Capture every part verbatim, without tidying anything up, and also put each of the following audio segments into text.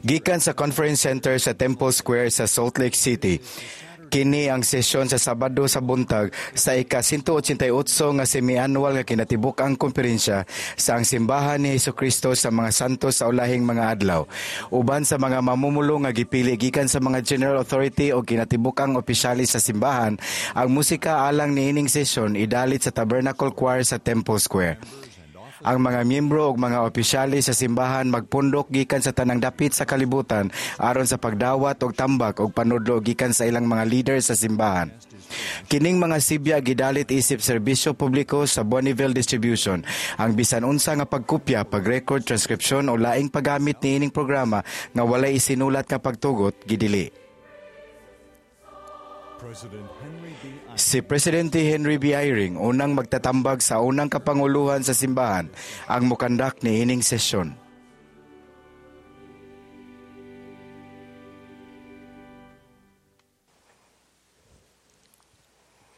Gikan sa Conference Center sa Temple Square sa Salt Lake City. Kini ang sesyon sa Sabado sa buntag sa ika one eighty-eight nga semi-annual nga kinatibuk-ang komperensya sa ang Simbahan ni Hesukristo sa mga Santos sa Ulahing Mga Adlaw. Uban sa mga mamumulo nga gipili gikan sa mga General Authority o kinatibuk-ang opisyalis sa simbahan, ang musika alang niining sesyon idalit sa Tabernacle Choir sa Temple Square. Ang mga miyembro ug mga opisyalis sa simbahan magpundok gikan sa tanang dapit sa kalibutan aron sa pagdawat og tambak og panudlo gikan sa ilang mga leader sa simbahan. Kining mga sibya gidalit isip serbisyo publiko sa Bonneville Distribution. Ang bisan unsa nga pagkopya, pag-record, transcription o laing paggamit niining programa nga walay isinulat nga pagtugot gidili. President Henry B. Si Presidente Henry B. Eyring, unang magtatambag sa unang kapanguluhan sa simbahan, ang mukandak niining sesyon.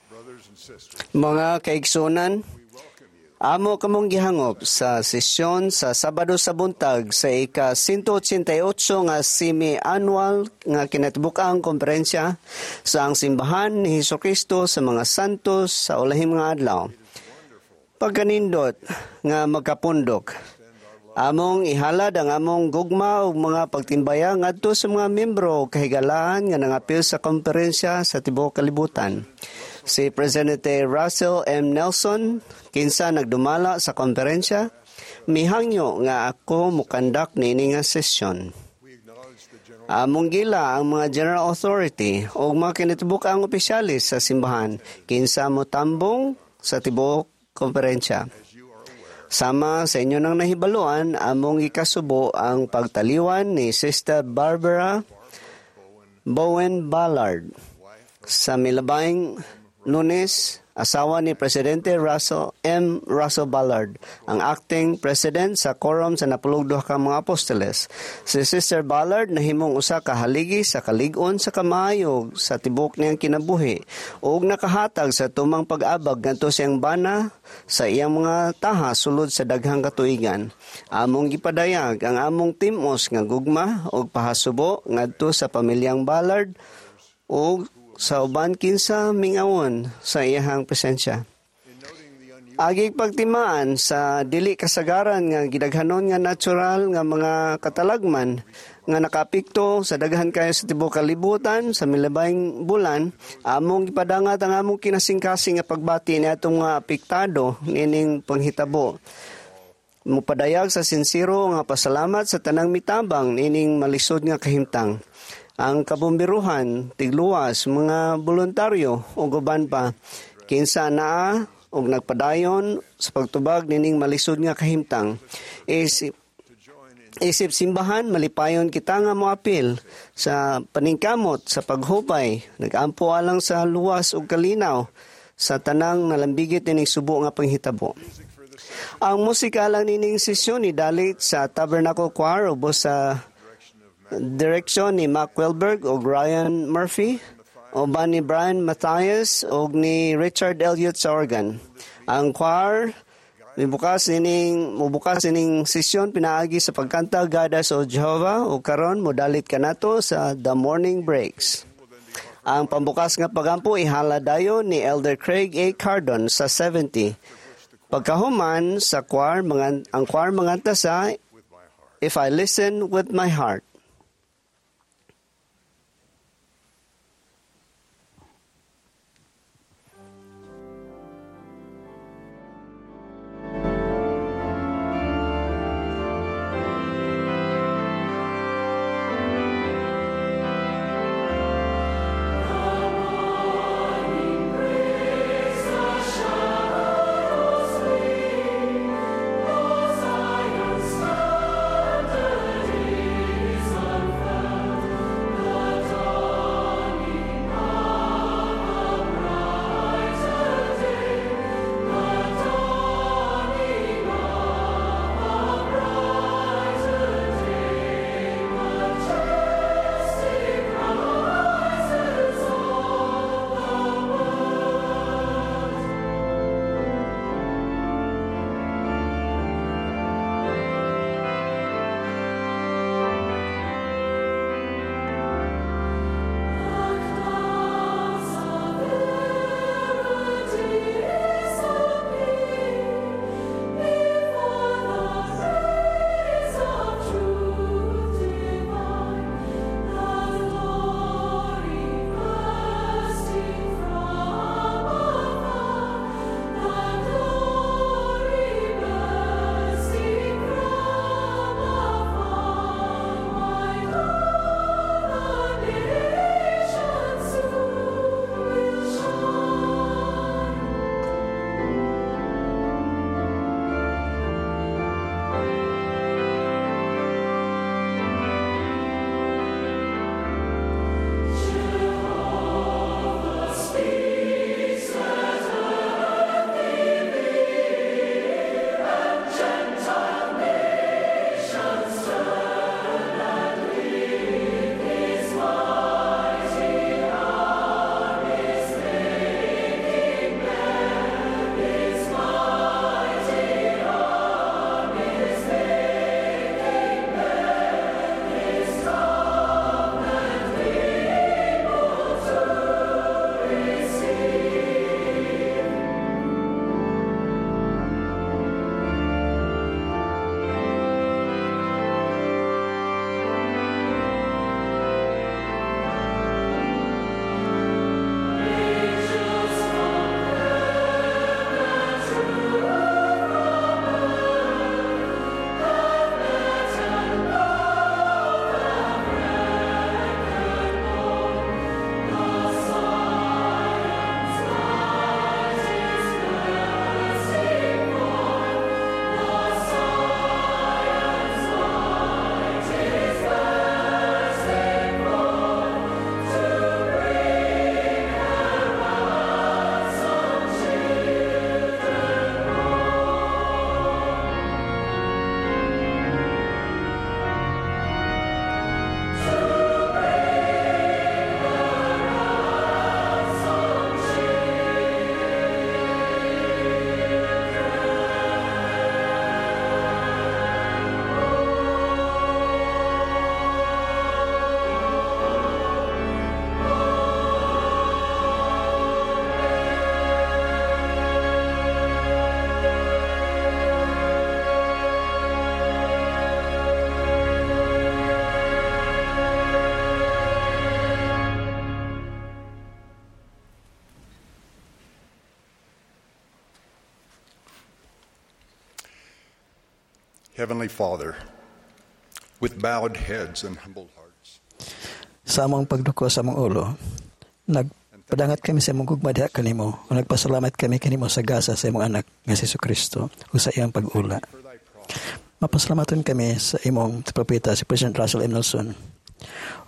Brothers and sisters, Mga kaigsunan, we welcome you amo kamong gihangop sa sesyon sa Sabado sa buntag sa ika one eighty-eight nga semi-annual nga kinatibuk-ang komperensya sa ang Simbahan ni Hesukristo sa mga Santos sa Ulahing Mga Adlaw. Pagkanindot nga magkapundok, among ihalad ang among gugma ug mga pagtimbaya ngadto sa mga miyembro ug kahigalaan nga nangapil sa komperensya sa tibuok kalibutan. Si Presidente Russell M. Nelson, kinsa nagdumala sa komperensya, mihangyo nga ako mukandak niini nga sesyon. We acknowledge the general Among gila ang mga General Authority o mga kinatibuk-ang opisyalis sa simbahan, kinsa motambong sa tibuok komperensya. As you are aware, Sama sa inyo nang nahibaluan, among ikasubo ang pagtaliwan ni Sister Barbara Bowen Ballard wife sa milabayng Lunes, asawa ni Presidente Russell M. Russell Ballard, ang acting president sa quorum sa napulog duha ka mga apostoles. Si Sister Ballard nahimong usa ka haligi sa kalig-on sa kamaayo sa tibuok niyang kinabuhi ug nakahatag sa tumang pag-abag ngadto sa iyang bana sa iyang mga taha sulod sa daghang katuigan. Among gipadayag ang among timos nga gugma ug pahasubo ngadto sa pamilyang Ballard ug sa uban kinsa mingawon sa iyahang presensya. In noting the unusual Agig pagtimaan sa dili kasagaran nga gidaghanon nga natural nga mga katalagman nga nakaapekto sa daghan kayo sa tibuok kalibutan sa milabayng bulan, among gipadangat ang among kinasingkasing nga pagbati ni atong mga apektado niining panghitabo. Mupadayag sa sinsero nga pasalamat sa tanang mitabang niining malisod nga kahimtang. Ang kabomberuhan, tigluwas, mga voluntaryo ug uban pa kinsa naa og nagpadayon sa pagtubag nining malisod nga kahimtang. Isip, to join in isip simbahan, malipayon kita nga moapil sa paningkamot sa paghupay, nagampo alang sa luwas ug kalinaw sa tanang nalambigit nining subo nga panghitabo. Music for the session Ang musika lang nining sesyon ni dalit sa Tabernacle Choir ubos sa direction of Matt direksyon ni Mac Welberg ug Ryan Murphy, uban ni Brian Matthias ug ni Richard Elliott sa organ. Ang choir mibukas nining mubukas nining sesyon pinaagi sa pagkanta "Guide Us O Jehovah" ug karon modalit kanato sa "The Morning Breaks." will then be offered Ang pambukas nga pagampo ihala dayon ni Elder Craig A. Cardon sa seventy. Pagkahuman sa choir, mga, ang choir manganta sa with my heart. "If I Listen with My Heart." Standard is Heavenly Father, with bowed heads and humble hearts, Sa among pagduko sa among ulo, nagpadangat kami sa imong gugma diha kanimo ug nagpasalamat kami kanimo sa gasa sa imong anak nga si Kristo ug sa iyang pag-ula. For thy prophet, Mapasalamaton kami sa imong propeta si President Russell M. Nelson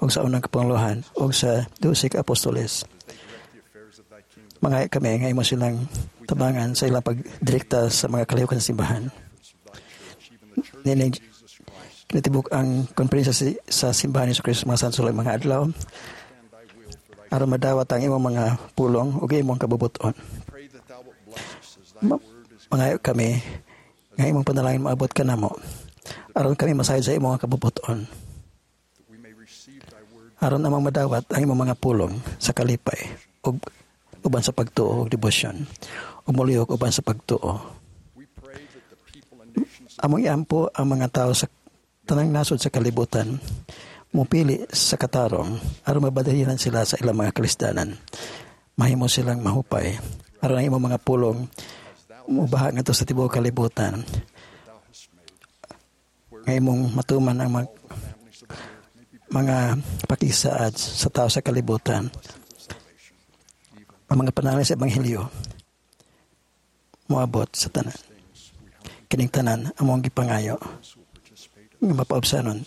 ug sa unang kapanguluhan ug sa dose ka apostoles. As they direct the affairs of thy kingdom, Mangay kami nga imo silang tabangan sa ilang pagdirekta sa mga kalihukan sa simbahan. Of thy church, even the church Nining of Jesus Christ, kinatibuk-ang konferensya si, sa simbahan ni Kristo mga santos mga adlaw and thy will for thy aron madawat ang imong mga pulong ug imong kabubuton. Pray that thou wilt bless us as thy Ma- word is Mangayo kami nga imong panalangin maabot kanamo aron kami masayod sa imong mga kabubuton, that we may receive thy word aron among madawat ang imong mga pulong sa kalipay ug uban sa pagtuo ug debosyon ug molihok uban sa pagtuo. We pray that the people and nations Among iampo ang mga tao sa tanang nasod sa kalibutan mupili sa katarong aron mabadahilan sila sa ilang mga kalisdanan, mahimo silang mahupay aron ang imong mga pulong mubaha ngadto sa tibuok kalibutan, thou hast made, nga imong matuman ang mga, families of the earth may be mga pakisaad sa tao sa kalibutan, blessings of salvation, even ang mga panalangin sa ebanghelyo moabot sa tanan. Things we humbly Kining tanan among gipangayo those who will participate in nga mapaubsanon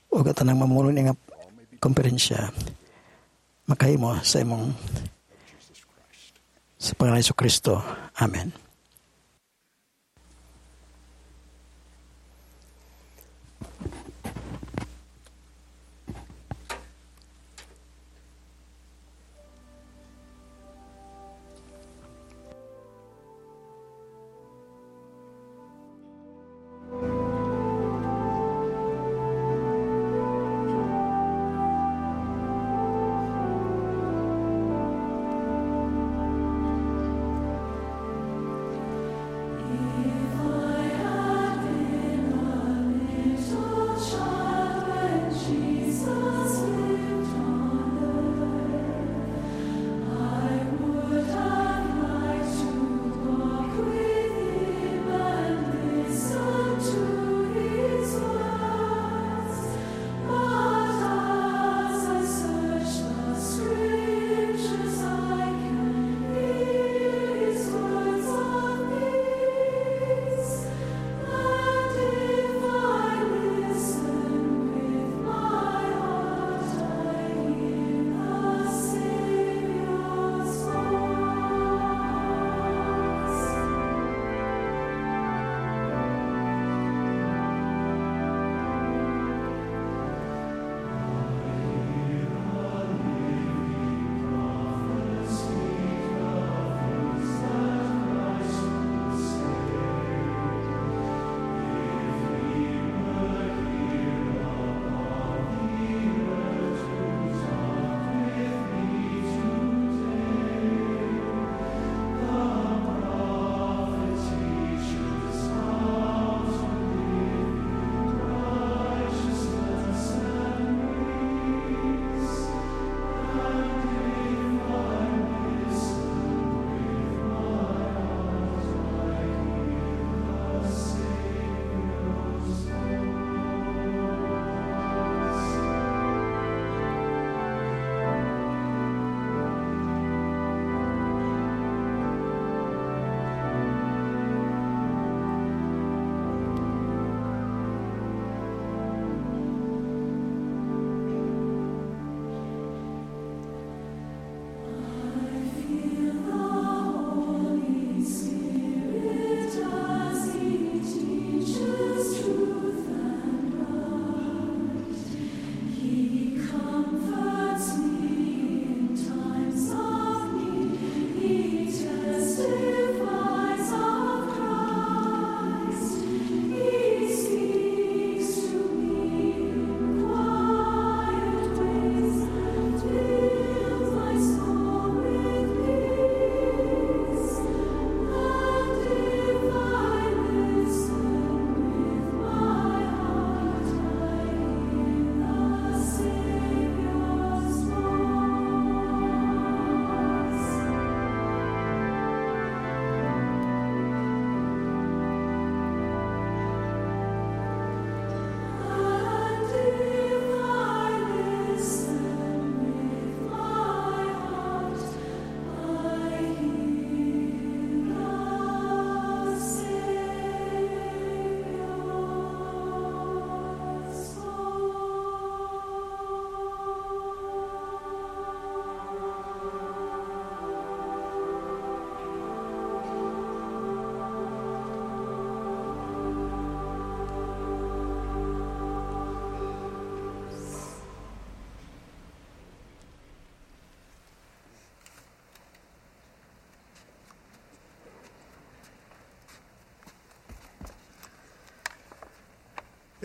ug ang tanang mamulong nga konferensya makahimo sa imong of Jesus Christ. Sa pangalan ni Kristo. Amen.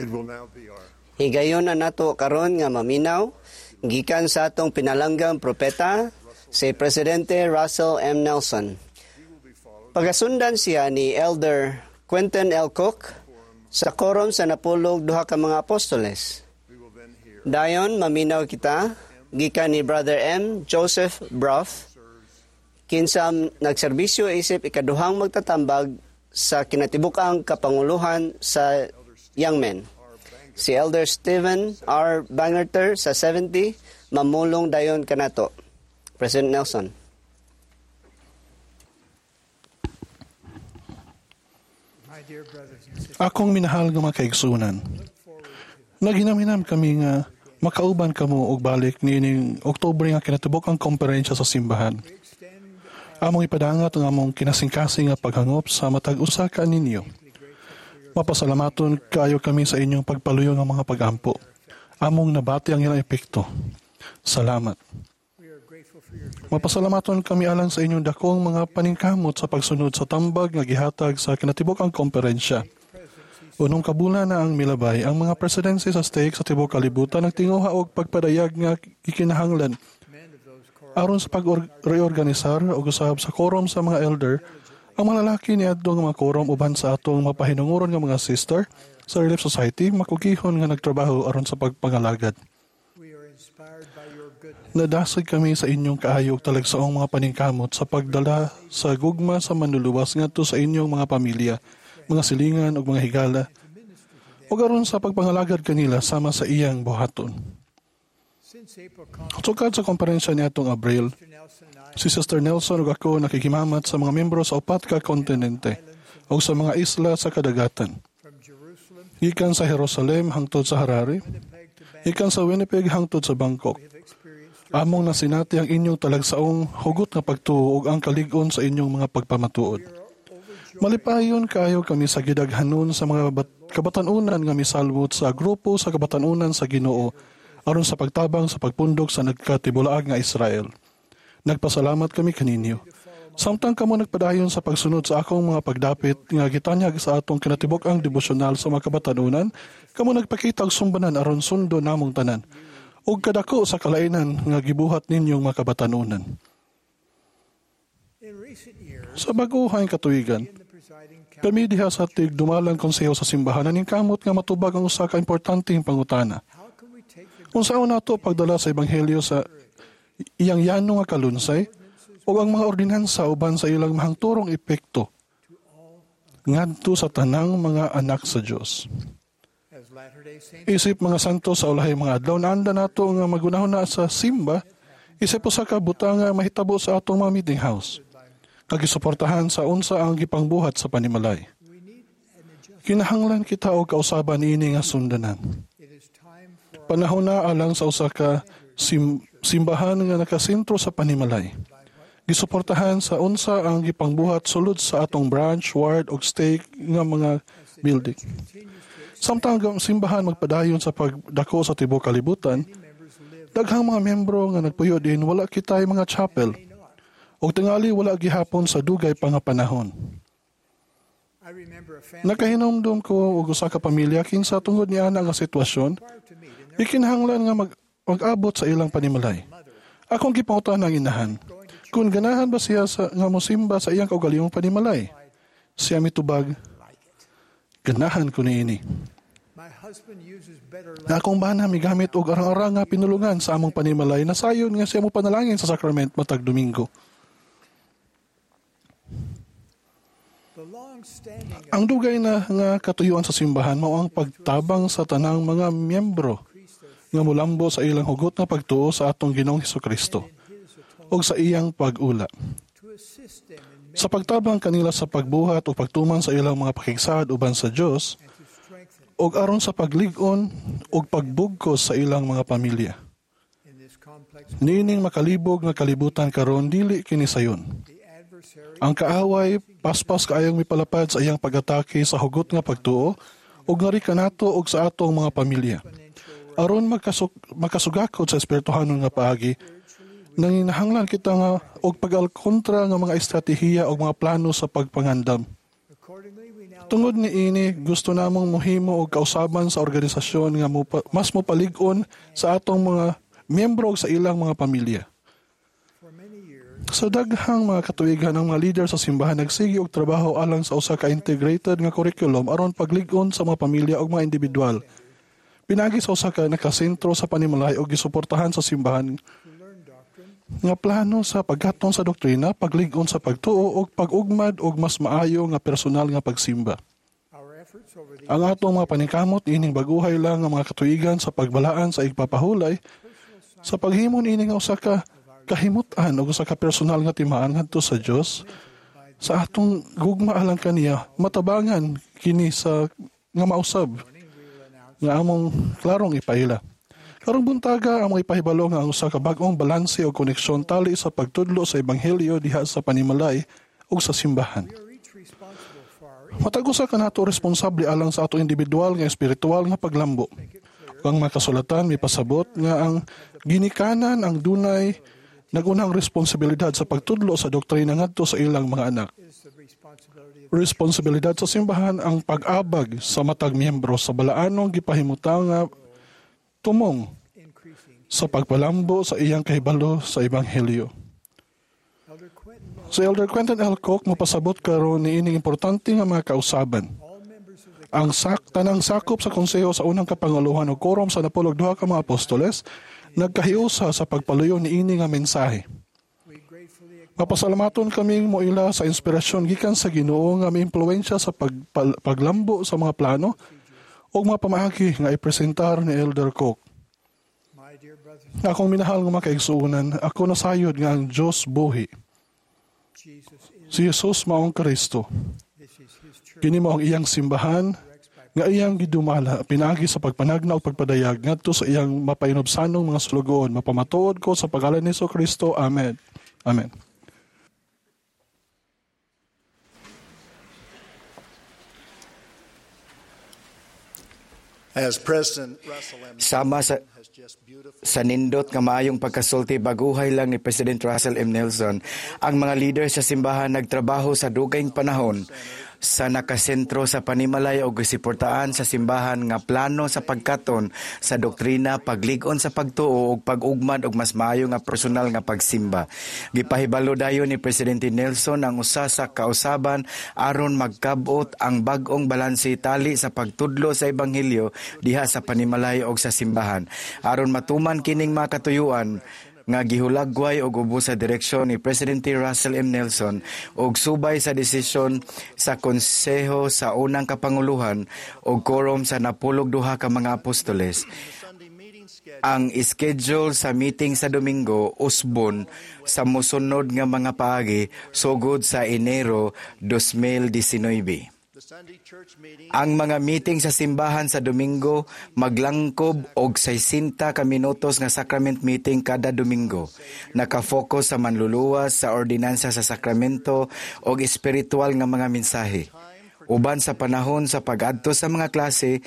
It will now be our Higayon na nato karon nga maminaw gikan sa atong pinalanggang propeta si Presidente Russell M. Nelson. Pagasundan siya ni Elder Quentin L. Cook sa korom sa napulog duha ka mga apostoles. we will then hear Dayon maminaw kita gikan ni Brother M. Joseph Brough kinsa nagserbisyo isip ikaduhang magtatambag sa kinatibuk-ang kapanguluhan sa Young Men. Si Elder Stephen R. Bangerter sa seventy mamulong dayon kanato. President Nelson. My dear brothers and sisters, Akong minahal nga mga kaigsunan. Naghinam-hinam kami nga makauban kamo og balik niining Oktubre nga kinatibuk ang komperensya sa simbahan. Among ipadangat ang among kinasingkasing nga paghangop sa matag usa ka ninyo. Mapasalamaton kaayo kami sa inyong pagpaluyo nga mga pagampo. Among nabati ang ilang epekto. Salamat. we are grateful for your Mapasalamaton kami alang sa inyong dakong mga paningkamot sa pagsunod sa tambag nga gihatag sa kinatibuk ang komperensya. Unong kabula na ang milabay ang mga presidency sa stake sa tibuok kalibutan nagtinguha og pagpadayag nga gikinahanglan men of those quorum aron sa pag-reorganisar og usab sa quorum sa mga elder ang mga lalaki niadto nga mga quorum uban sa atong mapahinunguron nga mga sister sa Relief Society makugihon nga nagtrabaho aron sa pagpangalagad. we are inspired by your goodness Nadasig kami sa inyong kaayo ug talagsaong mga paningkamot sa pagdala sa gugma sa manluluwas ngadto sa inyong mga pamilya, mga silingan ug mga higala, ug aron sa pagpangalagad kanila sama sa iyang buhaton. since April conference Sukad sa komperensya niadtong Abril, Mister Nelson and I si Sister Nelson ug ako nakikimamat sa mga miyembro sa upat ka kontinente ug sa mga isla sa kadagatan. from Jerusalem Gikan sa Jerusalem hangtod sa Harare, Winnipeg to Bangkok gikan sa Winnipeg hangtod sa Bangkok. have experienced Among nasinati ang inyong talagsaong hugot nga pagtuo ug ang kalig-on sa inyong mga pagpamatuod. Malipayon kaayo kami sa gidaghanon sa mga bat- kabatan-unan nga misalwot sa grupo sa kabatan-unan sa Ginoo aron sa pagtabang sa pagpundok sa nagkatibulaag nga Israel. Nagpasalamat kami kaninyo. Samtang kamo nagpadayon sa pagsunod sa akong mga pagdapit nga gitanyag sa atong kinatibuk-ang debosyonal sa mga kabatan-unan, kamo nagpakita og sumbanan aron sundo namong tanan ug kadako sa kalainan nga gibuhat ninyong mga kabatan-unan. in recent years Sa bag-ohay katuigan, in the presiding council kami diha sa tigdumalang konseho sa simbahan naningkamot nga matubag ang usa ka importanteng pangutana. how can we take the Unsaon nato pagdala sa ebanghelyo sa iyang yano nga kalunsay ug ang mga ordinansa uban sa ilang mahangturong epekto ngadto sa tanang mga anak sa Dios. as Latter-day Saints Isip mga santo sa ulahi mga adlaw naanda nato nga magunahon na sa simba isip usa ka butang nga mahitabo sa atong mga meeting house nga gisuportahan sa unsa ang gipangbuhat sa panimalay. we need an adjustment Kinahanglan kita og kausaban niini nga sundanan. it is time for Panahon na alang sa usa ka sim- simbahan nga nakasentro sa panimalay. Gisuportahan sa unsa ang gipangbuhat sulod sa atong branch, ward ug stake nga mga building. Samtang ang simbahan magpadayon sa pagdako sa tibuok kalibutan, members live daghang mga miyembro nga nagpuyo din wala kitay mga chapel ug tingali wala gihapon sa dugay pa nga panahon. I remember a family Nakahinumdum ko og usa ka pamilya kinsa tungod niana nga sitwasyon required to meet in their ikinahanglan nga mag mag-abot sa ilang panimalay. Akong gipangutan ang inahan, kung ganahan ba siya sa, nga mosimba sa iyang kaugalingong panimalay? Siya mitubag, like it ganahan ko niini. my husband uses better Na akong bana migamit og arang-arang nga pinulungan sa among panimalay na sayon nga siya mo panalangin sa sakrament matag Domingo. the long-standing Ang dugay na nga katuyuan sa simbahan mao ang pagtabang sa tanang mga miyembro nga mulambo sa ilang hugot nga pagtuo sa atong Ginoong Hesukristo his atonement ug sa iyang pag-ula. to assist them in Sa pagtabang kanila sa pagbuhat o pagtuman sa ilang mga pakigsaad uban sa Dios and to strengthen ug aron sa paglig-on ug pagbugkos sa ilang mga pamilya. in this complex Niining makalibog nga kalibutan karon dili kini sayon. the adversary Ang kaaway paspas kaayong mipalapad sa iyang pag-atake sa hugot nga pagtuo ug ngari kanato ug sa atong mga pamilya. Aron magkasug makasugakod sa espirituhanon nga paagi, nanginahanglan kita nga og pag-alkontra nga mga estratehiya ug mga plano sa pagpangandam. accordingly we now Tungod niini, gusto namong mohimo og kausaban sa organisasyon nga mopa, mas mopalig-on sa atong mga miyembro ug sa ilang mga pamilya. Sa daghang mga katuigan, ang mga leader sa simbahan nagsige og trabaho alang sa usa ka integrated nga curriculum aron paglig-on sa mga pamilya ug mga individual. Pinaagi sa usa ka nakasentro sa panimalay ug gisuportahan sa simbahan nga plano sa pagkaton sa doktrina, paglig-on sa pagtuo ug pag-ugmad og mas maayo nga personal nga pagsimba. Our efforts over the Ang atong mga paningkamot ining baguhay lang nga mga katuigan sa pagbalaan sa igpapahulay sa paghimo niini nga usa ka kahimut-an ug usa ka personal nga timaan ngadto sa Dios sa atong gugma alang kaniya, matabangan kini sa nga mausab nga among klarong ipaila. Karong buntaga, among ipahibalo nga ang usa ka bag-ong balanse o koneksyon tali sa pagtudlo sa ebanghelyo diha sa panimalay ug sa simbahan. We are each responsible for our Matag usa kanato responsable alang sa ato individual nga espiritual nga paglambo. Ug ang mga kasulatan mipasabot nga ang ginikanan ang dunay nagunang responsibilidad sa pagtudlo sa doktrina ngadto sa ilang mga anak. Is the responsibility of Responsibilidad sa simbahan ang pag-abag sa matag miyembro sa balaanong gipahimutang nga tumong increasing. Sa pagpalambo sa iyang kahibalo sa ebanghelyo. Elder Quentin L. Si Elder Quentin L. Cook mopasabot karon niining importante nga mga kausaban. All members of the Ang sak tanang sakop sa konseho sa unang kapanguluhan o quorum sa napulog duha ka mga apostoles nagkahiusa sa pagpaluyo niini nga mensahe. We gratefully Mapasalamaton kaming moila sa inspirasyon gikan sa Ginoo nga miimpluwensya sa pagpal- paglambo sa mga plano ug mga pamaagi nga ipresentar ni Elder Cook. My dear brothers, Nga akong minahal nga mga kaigsuonan, ako nasayod nga ang Dios buhi. Jesus is Si Jesus maong Kristo. This is his church. Kini mao ang iyang simbahan nga iyang gidumala pinaagi sa pagpanagna ug pagpadayag ngadto sa iyang mapahinubsanong mga sulugoon. Mapamatuod ko sa pangalan ni Kristo. Amen. Amen. As President Russell M. Sama sa has just beautifully sa nindot nga maayong pagkasulti baguhay lang ni President Russell M. Nelson, ang mga leader sa simbahan nagtrabaho sa dugayng panahon sa nakasentro sa panimalay o gisuportaan sa simbahan nga plano sa pagkaton sa doktrina, paglig-on sa pagtuo ug pag-ugmad og mas maayo nga personal nga pagsimba. Gipahibalo dayon ni Presidente Nelson ang usa sa kausaban aron magkab-ot ang bag-ong balanse tali sa pagtudlo sa ebanghelyo diha sa panimalay og sa simbahan. Aron matuman kining mga katuyuan nga gihulagway og ubos sa direksyon ni Presidente Russell M. Nelson og subay sa desisyon sa konseho sa unang kapanguluhan og quorum sa napulog duha ka mga apostoles. Sunday meeting schedule Ang schedule sa meeting sa Domingo usbon sa mosunod nga mga paagi sugod sa Enero twenty nineteen. The Sunday church meeting Ang mga meeting sa simbahan sa Domingo maglangkob og sixty ka minutos nga sacrament meeting kada Domingo. Nakafocus sa manluluwas, sa ordinansa sa sakramento og espiritual nga mga mensahe. Uban sa panahon sa pag-adto sa mga klase,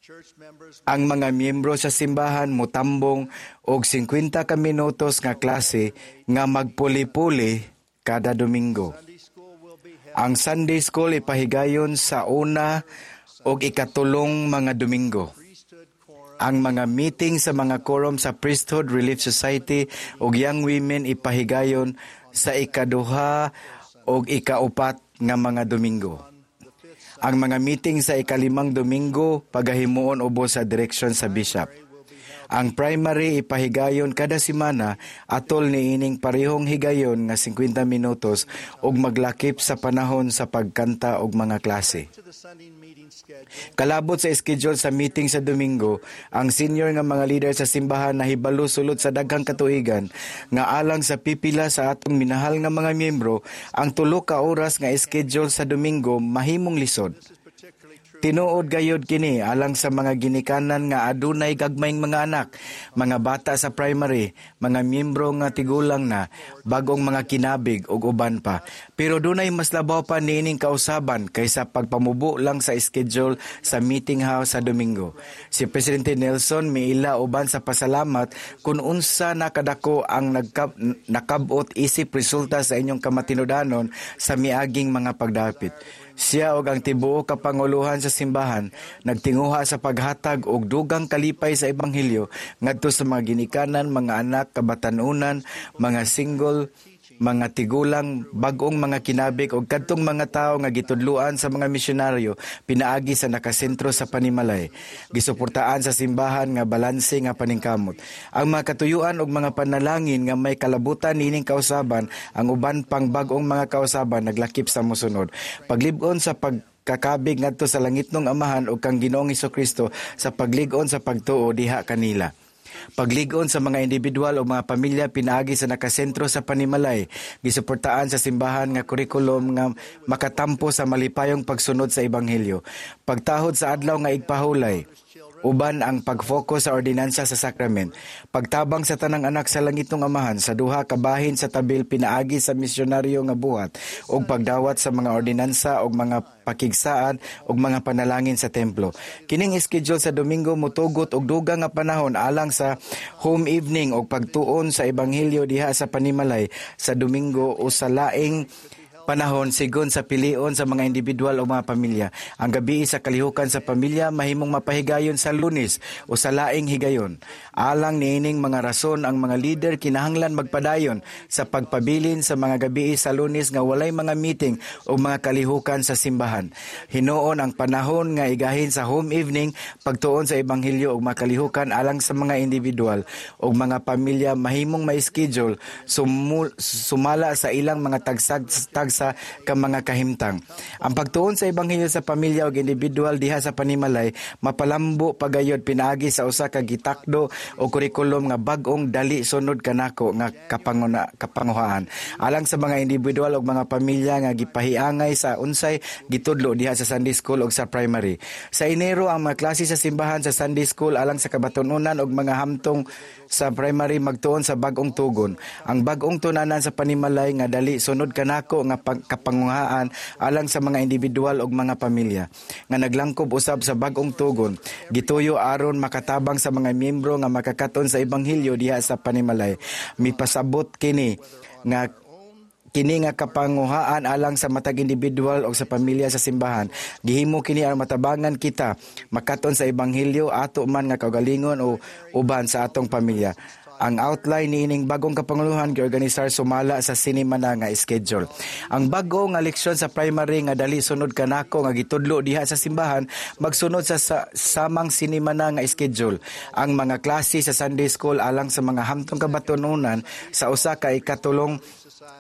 church members ang mga miyembro sa simbahan motambong og singkwenta ka minutos nga klase nga magpuli-puli kada Domingo. Sunday school will be held Ang Sunday School ipahigayon sa una og ikatulong mga Domingo. Priesthood quorum Ang mga meeting sa mga quorum sa Priesthood Relief Society ug Young Women ipahigayon sa ikaduha ug ikaupat nga mga Domingo. Ang mga meeting sa ikalimang Domingo pagahimuon ubos sa direksyon sa bishop. Ang primary ipahigayon kada semana atol niining parehong higayon nga singkwenta minutos ug maglakip sa panahon sa pagkanta og mga klase. To the Sunday meeting schedule. Kalabot sa schedule sa meeting sa Domingo, ang senior nga mga leader sa simbahan nahibalo sulod sa daghang katuigan nga alang sa pipila sa atong minahal nga mga miyembro, ang tulo ka oras nga schedule sa Domingo mahimong lisod. This is particularly true Tinuod gayud kini alang sa mga ginikanan nga adunay gagmayng mga anak, mga bata sa primary, mga miyembro nga tigulang na, bagong mga kinabig ug uban pa. Pero dunay mas labaw pa niining kausaban kaysa pagpamubo lang sa schedule sa meeting house sa Domingo. Si Presidente Nelson miila uban sa pasalamat kung unsa nakadako ang nagkab- nakabot isip resulta sa inyong kamatinudanon sa miaging mga pagdapit. Siya og ang tibuok kapanguluhan sa simbahan nagtinguha sa paghatag og dugang kalipay sa ebanghelyo ngadto sa mga ginikanan, mga anak, kabatanunan, mga single, mga tigulang, bag-ong mga kinabig og kadtong mga tawo nga gitudloan sa mga misyonaryo pinaagi sa nakasentro sa panimalay. Gisuportaan sa simbahan nga balanse nga paningkamot. Ang mga katuyuan og mga panalangin nga may kalabutan niining kausaban, ang uban pang bag-ong mga kausaban naglakip sa mosunod. Paglib-on sa pag kakabig ngadto sa langitnong Amahan ug kang Ginoong Kristo sa paglig-on sa pagtuo diha kanila. Paglig-on sa mga individual o mga pamilya pinaagi sa nakasentro sa panimalay, gisuportaan sa simbahan nga kurikulum nga makatampo sa malipayong pagsunod sa ebanghelyo. Pagtahod sa adlaw nga igpahulay, uban ang pag-focus sa ordinansa sa sakrament. Pagtabang sa tanang anak sa langitong Amahan sa duha ka bahin sa tabil pinaagi sa misyonaryo nga buhat ug pagdawat sa mga ordinansa ug mga pakigsaad ug mga panalangin sa templo. Kining schedule sa Domingo motugot og dugang nga panahon alang sa home evening ug pagtuon sa ebanghelyo diha sa panimalay sa Domingo o sa laing panahon sigon sa pilion sa mga individual o mga pamilya. Ang gabi sa kalihukan sa pamilya mahimong mapahigayon sa Lunes o sa laing higayon. Alang niining mga rason, ang mga leader kinahanglan magpadayon sa pagpabilin sa mga gabi sa Lunes nga walay mga meeting o mga kalihukan sa simbahan. Hinuon ang panahon nga igahin sa home evening, pagtuon sa ebanghelyo ug mga kalihukan alang sa mga individual o mga pamilya mahimong ma-schedule sumul, sumala sa ilang mga tagsag tagsa ka mga kahimtang. Ang pagtuon sa ebanghelyo sa pamilya ug individual diha sa panimalay mapalambo pagayod pinaagi sa usa ka gitakdo o kurikulum nga bag-ong dali sunod kanako nga kapanguna, kapanguhaan alang sa mga individual ug mga pamilya nga gipahiangay sa unsay gitudlo diha sa Sunday school ug sa primary. Sa Enero, ang mga klase sa simbahan sa Sunday school alang sa kabatununan ug mga hamtong sa primary magtuon sa bag-ong tugon. Ang bag-ong tunanan sa panimalay nga dali sunod kanako nga kapanguhaan alang sa mga individual ug mga pamilya nga naglangkob usab sa bag-ong tugon gituyo aron makatabang sa mga miyembro nga makakaton sa ebanghelyo diha sa panimalay. Mipasabot kini nga kini nga kapanguhaan alang sa matag individual o sa pamilya sa simbahan gihimo kini aron matabangan kita makaton sa ebanghelyo ato man nga kaugalingon o uban sa atong pamilya. Ang outline niining bagong kapanguluhan giorganisar sumala sa sinimana nga schedule. Ang bago nga leksyon sa primary nga dali sunod kanako nga gitudlo diha sa simbahan magsunod sa, sa samang sinimana nga schedule. Ang mga klase sa Sunday school alang sa mga hamtong kabatununan sa usa ka ikatulong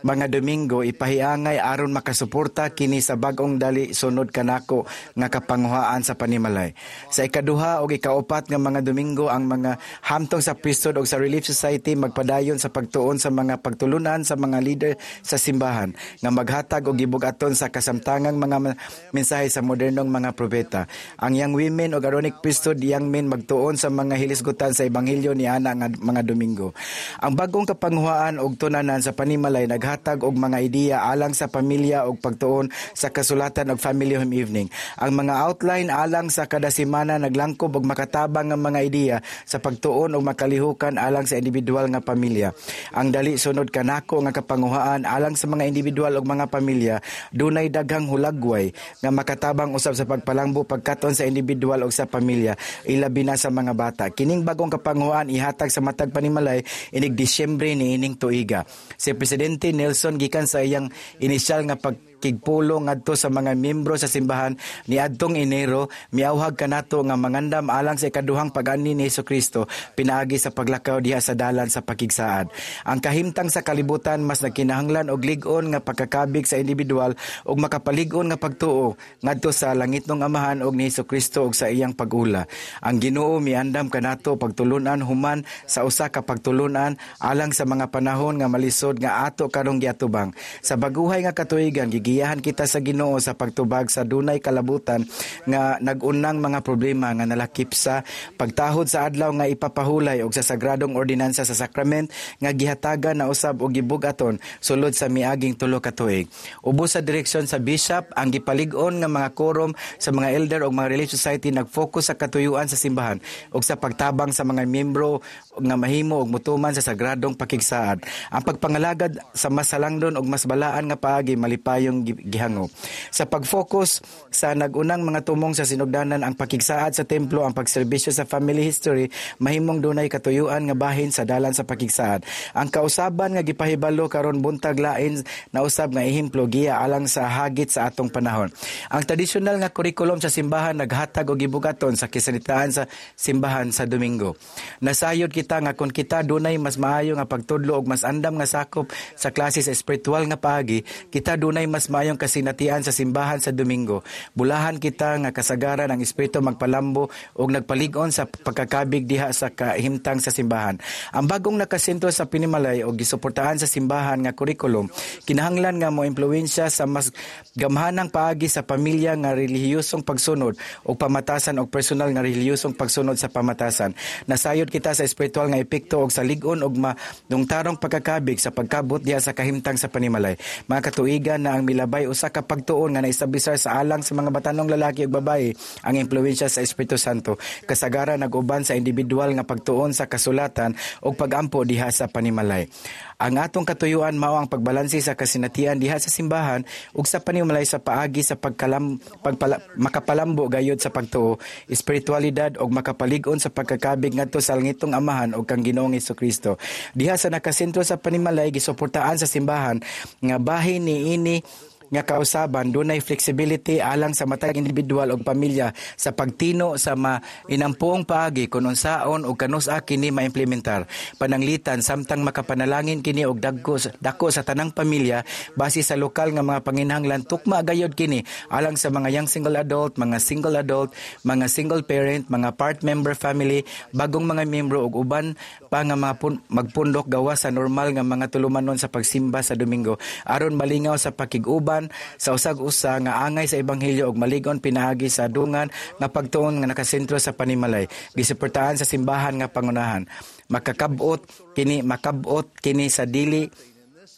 mga Domingo ipahiangay aron makasuporta kini sa bag-ong dali sunod kanako nga kapanguhaan sa panimalay. Sa ikaduha o ikaupat nga mga Domingo, ang mga hamtong sa priesthood o sa Relief Society magpadayon sa pagtuon sa mga pagtulunan sa mga leader sa simbahan nga maghatag og gibug-aton sa kasamtangang mga mensahe sa modernong mga propeta. Ang Young Women o Aaronic Priesthood Young Men magtuon sa mga hilisgutan sa ebanghelyo ni ana nga mga Domingo. Ang bagong kapanguhaan og tunanan sa panimalay naghatag og mga ideya alang sa pamilya og pagtuon sa kasulatan og family home evening. Ang mga outline alang sa kada semana naglangkob og makatabang nga mga ideya sa pagtuon og makalihukan alang sa individual nga pamilya. Ang dali sunod kanako nga kapanguhaan alang sa mga individual og mga pamilya dunay daghang hulagway nga makatabang usab sa pagpalangbo pagkaton sa individual og sa pamilya, ilabi na sa mga bata. Kining bagong kapanguhaan ihatag sa matag panimalay inig Disyembre niining tuiga. Si Presidente Nelson, gikan sa iyang inisyal nga pagkigpulo ngadto sa mga miyembro sa simbahan niadtong Enero, miawhag kanato nga mangandam alang sa ikaduhang pag-ani ni Kristo pinaagi sa paglakaw diha sa dalan sa pakigsaad. Ang kahimtang sa kalibutan mas nagkinahanglan og lig-on nga pagkakabig sa individual ug makapalig-on nga pagtuo ngadto sa langitnong Amahan og ni Kristo ug sa iyang pag-ula. Ang Ginoo miandam kanato pagtulunan human sa usa ka pagtulunan alang sa mga panahon nga malisod nga ato karong giatubang. Sa baguhay nga katuigan, gigiyahan kita sa Ginoo sa pagtubag sa dunay kalabutan nga nag-unang mga problema nga nalakip sa pagtahod sa adlaw nga ipapahulay og sa sagradong ordinansa sa sakrament nga gihatagan na usab og gibug-aton sulod sa miaging tulo ka tuig. Ubos sa direksyon sa bishop, ang gipalig-on nga mga quorum sa mga elder og mga Relief Society nag-focus sa katuyuan sa simbahan ug sa pagtabang sa mga miyembro nga mahimo og motuman sa sagradong pakigsaad. Ang pagpangalagad sa mas halangdon og mas balaan nga paagi malipayong gihangop. Sa pag-focus sa nagunang mga tumong sa sinugdanan, ang pakigsaad sa templo, ang pagserbisyo sa family history, mahimong dunay katuyuan nga bahin sa dalan sa pakigsaad. Ang kausaban nga gipahibalo karon buntag lain na usab nga ehemplo giya alang sa hagit sa atong panahon. Ang tradisyonal nga kurikulum sa simbahan naghatag og gibugaton sa kisalitaan sa simbahan sa Domingo. Nasayod kita nga kung kita dunay mas maayo nga pagtudlo og mas andam nga sakop sa klase sa espiritual nga paagi, kita dunay mas maayong kasinatian sa simbahan sa Domingo. Bulahan kita nga kasagaran ang espiritu magpalambo og nagpalig-on sa pagkakabig diha sa kahimtang sa simbahan. Ang bagong nakasentro sa panimalay og gisuportahan sa simbahan nga kurikulum kinahanglan nga moimpluwensya sa mas gamhanang paagi sa pamilya nga relihiyosong pagsunod og pamatasan og personal nga relihiyosong pagsunod sa pamatasan. Nasayod kita sa espiritual nga epekto og sa lig-on og madungtarong pagkakabig sa pagkabot diha sa kahimtang sa panimalay. Mga katuigan na ang milabay usa ka pagtuon nga naestablisar sa alang sa mga batanong lalaki ug babaye ang impluwensya sa Espiritu Santo. Kasagaran nag-uban sa individual nga pagtuon sa kasulatan ug pagampo diha sa panimalay. Ang atong katuyuan mao ang pagbalanse sa kasinatian diha sa simbahan ug sa panimalay sa paagi sa pagkalam, pagpala, makapalambo gayud sa pagtuo, espiritualidad ug makapalig-on sa pagkakabig ngadto sa langitong Amahan ug kang Ginoong Hesukristo. Diha sa nakasentro sa panimalay, gisuportaan sa simbahan nga bahin niini nga kausaban dunay flexibility alang sa matag individual og pamilya sa pagtino sa mainampuong paagi kun unsaon og kanus-a kini maimplementar. Pananglitan samtang makapanalangin kini og dagko dako sa tanang pamilya base sa lokal nga mga panginahanglan, tukma gayod kini alang sa mga young single adult, mga single adult, mga single parent, mga part member family, bagong mga miyembro ug uban pa nga mga pun- magpundok gawas sa normal nga mga tulumanon sa pagsimba sa Domingo aron malingaw sa pakig-uban sa usag-usa nga angay sa ebanghelyo ug maligon pinaagi sa dungan nga pagtuon nga nakasentro sa panimalay. Gisuportahan sa simbahan nga pangunahan. Makakabot kini makabot kini sa dili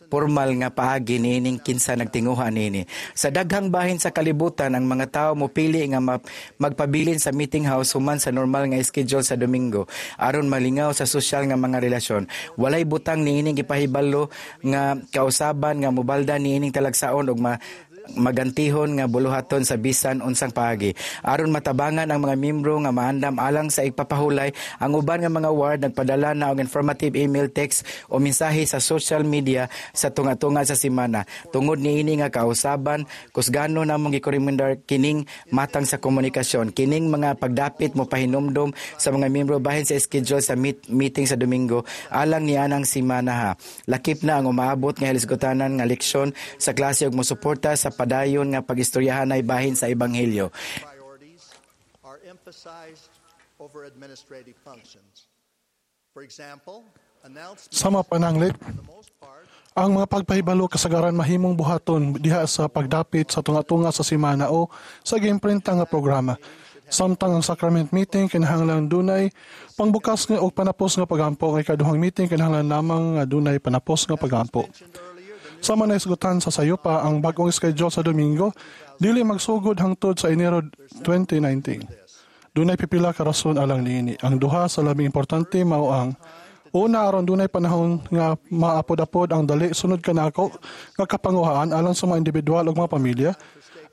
formal nga paagi niining kinsa nagtinguha niini. Sa daghang bahin sa kalibutan, ang mga tao mopili nga ma- magpabilin sa meeting house human sa normal nga schedule sa Domingo aron malingaw sa sosyal nga mga relasyon. Walay butang niining gipahibalo nga kausaban nga mobalda niining talagsaon og ma magantihon nga buluhaton sa bisan unsang paagi aron matabangan ang mga miyembro nga maandam alang sa ipapahulay. Ang uban nga mga ward nagpadala na og informative email, text o mensahe sa social media sa tunga-tunga sa semana. Tungod niini nga kausaban, kusgano namong girekomendar kining matang sa komunikasyon. Kining mga pagdapit mo pahinumdom sa mga miyembro bahin sa schedule sa meet, meeting sa Domingo alang nianang semana ha. Lakip na ang umaabot nga hilisgutanan nga leksyon sa klase ug mosuporta sa padayon nga pagistoryahan ay bahin sa ebanghelyo. Priorities are emphasized over administrative functions. For example, announcements Sama pananglit, for the most part ang mga pagpahibalo kasagaran mahimong buhaton diha sa pagdapit sa tunga-tunga sa simana o sa giimprinta nga programa. Samtang ang sacrament meeting kinahanglan dunay pangbukas nga og panapos nga pagampo, ang ikaduhang meeting kinahanglan lamang nga dunay panapos nga pagampo. Sama nahisgutan sa sayupa, ang bag-ong schedule sa Domingo dili magsugod hangtod sa Enero twenty nineteen. Dunay pipila ka rason alang niini. Ang duha sa labing importante mao ang: una, aron dunay panahon nga maapod-apod ang dali sunod kanako nga kapanguhaan alang sa mga individual ug mga pamilya.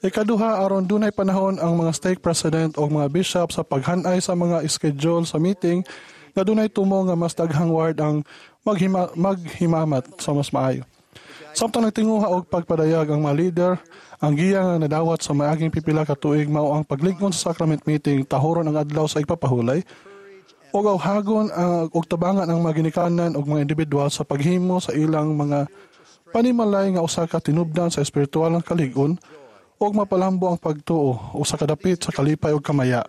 Ikaduha, aron dunay panahon ang mga stake president o mga bishop sa paghanay sa mga schedule sa meeting nga dunay tumo nga mas daghang ward ang maghima, maghimamat sa mas maayo. Samtang nagtinguha og pagpadayag ang mga leader, ang giya nga nadawat sa maaging pipila ka tuig mao ang paglig-on sa sacrament meeting, tahoron ang adlaw sa igpapahulay, ug awhagon ang og tabangan ang mga ginikanan ug mga individual sa paghimo sa ilang mga panimalay nga usa ka tinubdan sa espiritual nga kalig-on ug mapalambo ang pagtuo, usa ka dapit sa kalipay ug kamaya.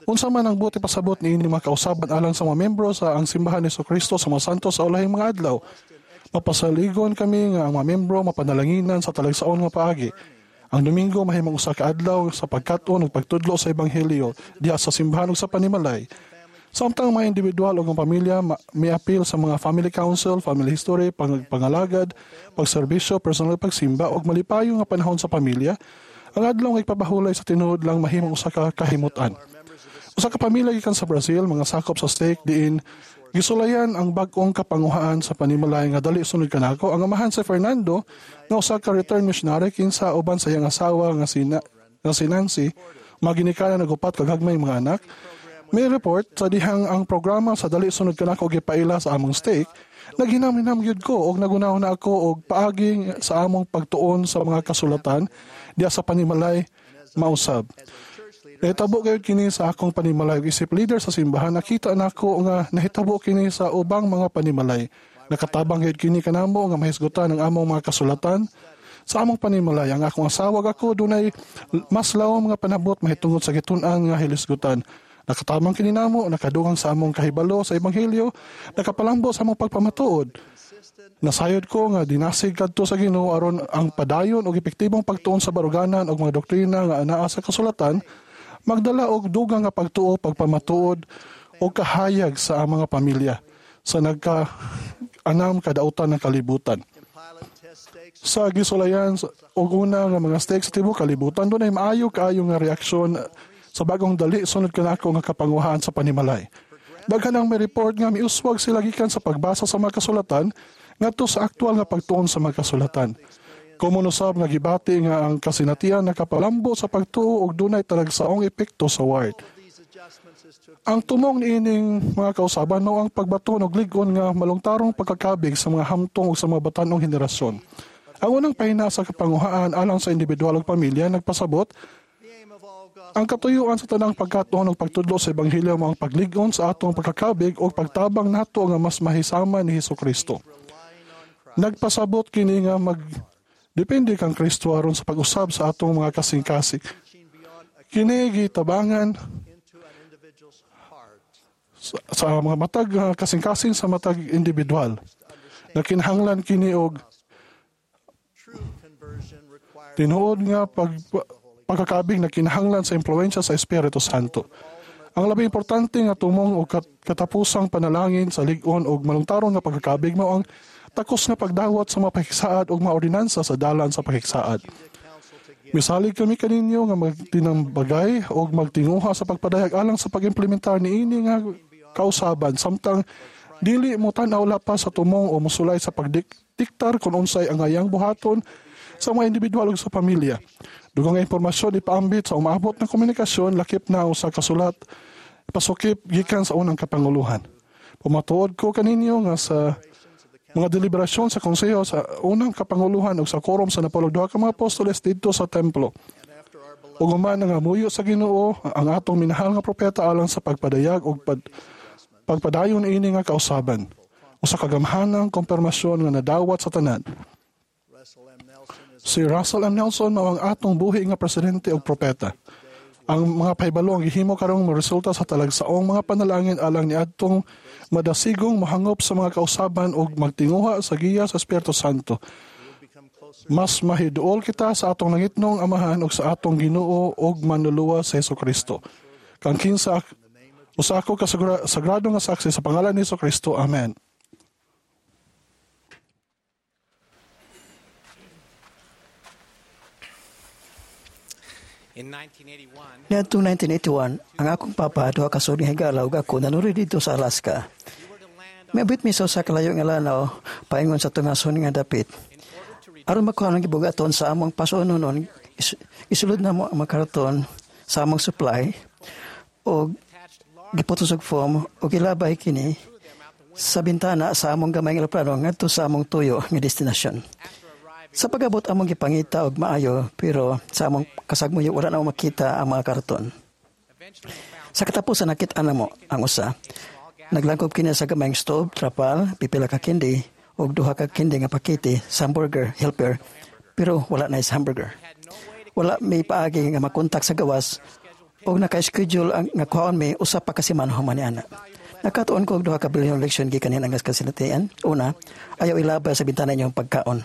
Unsa man ang buot ipasabot niini mga kausaban alang sa mga membro sa Ang Simbahan ni Kristo sa mga Santos sa Ulahing mga Adlaw, mapasaligon kami nga ang mga membro mapanalanginan sa talagsaon nga paagi. Ang Domingo mahimong usa ka adlaw sa pagkat-on ug pagtudlo sa ebanghelyo diha sa simbahan ug sa panimalay. Samtang mga individual o ang pamilya ma- miapil sa mga family council, family history, pang pangalagad, pagserbisyo, personal pagsimba ug malipayon nga panahon sa pamilya, ang adlaw nga igpapahulay sa tinuod lang mahimong usa ka kahimutan. Usa ka pamilya gikan sa Brazil, mga sakop sa stake diin gisulayan ang bag-ong kapanguhaan sa panimalay nga dali sunod kanako. Ang amahan si Fernando nga usa ka return missionary kinsa uban sa iyang asawa nga si, Na- nga si Nancy, mga ginikanan ug upat ka gagmay mga anak. May report sa dihang ang programa sa dali sunod kanako gipaila sa among stake, naghinam-hinam gyud ko og naghunahuna ako og paagi sa among pagtuon sa mga kasulatan diya sa panimalay mausab. Nahitabo gayud kini sa akong panimalay ug isip leader sa simbahan, nakita nako nga nahitabo kini sa ubang mga panimalay. Nakatabang gayud kini kanamo nga mahisgutan ang among mga kasulatan sa among panimalay. Ang akong asawa ug ako dunay mas lawom nga panabot mahitungod sa gitun-an nga hilisgutan. Nakatabang kini namo, nakadugang sa among kahibalo sa ebanghelyo, nakapalambo sa among pagpamatuod. Nasayod ko nga dinasig kadto sa Ginoo aron ang padayon og epektibong pagtuon sa baruganan og mga doktrina nga anaa sa kasulatan magdala og dugang nga pagtuo, pagpamatuod og kahayag sa mga pamilya sa nagka anam kadautan ng kalibutan. Sa gisulayan og una nga mga stake sa tibuok kalibutan, dunay maayo kaayo nga reaksyon sa bagong dali sunod kanako nga kapanguhaan sa panimalay. Daghan ang may report nga miuswag sila gikan sa pagbasa sa mga kasulatan ngadto sa aktual nga pagtuon sa mga kasulatan. Komon usab nga gibati nga ang kasinatian nakapalambo sa pagtuo og dunay talagsaong epekto sa ward. Ang tumong niining mga kausaban mao ang pagbaton og lig-on nga malungtarong pagkakabig sa mga hamtong ug sa mga batan-ong henerasyon. Ang unang pahina sa kapanguhaan alang sa individual ug pamilya nagpasabot ang katuyuan sa tanang pagkatuon ug pagtudlo sa ebanghelyo mao ang paglig-on sa atong pagkakabig ug pagtabang nato nga mas mahisama ni Hesukristo. Nagpasabot kini nga mag depende kang Kristo aron sa pag-usab sa atong mga kasing-kasing. Kini gitabangan sa, sa mga matag uh, kasing-kasing sa matag individual. Nakinahanglan kini og tinuod nga pag, pagkakabig na kinahanglan sa impluwensya sa Espiritu Santo. Ang labing importante nga tumong og katapusang panalangin sa lig-on og malungtaron nga pagkakabig mao ang takos nga pagdawat sa mga pakiksaad ug mga ordinansa sa dalan sa pakiksaad. Misalig kami kaninyo nga magtinambagay o magtinguha sa pagpadayag alang sa pag-implementar niini nga kausaban samtang dili mo tan-aw lapas sa tumong o musulay sa pagdiktar kung unsay angayang buhaton sa mga individual ug sa pamilya. Dugang nga impormasyon ipaambit sa umaabot na komunikasyon lakip na usa ka sulat pasukip gikan sa unang kapanguluhan. Pumatuod ko kaninyo nga sa mga deliberasyon sa konseho sa unang kapanguluhan ug sa quorum sa napalog duha ka mga apostoles didto sa templo. Ug human nangamuyo sa Ginoo ang atong minahal nga propeta alang sa pagpadayag ug pad, pagpadayon ini nga kausaban. Usa ka gamhanang kumpirmasyon nga nadawat sa tanan. Si Russell M. Nelson mao ang atong buhi nga presidente ug propeta. Ang mga pahibalo ang gihimo karong moresulta sa talagsaong mga panalangin alang niadtong madasigong mohangop sa mga kausaban ug magtinguha sa giya sa Espiritu Santo. Mas mahiduol kita sa atong langitnong Amahan ug sa atong Ginoo ug Manluluwas sa Hesukristo. Kang kinsa usa ako ka sagrado nga saksi sa pangalan ni Hesukristo. Amen. Niadtong nineteen eighty-one, ang akong papa duha ka suod nga higala ug ako nanuri didto sa Alaska. Miabot mi sa usa ka layo nga lanaw paingon sa tungason nga dapit. Aron makuha ang gibugaton sa among pasuononon, isulod namo ang mga karton sa among supply og giputos og foam ug ilabay kini sa bintana sa among gamay nga eroplano ngadto sa among tuyo nga destinasyon. Sa pag-abot among gipangita og maayo pero sa among kasagmuyo wala na makita ang mga karton. Sa katapusan nakit-an namo ang usa. Naglangkob kini sa gamayng stove, trapal, pipila ka kindi ug duha ka kindi nga pakete sa hamburger helper pero wala na is hamburger. Wala may paagi nga makontak sa gawas ug naka-schedule ang nga kuhaon mi usa pa ka semana human ni ana. Nakatuon ko og duha ka bilyon leksyon gikan niang kasinatian. Una, ayaw ilabay sa bintana inyong pagkaon.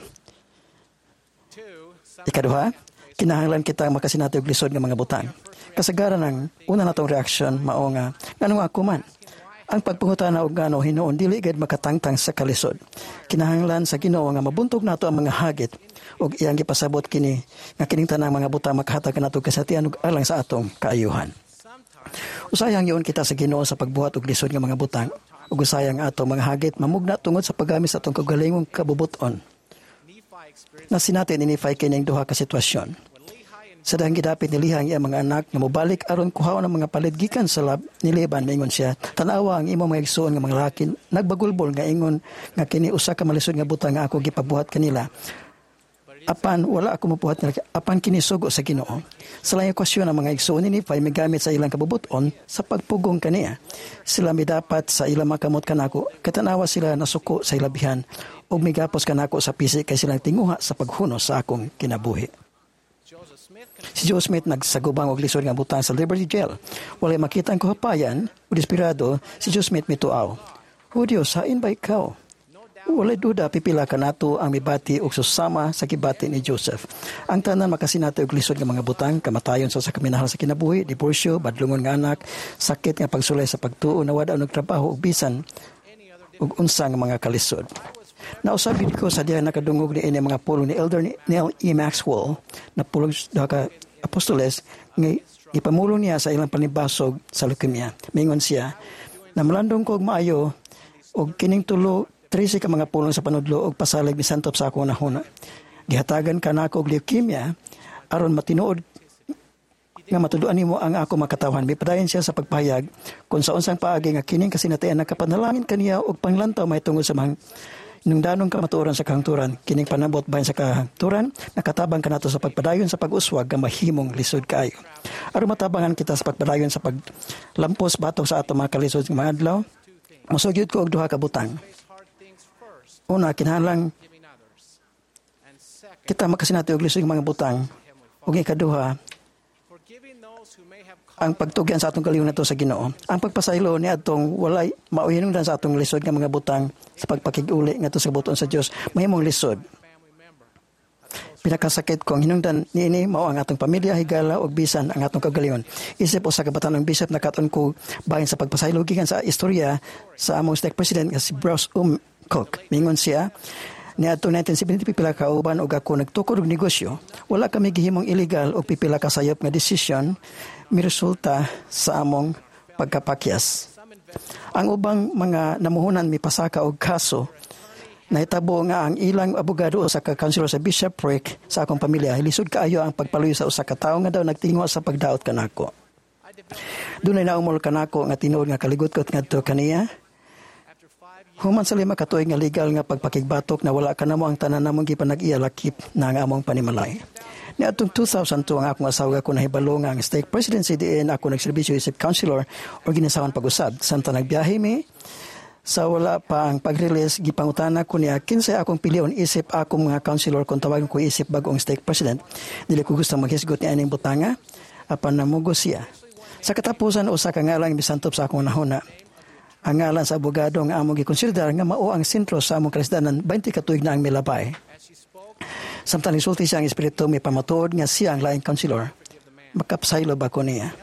Ikaduha, kinahanglan kita makasinati og lisod nga mga butang. Kasagaran ang una natong reaksyon mao nga nganong ako man. Ang pagpangutana og ngano hinuon dili gid makatangtang sa kalisod. Kinahanglan sa Ginoo nga mabuntog nato ang mga hagit ug iyang gipasabot kini nga kining tanang mga butang makahatag kanato kasinatian ug alang sa atong kaayuhan. Usahay hangyoon kita sa Ginoo sa pagbuhat og lisod nga mga butang ug usahay ang atong mga hagit mamugna tungod sa paggamit sa atong kaugalingong kabubut-on. Nasinati ni Nephi kining duha ka sitwasyon. Sa dihang gidapit ni Lehi ang iyang mga anak nga mobalik aron kuhaon ang mga palit gikan sa lab ni Laban, miingon siya, "Tan-awa ang imong mga igsuon nga mga lalaki nagbagulbol nga ingon nga kini usa ka malisod nga butang nga ako gipabuhat kanila. Apan wala ako mobuhat nila, apan kini sugo sa Ginoo." Sa laing okasyon, ang mga igsuon ni Nephi migamit sa ilang kabubut-on sa pagpugong kaniya. Sila midapat sa ilang mga kamot kanako, kay tan-awa sila nasuko sa ilabihan ug migapos kanako sa pisik kay silang tinguha sa paghunos sa akong kinabuhi. Si Joseph Smith nagsagubang og lisod nga butang sa Liberty Jail. Walay makita ang kahupayan ug desperado si Joseph Smith mituaw, "O Dios, hain ba ikaw?" Walay duda pipila kanato ang mibati og susama sa gibati ni Joseph. Ang tanan makasinati og lisod nga mga butang, kamatayon sa usa ka minahal sa kinabuhi, diborsyo, badlongon nga anak, sakit nga pagsulay sa pagtuo, nawad-an og trabaho ug bisan ug unsa nga mga kalisod. Nausab gid ko sa diha nakadungog ni ini mga pulong ni Elder Neal E. Maxwell na pulong duha ka apostoles nga ipamulong niya sa ilang panibasog sa leukemia. Mingon siya, "Namalandong ko og maayo og kining tulo trese ka mga pulong sa panudlo og pasalig misantop sa akong hunahuna. Gihatagan ka nako og leukemia aron matinuod nga matuduan nimo ang ako makatawhan." Mipadayon siya sa pagpahayag kung sa unsang paagi nga kining kasinatian nakapanalangin kaniya og panglantaw mahitungod sa mga nungdanong kamatuoran sa kahangturan. Kining panabot bahin sa kahangturan nakatabang kanato sa pagpadayon sa pag-uswag nga mahimong lisod kaayo. Aron matabangan kita sa pagpadayon sa paglampos batok sa atong mga kalisod nga mga adlaw, mosugid ko og duha ka butang. Una, kinahanglan kita makasinati og lisod nga mga butang. Ug ikaduha, ang pagtugyan sa atong kaugalingon nato sa Ginoo. Ang pagpasaylo ni atong walay maoy hinungdan sa atong lisod nga mga butang sa pagpakig-uli ngadto sa kabubut-on sa Dios mahimong lisod. Pinakasakit ko ang hinungdan niini mao ang atong pamilya, higala ug bisan ang atong kaugalingon. Isip usa ka batan-ong bishop, nakat-on ko bahin sa pagpasaylo gikan sa istorya sa among stake president nga si Bruce Um Cook. Mingon siya, "Niadtong nineteen seventy, pipila ka uban og ako nagtukod og negosyo. Wala kami gihimong illegal og pipila ka sayop nga desisyon miresulta sa among pagkapakyas. Ang ubang mga namuhunan mipasaka og kaso. Nahitabo nga ang ilang abogado usa ka counselor sa bishopric sa akong pamilya. Lisod kaayo ang pagpaluyo sa usa ka tawo nga daw nagtinguha sa pagdaot kanako. Dunay naumol kanako nga tinuod nga kaligot-got ngadto kaniya. Human sa lima ka tuig nga legal nga pagpakigbatok, nawala kanamo ang tanan namong gipanag-iya lakip na ang among panimalay. Niadtong two thousand two, ang akong asawa ko nahibalo nga ang stake presidency diin ako nagserbisyo isip counselor o ginasawan pag-usab. Samtang nagbiyahe mi, sa wala pa ang pag-release, gipangutana ko niya kinsay akong pilion isip akong mga counselor kung tawagan ko isip bagong stake president. Dili ko gusto maghisgot ni aning butanga, apan namugo siya. Sa katapusan, usa ka ngalan misantop sa akong hunahuna. Ang ngalan sa abogado nga among gikonsiderar nga mao ang sentro sa among kalisdanan twenty ka tuig na ang milabay. Samtang nisulti siya, ang Espiritu may pamatuod nga siya ang laing counselor. Makapasaylo ba ko niya?"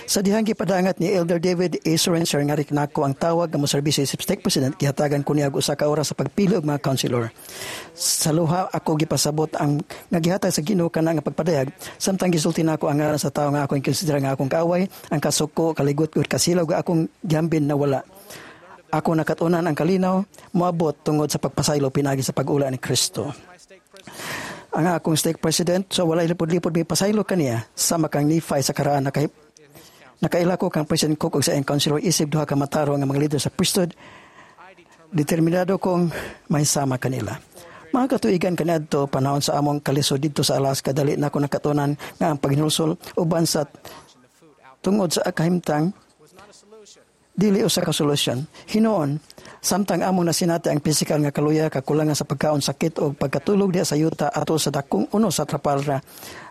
Sa dihang gipadangat ni Elder David A. Sorensen nga nako ang tawag nga moserbisyo isip stake president, gihatagan ko niya og usa ka oras sa pagpili og mga counselor. Sa luha ako gipasabot ang nga gihatag sa Ginoo kana nga pagpadayag samtang gisulti nako ang ngalan sa tawo nga akong konsidera nga akong kaaway, ang kasuko, kaligot ug kasilaw nga akong gihambin na wala. Ako nakat-unan ang kalinaw moabot tungod sa pagpasaylo pinaagi sa pag-ula ni Kristo. Ang akong stake president so walay lipod-lipod may pasaylo kaniya sama kang Nephi sa karaan. Nakahip nakaila ko kang President Cook ug sa iyang counselor isip duha ka matarong nga mga leader sa priesthood. Determinado kong mahisama kanila. Mga katuigan kaniadto panahon sa among kalisod didto sa Alaska, dali na ako nakatunan nga ang paghinulsol uban sa tungod sa kahimtang dili usa ka solusyon. Hinuon, samtang among nasinati ang pisikal nga kaluya, kakulangan sa pagkaon, sakit o pagkatulog diha sa yuta atol sa dakong uno sa Trafalgar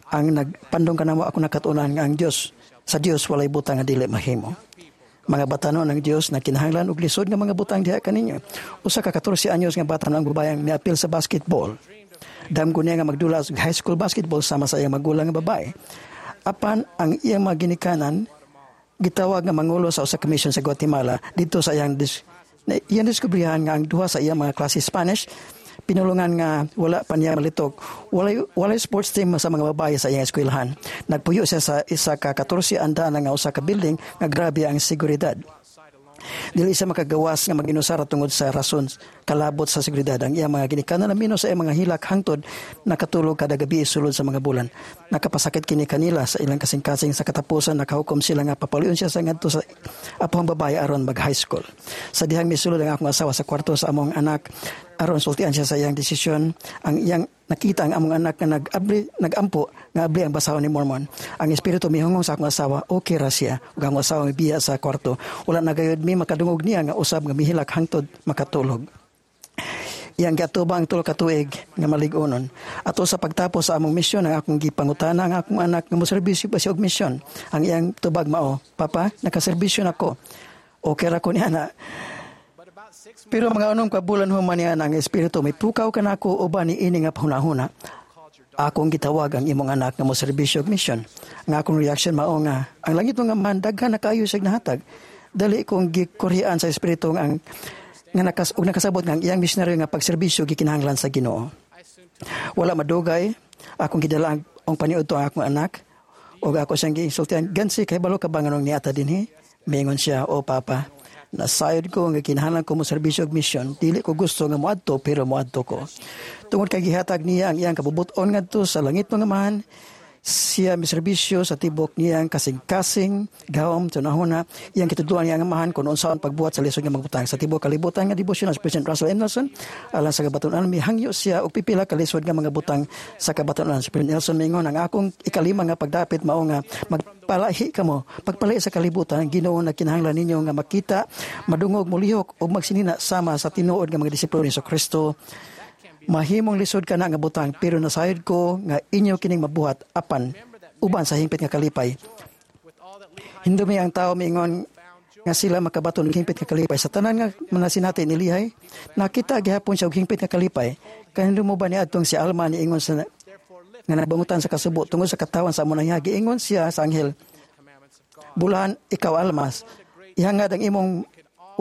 ang nagpandong kanamo, ako nakatunan nga ang Dios sa Dios walay butang nga dili mahimo. Mga batanon, ang Dios na kinahanglan og lisod nga mga butang diha kaninyo. Usa ka katorse anyos nga bata ang babayang miapil sa basketball. Damgo niya nga magdula sa high school basketball sama sa iyang magulang nga babae. Apan ang iyang mga ginikanan gitawag nga mangulo sa usa ka mission sa Guatemala. Didto sa iyang dis, na, iyang diskubrihan nga ang duha sa iyang mga klase Spanish pinulungan nga wala pa niya malitok. Walay, walay sports team sa mga babae sa iyang eskwelahan. Nagpuyo siya sa isa ka katorse andana nga usa ka building nga grabe ang seguridad. Dili siya makagawas nga mag-inusara tungod sa rason kalabot sa seguridad. Ang iyang mga ginikanan na mino sa iyang mga hilak hangtod nakatulog kada gabi sulod sa mga bulan. Nakapasakit kini kanila sa ilang kasing-kasing. Sa katapusan nakahukom sila nga papaluyon siya sa ngadto sa apohang babae aron mag high school. Sa dihang misulod ang akong asawa sa kwarto sa among anak aron sultian siya sa iyang desisyon. Ang iyang nakita ang among anak nga nag-abli, nagampo nga abli ang basahon ni Mormon. Ang espiritu mihungong sa akong asawa, okay ra siya. Ug ang asawa mibiya sa kwarto. Wala na gayud mi makadungog niya nga usab nga mihilak hangtod makatulog. Iyang giatubang ang tulo ka tuig nga malig-onon. Ato sa pagtapos sa among misyon, ang akong gipangutana ang akong anak nga moserbisyo ba siya og misyon. Ang iyang tubag mao, "Papa, nakaserbisyo nako. Okay ra ko niya na." Pero mga unom ka bulan human niya ang espiritu may pukaw kanako uban ni ini nga pahunahuna. Akong gitawag ang imong anak nga moserbisyo og misyon. Ang akong reaction mao nga ang langit nga man daghan na kaayo siya nahatag. Dali kong gikurhian sa espiritu ang nga nakas og nakasabot nga ang iyang misyonaryo nga pagserbisyo gikinahanglan sa Ginoo. Wala madugay akong gidala ang, ang paniudto ang akong anak ug ako siyang giinsultihan, "Gansi, kahibalo ka ba nganong niata dinhi?" Mingon siya, "O papa, nasayod ko nga kinahanglan ko mo serbisyo og misyon. Dili ko gusto nga moadto pero moadto ko." Tungod kay gihatag niya ang iyang kabubut-on ngadto sa langit mga amahan, siya miserbisyo sa tibok niyang kasing-kasing gahom tunahuna iyang kitudloan niyang amahan kung unsaon pagbuhat sa lisod nga magbutang sa tibok kalibutan nga debosyon. Si President Russell M. Nelson alang sa kabatunan mihangyo siya og pipila ka lisod nga mga butang sa kabatunan. Si President Nelson mingon, "Ang akong ikalima nga pagdapit mao nga magpalahi kamo, pagpalahi sa kalibutan. Ang Ginoo nagkinahanglan ninyo nga makita, madungog, molihok ug magsinina sama sa tinuod nga mga disipulo ni Kristo. Mahimong lisod ka na nga butang pero nasayod ko nga inyo kining mabuhat apan uban sa hingpit nga kalipay." Hindumi ang tao miingon nga sila makabaton og hingpit nga kalipay. Sa tanan nga manasinati ni Lihay, nakita gihapon siya og hingpit nga kalipay. Kahindo mo ba ni adtong si Alma niingon sa nga nabangutan sa kasubo tungod sa katawan sa among nangihagi? Ingon siya sa anghel, "Bulahan ikaw, Almas, ihangad ang imong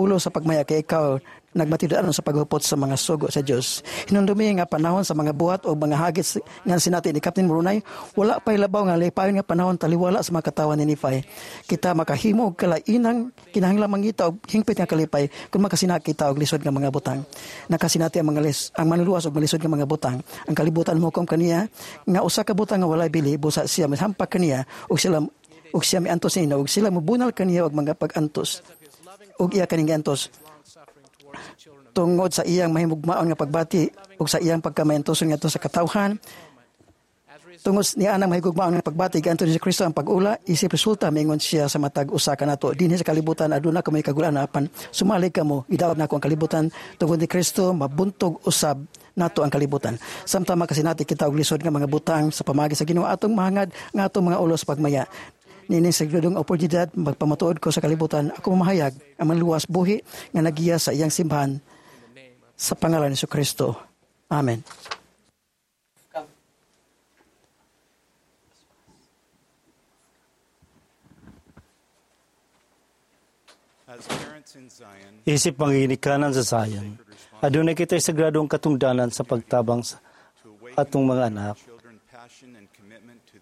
ulo sa pagmaya kay ikaw nagmatid-anon sa paghupot sa mga sugo sa Dios." Hinumdumi nga panahon sa mga buhat o mga hagit nga sinati ni Captain Moroni, wala pa'y labaw nga lipayon nga panahon taliwala sa mga katawan ni Nephi. Kita makahimo og kalainang kinahanglan mangita og hingpit nga kalipay kung makasinati kita og lisod nga mga butang. Nakasinati ang mga lis, ang manluluwas og malisod nga mga butang. Ang kalibutan mohukom kaniya nga usa ka butang nga walay bili, busa siya mihampak kaniya og sila og siya miantos niya og sila mobunal kaniya og mga pag-antos og iya kaning giantos tungod sa iyang mahimugmaon nga pagbati ug sa iyang pagkamayantoson ngadto sa katawhan. Tungod niya anang mahigugmaon nga pagbati gianto ni Kristo ang pag-ula isip resulta. Mingon siya sa matag usa kanato, "Dinhi sa kalibutan aduna kamoy kagulan, apan sumalig kamo, gidaot nako ang kalibutan." Tungod ni Kristo mabuntog usab nato ang kalibutan. Samtang makasinati kita og lisod nga mga butang sa pamagi sa Ginoo, atong mahangad nga atong mga ulo sa pagmaya. Nining sagradong oportunidad, magpamatuod ko sa kalibutan, ako mamahayag ang manluwas buhi nga nagiya sa iyang simbahan sa pangalan ni Kristo. Amen. Isip manginikanan sa Zion, adunay kita'y sagradong katungdanan sa pagtabang sa atong mga anak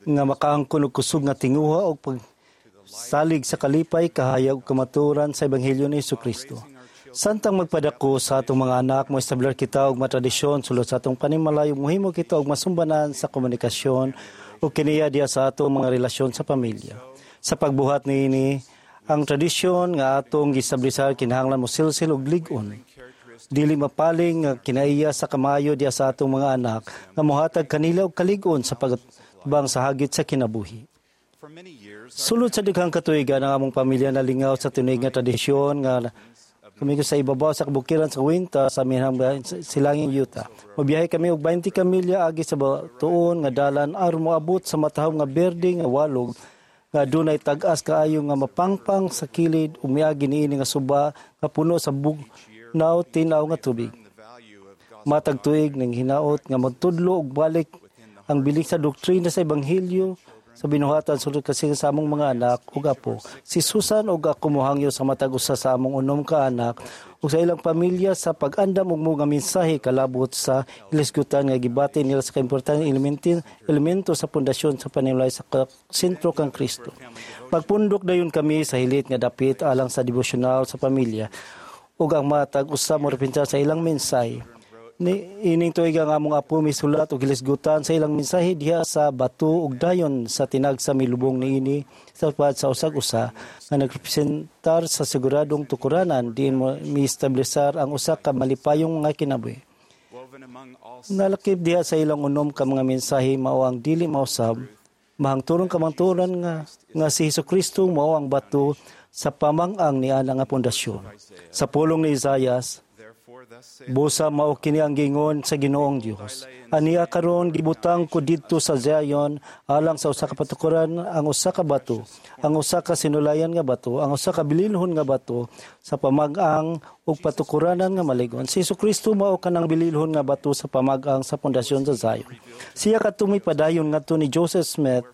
nga makaangkon og kusog nga tinguha og pagsalig sa kalipay, kahayag ug kamatuoran sa ebanghelyo ni Hesukristo. Samtang magpadako sa atong mga anak, moestablar kita og matradisyon sulod sa atong panimalay ug mohimo kita og masumbanan sa komunikasyon ug kiniya diha sa atong mga relasyon sa pamilya. Sa pagbuhat niini, ang tradisyon nga atong giestablisar kinahanglan mosilsil og lig-on. Dili mapaling nga kinaiya sa kamayo diha sa atong mga anak nga mohatag kanila og kalig-on sa pagtubang sa hagit sa kinabuhi. Sulod sa daghang katuigan, ang among pamilya nalingaw sa tinuig nga tradisyon nga kami sa ibabaw sa kabukiran sa Uinta sa minhang silanging Utah. Mobiyahe kami og twenty ka milya agi sa tuon nga dalan aron moabot sa matahom nga berde nga walog nga dunay tag-as kaayo nga mapangpang sa kilid ug miagi niini nga suba nga puno sa bugnaw tinaw nga tubig. Matag tuig ning hinaot nga magtudlo og balik ang bilik sa doktrina sa ebanghelyo sa binuhatan sulod kasi sa among mga anak ug apo. Si Susan ug ako mohangyo sa matag usa sa among unom ka anak ug sa ilang pamilya sa pag-andam og mga mensahe kalabot sa hilisgutan nga gibati nila sa kaimportanteng elemento, elemento sa pundasyon sa panimalay sa sentro kang Kristo. Magpundok dayon kami sa hilit nga dapit alang sa devotional sa pamilya ug ang matag usa mo sa ilang mensahe. Ni ining tuig ang among apo misulat og hilisgutan sa ilang mensahe diha sa bato ug dayon sa tinagsa milubong niini sa sa usag usa nga nagrepresentar sa siguradong tukuranan diin mo miestablisar ang usa ka malipayong nga kinabuhi. Nalakip diha sa ilang unom ka mga mensahe mao ang dili mausab mahangturong kamangturan nga nga si Hesukristo mao ang bato sa pamang-ang niana nga pundasyon. Sa pulong ni Isayas, busa mao kini ang giingon sa Ginoong Dios. Aniya karon gibutang ko didto sa Zion alang sa usa ka patukuran ang usa ka bato, ang usa ka sinulayan nga bato, ang usa ka bililhon nga bato sa pamag-ang ug patukuranan nga maligon. Si Hesukristo mao kanang bililhon nga bato sa pamag-ang sa pundasyon sa Zion. Siya kadto mipadayon ngadto ni Joseph Smith,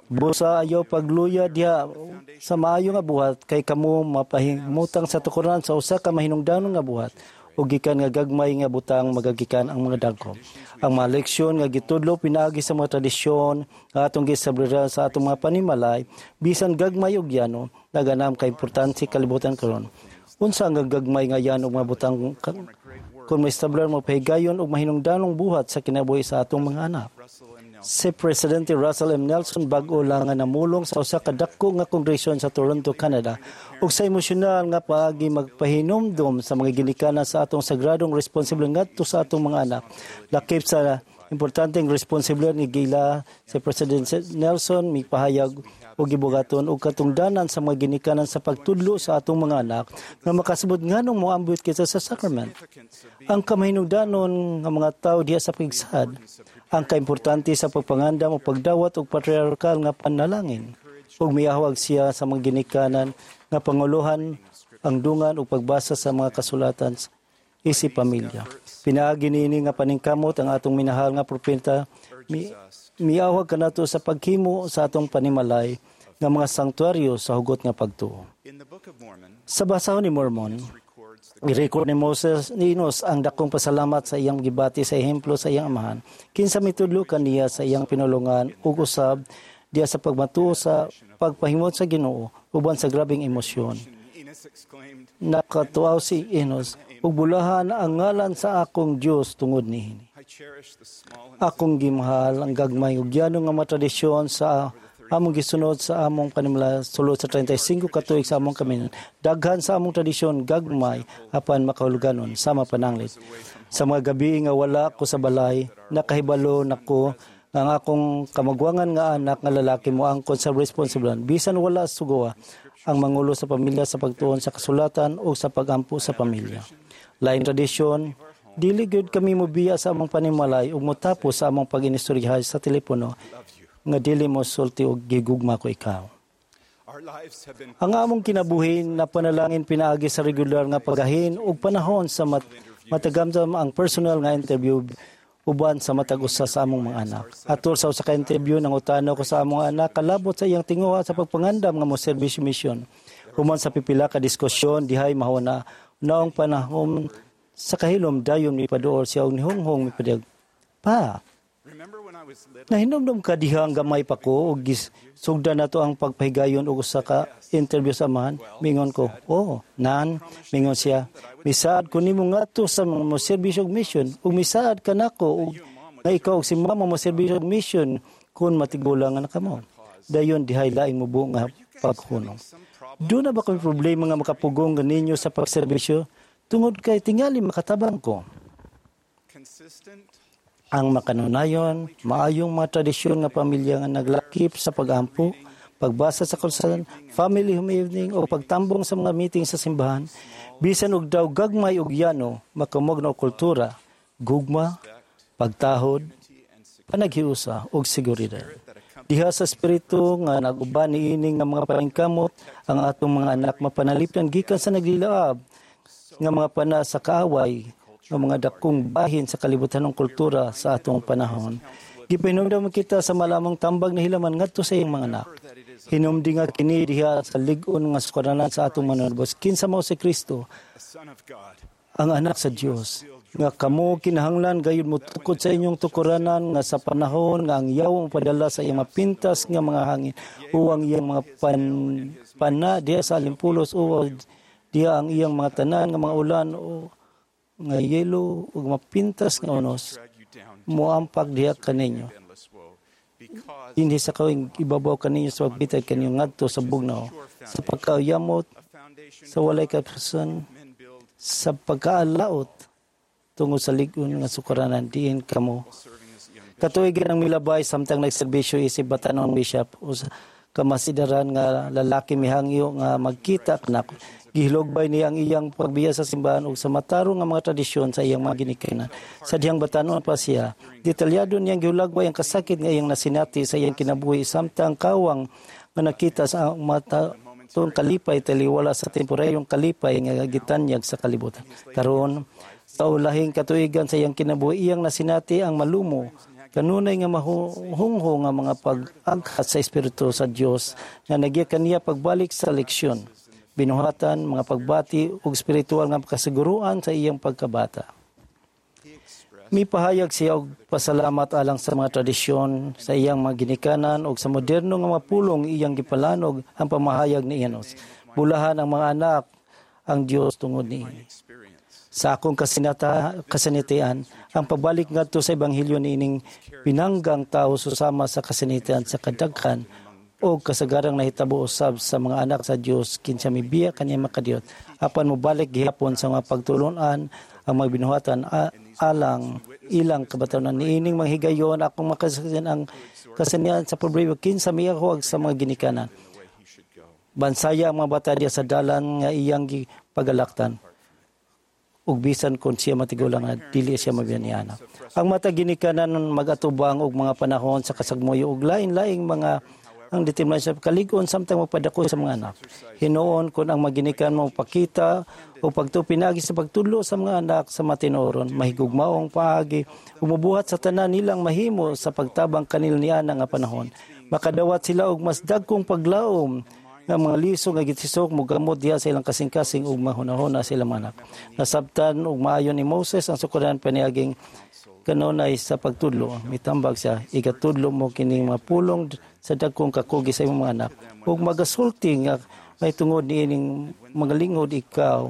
busa ayaw pagluya diha sa maayo nga buhat kay kamo mapahimutang sa tukuran sa usa ka mahinungdanon nga buhat ug gikan nga gagmay nga butang magagikan ang mga dagko. Ang mga leksyon nga gitudlo pinaagi sa mga tradisyon nga atong gisabriran sa atong mga panimalay bisan gagmay ug yano naganam ka importante kalibutan karon. Unsa ang gagmay nga yano mga butang kung maestablar mo pahigayon og mahinungdanong buhat sa kinabuhi sa atong mga anak. Si Presidente Russell M. Nelson bag-o lang nga namulong sa usa ka dako nga kongresyon sa Toronto, Canada ug sa emosyonal nga paagi magpahinumdom sa mga ginikanan sa atong sagradong responsibilidad ngadto sa atong mga anak. Lakip sa importanteng responsibilidad ni gila si President Nelson mipahayag og gibugaton og katungdanan sa mga ginikanan sa pagtudlo sa atong mga anak nga makasabot nganong moambit kita sa sacrament. Ang kamahinungdanon nga mga tawo diha sa pagsad, ang kaimportante sa pagpangandam o pagdawat og patriarkal nga panalangin ug miahwag siya sa mga ginikanan nga panguluhan ang dungan ug pagbasa sa mga kasulatan isip pamilya. Pinaagi niini nga paningkamot ang atong minahal nga propeta mi, miawag kanato sa paghimo sa atong panimalay nga mga sanktuaryo sa hugot nga pagtuo. Sa basahon ni Mormon, i-record ni Moses ni Enos ang dakong pasalamat sa iyang gibati sa ehemplo sa iyang amahan. Kinsa mitudlo kaniya sa iyang pinulungan ug usab diha sa pagmatuo sa pagpahimot sa Ginoo uban sa grabeng emosyon. Nakatuaw si Enos ug bulahan ang ngalan sa akong Dios tungod niini. Akong gimahal ang gagmay ug yano nga mga tradisyon sa among gisunod sa among panimalay sulod sa trentay singko ka tuig sa among kaminan. Daghan sa among tradisyon gagmay apan makahuluganon sama pananglit. Sa mga gabi nga wala ko sa balay, nakahibalo nako nga ang akong kamagwangan nga anak nga lalaki mo angkon sa responsibilidad bisan wala sugawa ang mangulo sa pamilya sa pagtuon sa kasulatan o sa pagampo sa pamilya. Lain tradisyon, dili gyud kami mobiya sa among panimalay ug motapos sa among pag-inistoryahay sa telepono nga dili mo sulti og gigugma ko ikaw. Ang among kinabuhi na panalangin pinaagi sa regular nga pagahin ug panahon sa mat matagamdam ang personal nga interview uban sa matag usa sa among mga anak. Atol sa usa ka interview, nangutana ko sa among anak kalabot sa iyang tinguha sa pagpangandam nga mo service mission. Human sa pipila ka diskusyon dihay mahuna naong panahon sa kahilom, dayon mipaduol siya og nihunghong mipadayag, "Pa, nahinomdom ka diha ang gamay pa ko og sugdan nato ang pagpahigayon og usa ka interview sa amahan?" Mingon ko, "Oh, nan." Mingon siya, "Misaad ko nimo ngadto sa mga mo serbisyo og mission ug misaad ka nako og nga ikaw og si mama mo serbisyo og mission kun matigulang na kamo." Dayon dihay laing mubo nga paghunong. "Duna ba kami problema nga makapugong ninyo sa pagserbisyo tungod kay tingali makatabang ko?" Ang makanunayon, maayong mga tradisyon nga pamilya nga naglakip sa pagampo, pagbasa sa kasulatan, family home evening o pagtambong sa mga meeting sa simbahan, bisan og daw gagmay og yano, makamog na kultura, gugma, pagtahod, panaghiusa ug seguridad. Diha sa espiritu nga nag-uban niini nga mga paningkamot, ang atong mga anak mapanalipdan gikan sa naglilaab nga mga pana sa kaaway nga mga dakong bahin sa kalibutan ng kultura sa atong panahon. Gipahinumdom kita sa malamang tambag na hilaman ngadto sa iyang mga anak. Hinumdi nga kini diha sa lig-on nga sukaranan sa atong Manunubos. Kinsa mao si Kristo, ang anak sa Dios, nga kamo kinahanglan gayud motukod sa inyong tukuranan nga sa panahon nga ang yaw padala sa iyang mapintas nga mga hangin o ang iyang mga pan, pana diha sa alimpulos o diha ang iyang mga tanan nga mga ulan o nga yelo ug mapintas nga unos moampak diha kaninyo. Dinhi sa kawing ibabaw kaninyo sa pagbitay kaninyo ngadto sa bugnaw, sa pagkayamot, sa walay kapusan, sa pagkaalaot tungod sa lig-on nga sukaranan diin kamo. Katuigan ang milabay samtang nagserbisyo isip batanon bishop usa ka masidaran nga lalaki mihangyo nga magkita kanako. Gihilugbay niya ang iyang pagbiya sa simbahan ug sa matarong nga mga tradisyon sa iyang mga ginikanan. Sa dihang batanon pa siya, detalyado niyang gihulagbay ang kasakit nga iyang nasinati sa iyang kinabuhi samtang kawang nga nakita sa mata tong kalipay taliwala sa temporayong kalipay nga gitanyag sa kalibutan. Karon sa ulahing katuigan sa iyang kinabuhi, iyang nasinati ang malumo kanunay nga mahuhungho nga mga pag-aghat sa Espiritu sa Dios nga nagya kaniya pagbalik sa leksyon, binuhatan, mga pagbati ug espiritual nga kasiguruan sa iyang pagkabata. Mipahayag siya og pasalamat alang sa mga tradisyon sa iyang mga ginikanan ug sa moderno nga mga pulong iyang gipalanog ang pamahayag ni Enos. Bulahan ang mga anak ang Dios tungod niini. Sa akong kasinata, kasinatian, ang pagbalik ngadto sa ebanghelyo niining pinanggang tao susama sa kasinatian sa kadaghan o kasagarang nahitabo usab sa mga anak sa Dios kinsa mibiya kaniya makadiyot apan mobalik gihapon sa mga pagtulon-an ang mga binuhatan a, alang ilang kabatanan niining mga higayon akong makasasian ang kasanian sa problema kinsa miyahuag sa mga ginikanan. Bansaya ang mga bata diya sa dalan nga iyang pagalaktan ug bisan kon siya matigulang nga dili siya mabiyanana. Ang mata ginikanan magatubang og mga panahon sa kasagmoyo og lain-laing mga ang determinasyon sa kalig-on samtang magpadako sa mga anak. Hinuon kon ang maginikan mo pakita o pagtupinagi sa pagtudlo sa mga anak sa matinoron, mahigugmaong paagi, umubuhat sa tanan nilang mahimo sa pagtabang kanila niana nga panahon. Makadawat sila og mas dagkong paglaom nga mga liso nga gitisok mogamot diha sa ilang kasing-kasing ug mahunahuna sa ilang anak. Nasabtan ug maayo ni Moses ang sukuran paniaging kanunay sa pagtudlo. Mitambag siya, igatudlo mo kining mga pulong sa dagkong kakugi sa imong mga anak. Ug magasulti nga may tungod niining mga lingod ikaw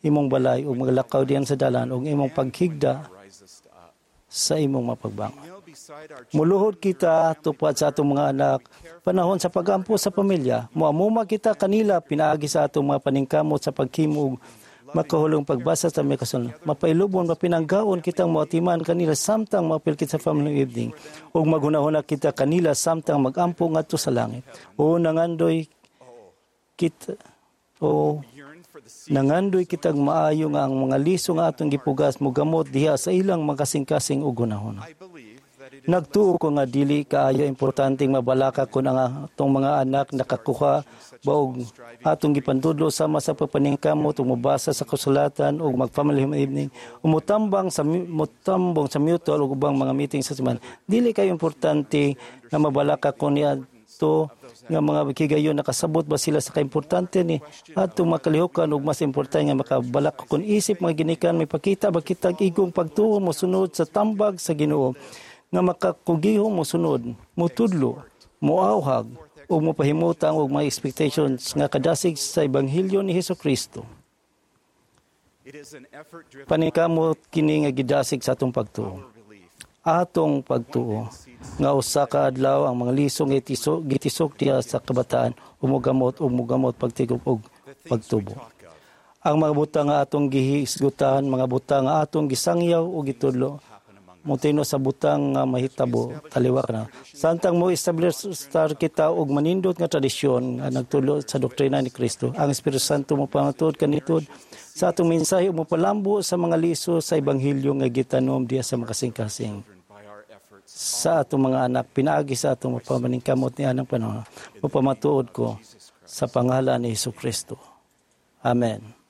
imong balay ug maglakaw diyan sa dalan ug imong paghigda sa imong mapagbangon. Muluhod kita tupad sa atong mga anak panahon sa pagampo sa pamilya. Muamuma kita kanila pinaagi sa atong mga paningkamot sa pagkimog makahulong pagbasa sa mga kasulatan. Mapailubon, mapinanggaon kitang moatiman kanila samtang maapil kita sa family evening. Ug maghunahuna kita kanila samtang magampo ngadto sa langit. O nangandoy kita o nangandoy kitang maayo nga ang mga liso nga atong gipugas mogamot diha sa ilang makasing-kasing ug hunahuna. Nagtuo ko nga dili kaayo importanteng mabalaka kun ang atong mga anak nakakuha ba og atong gipantudlo sama sa pagpaningkamot ug mobasa sa kasulatan ug mag-family evening umutambang sa mutambong sa mutual ug ubang mga meeting sa simbahan. Dili kayo importante nga mabalaka kun niadto nga mga higayon nakasabot ba sila sa kaimportante ni atong makalihukan ug mas importante nga makabalaka kun isip mga ginikan may pakita ba kitag igong pagtuo mosunod sa tambag sa Ginoo nga makakugiho mosunod, motudlo, moawhag ug mopahimutang og mga expectations nga kadasig sa ebanghelyo ni Hesukristo. Paningkamot kini nga gidasig sa atong pagtuo. Atong pagtuo nga usa ka adlaw ang mga liso nga itisok, gitisok diha sa kabataan umugamot ug mugamot pagtigop og pagtubo. Ang mga butang nga atong gihisgutan, mga butang nga atong gisangyaw o gitudlo, mutino sa butang nga mahitabo taliwak na. Samtang mo establish star kita og manindot nga tradisyon nga nagtulo sa doktrina ni Kristo. Ang Espiritu Santo mo pamatuod kanitud sa atong mensahe ug mopalambo sa mga liso sa ebanghelyo nga gitanom diha sa makasing-kasing sa atong mga anak pinaagi sa atong mapamaningkamot ni anang panahon. Mapamatuod ko sa pangalan ni Hesus Kristo. Amen.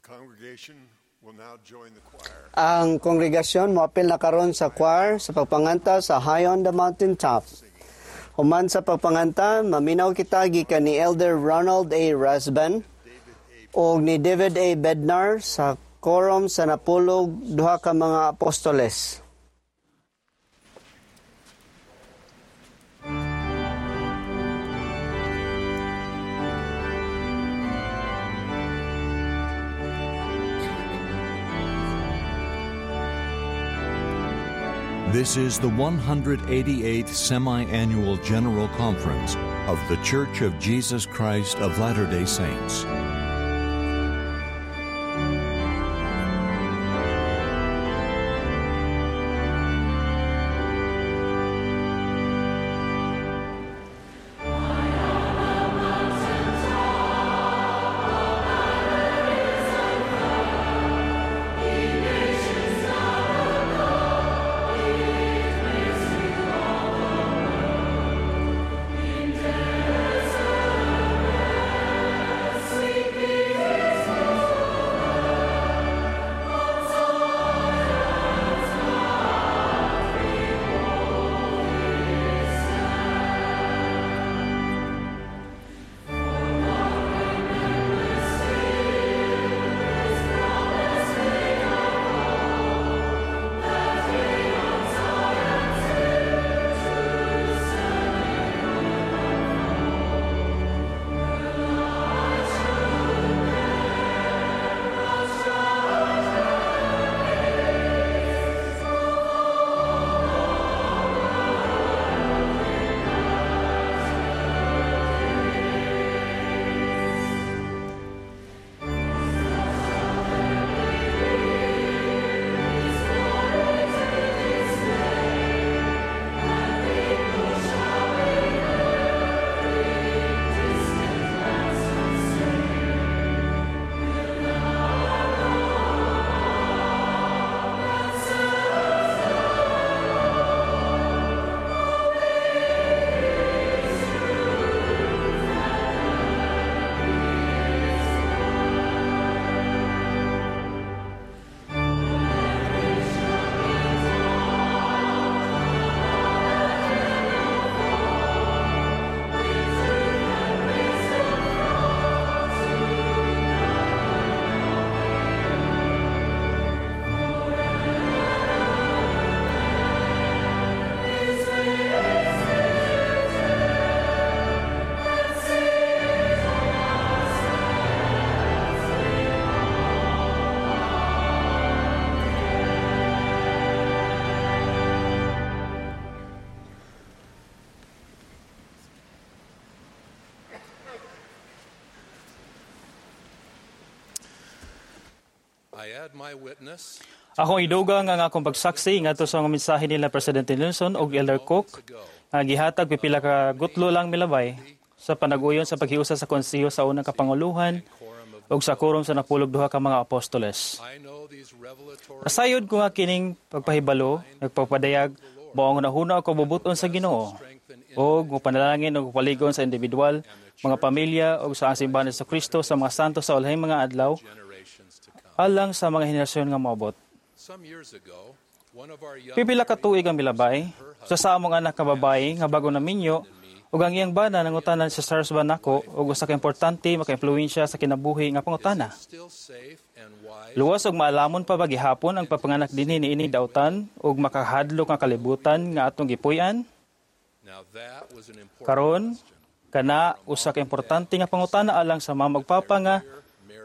congregation will now join the choir. Ang kongregasyon moapil na karon sa choir sa pagpanganta sa High on the Mountain Top. Human sa pagpanganta, maminaw kita gikan ni Elder Ronald A. Rasband ug ni David A. Bednar sa Quorum sa napulog duha ka mga apostoles. This is the one hundred eighty-eighth Semi-Annual General Conference of The Church of Jesus Christ of Latter-day Saints. Akong idugang ang akong pagsaksi ngadto sa mga mensahe nila Presidente Nelson ug Elder Cook nga gihatag pipila ka gutlo lang milabay sa panaguyon sa paghiusa sa konseho sa unang kapanguluhan ug sa quorum sa napulog duha ka mga apostoles. Nasayod ko nga kining pagpahibalo, nagpapadayag mao ang hunahuna og kabubuton sa Ginoo ug mopanalangin og paligon sa individual, mga pamilya ug sa ang simbahan ni Kristo sa mga santo sa ulahing mga adlaw alang sa mga henerasyon nga moabot. Pipila ka tuig ang milabay sa sa among anak ka babae nga bago naminyo ug ang iyang bana nangutanan sa stars ba nako ug usa ka importante maka-impluwensya sa kinabuhi nga pangutana. Luwas og maalamon pa ba gihapon ang pagpanganak dinhi niini dautan ug makahadlok nga kalibutan nga atong gipuy-an? Karon kana usa ka importante nga pangutana alang sa mama ug papa nga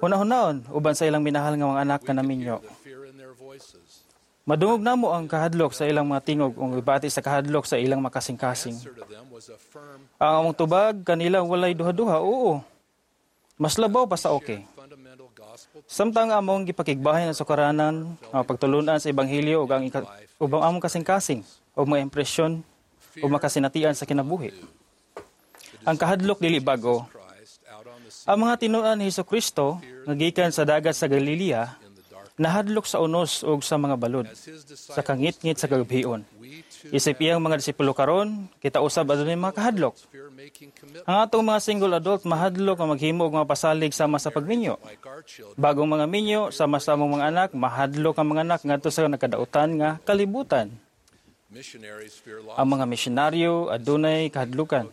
hunahunahon uban sa ilang minahal nga mga anak nga naminyo. Madungog namo ang kahadlok sa ilang mga tingog ug ibati sa kahadlok sa ilang makasing-kasing. Ang among tubag kanila walay duha-duha, oo. Mas labaw pa sa okay. Samtang among gipakigbahin ang sukaranan, ang pagtulunan sa ebanghelyo ug ang ubang among kasing-kasing ug mga impresyon ug makasinatian sa kinabuhi. Ang kahadlok dili bag-o. Ang mga tinuan ni Hesukristo nga gikan sa dagat sa Galilea nahadlok sa unos ug sa mga balod, sa kangitngit sa kagabhion. Isip iyang mga disipulo karon, kita usab adunay mga kahadlok. Ang atong mga single adult mahadlok nga maghimo og mga pasalig sama sa pagminyo. Bagong mga minyo sama sa among mga anak, mahadlok ang mga anak ngadto sa nagkadautan nga kalibutan. Ang mga misyonaryo adunay kahadlukan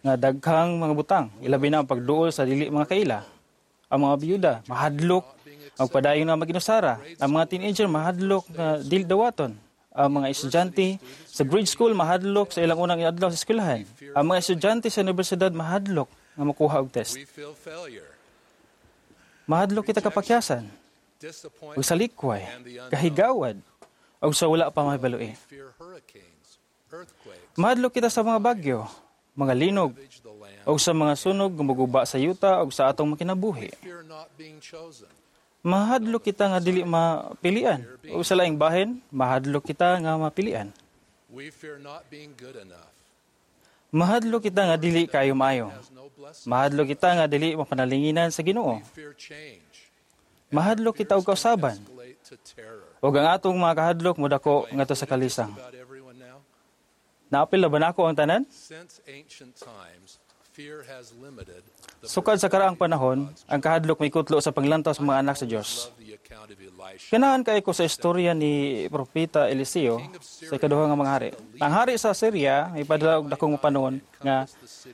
nga daghang mga butang, ilabi na ang pagduol sa dili mga kaila. Ang mga biyuda mahadlok ang padayon nga maginusara. Ang mga teenager mahadlok nga dili dawaton. Ang mga estudyante sa grade school mahadlok sa ilang unang adlaw sa eskwelahan. Ang mga estudyante sa universidad mahadlok nga makuha og test. Mahadlok kita kapakyasan, ug sa likway, kahigawad, ug sa wala pa mahibaloi. Mahadlok kita sa mga bagyo, mga linog, ug sa mga sunog nga moguba sa yuta ug sa atong makinabuhi. Mahadlok kita nga dili mapilian. O sa laing bahin, mahadlok kita nga mapilian. Mahadlok kita nga dili kaayo maayo. Mahadlok kita nga dili mapanalinginan sa Ginoo. Mahadlok kita og kausaban. Ug ang atong mga kahadlok modako ngadto sa kalisang. Naapil na ba nako ang tanan? Sukad sa karaang panahon, ang kahadlok may kutlo sa panglantaw sa mga anak sa Dios. Ganahan kay ko sa istorya ni Propeta Eliseo sa ikaduha nga mga hari. Ang hari sa Syria may padala og dakong panon nga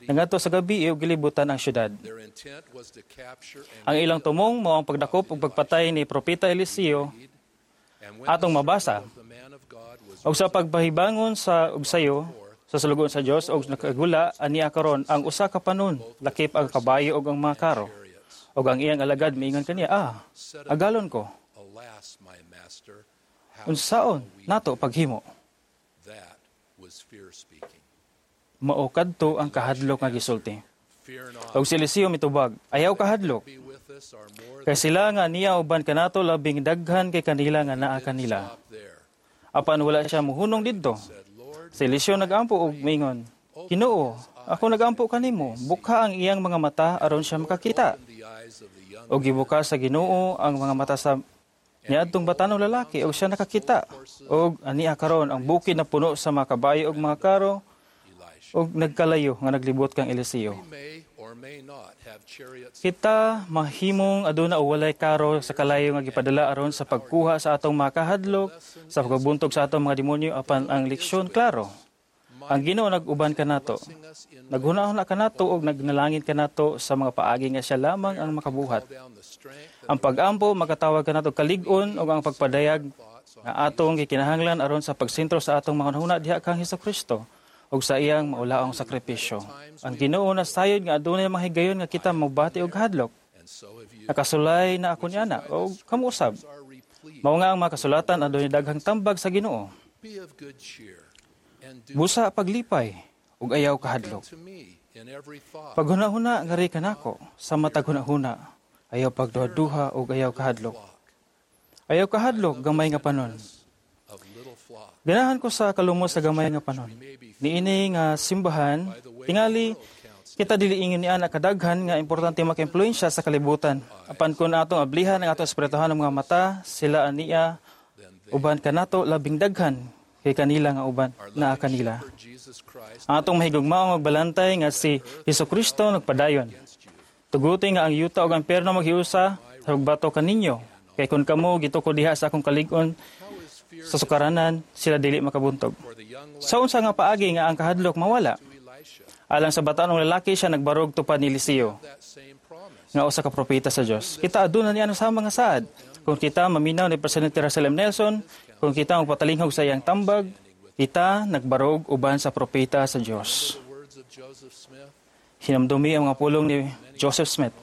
nangadto sa gabi ug gilibutan ang syudad. Ang ilang tumong mao ang pagdakop ug pagpatay ni Propeta Eliseo atong mabasa. Og sa pagpahibangon sa og sayo sa sulugoon sa Dios og nakagula aniya karon ang usa ka panon lakip ang kabayo og ang mga karo. Og ang iyang alagad miingon kaniya, ah, agalon ko. Unsaon nato paghimo? Mao kadto ang kahadlok nga gisulti. Og si Eliseo mitubag, ayaw kahadlok. Kay sila nga niya uban kanato labing daghan kay kanila nga naa kanila. Apan wala siya muhunong didto. Si Eliseo nagampo og miingon, Ginoo, ako nagampo kanimo, bukha ang iyang mga mata aron siya makakita. Og gibuka sa Ginoo ang mga mata sa niadtong batanong lalaki og siya nakakita. Og ania karon ang bukid na puno sa mga kabayo og mga karo og nagkalayo nga naglibot kang Eliseo. Kita mahimong aduna o walay karo sa kalayo nga gipadala aron sa pagkuha sa atong mga kahadlok, sa pagbuntog sa atong mga demonyo, apan ang leksyon klaro. Ang Ginoo nag-uban kanato. Naghuna-huna kanato og nagnalangin kanato sa mga paagi nga siya lamang ang makabuhat. Ang pag-ampo makatawag kanato kalig-on og ang pagpadayag nga atong gikinahanglan aron sa pagsentro sa atong mga hunahuna diha kang Hesukristo ug sa iyang maulaong sakripisyo. Ang Ginoo nasayod nga adunay mga higayon nga kita mobati og hadlok. Nakasulay na ako niana og kamuusab. Mao nga ang mga kasulatan adunay daghang tambag sa Ginoo. Busa paglipay ug ayaw kahadlok. Paghuna-huna ngari kanako sa matag hunahuna, ayaw pagduha-duha ug ayaw kahadlok. Ayaw kahadlok gamay nga panon. Ganahan ko sa kalumos sa gamay nga panon. Niini nga simbahan, tingali kita dili ingon ni ana kadaghan nga importante maka-impluwensya sa kalibutan. Apan kun atong ablihan ang atong espirituhan ng mga mata, sila ania uban kanato labing daghan kay kanila nga uban naa kanila. Ang atong mahigugmaong magbalantay nga si Hesukristo nagpadayon. Tuguti nga ang yuta ug ang perno maghiusa sa pagbato kaninyo. Kay kun kamo gituko diha sa akong kalig-on sa sukaranan, sila dili makabuntog. Sa unsa nga paagi nga ang kahadlok mawala? Alang sa batanong lalaki siya nagbarog tupad ni Eliseo nga usa ka propeta sa Dios. Kita aduna niya sa mga saad. Kung kita maminaw ni Presidente Russell M. Nelson, kung kita magpatalinghog sa iyang tambag, kita nagbarog uban sa propeta sa Dios. Hinamdumi ang mga pulong ni Joseph Smith.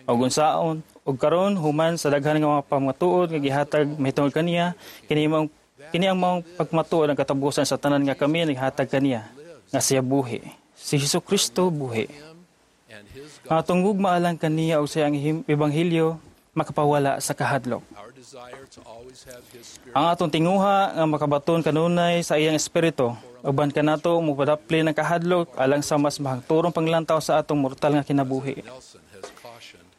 Og unsaon og karon human sa daghan nga mga pamatuod nga gihatag mahitungod kaniya, kini maong kini ang maong pagmatuod ang katapusan sa tanan nga kami naghatag kaniya nga siya buhi. Si Hesukristo buhi. Ang atong gugma alang kaniya og sa iyang ebanghelyo makapawala sa kahadlok. Ang atong tinguha nga makabaton kanunay sa iyang espiritu, uban kanato mopadapli ng kahadlok alang sa mas mahangturong panglantaw sa atong mortal nga kinabuhi.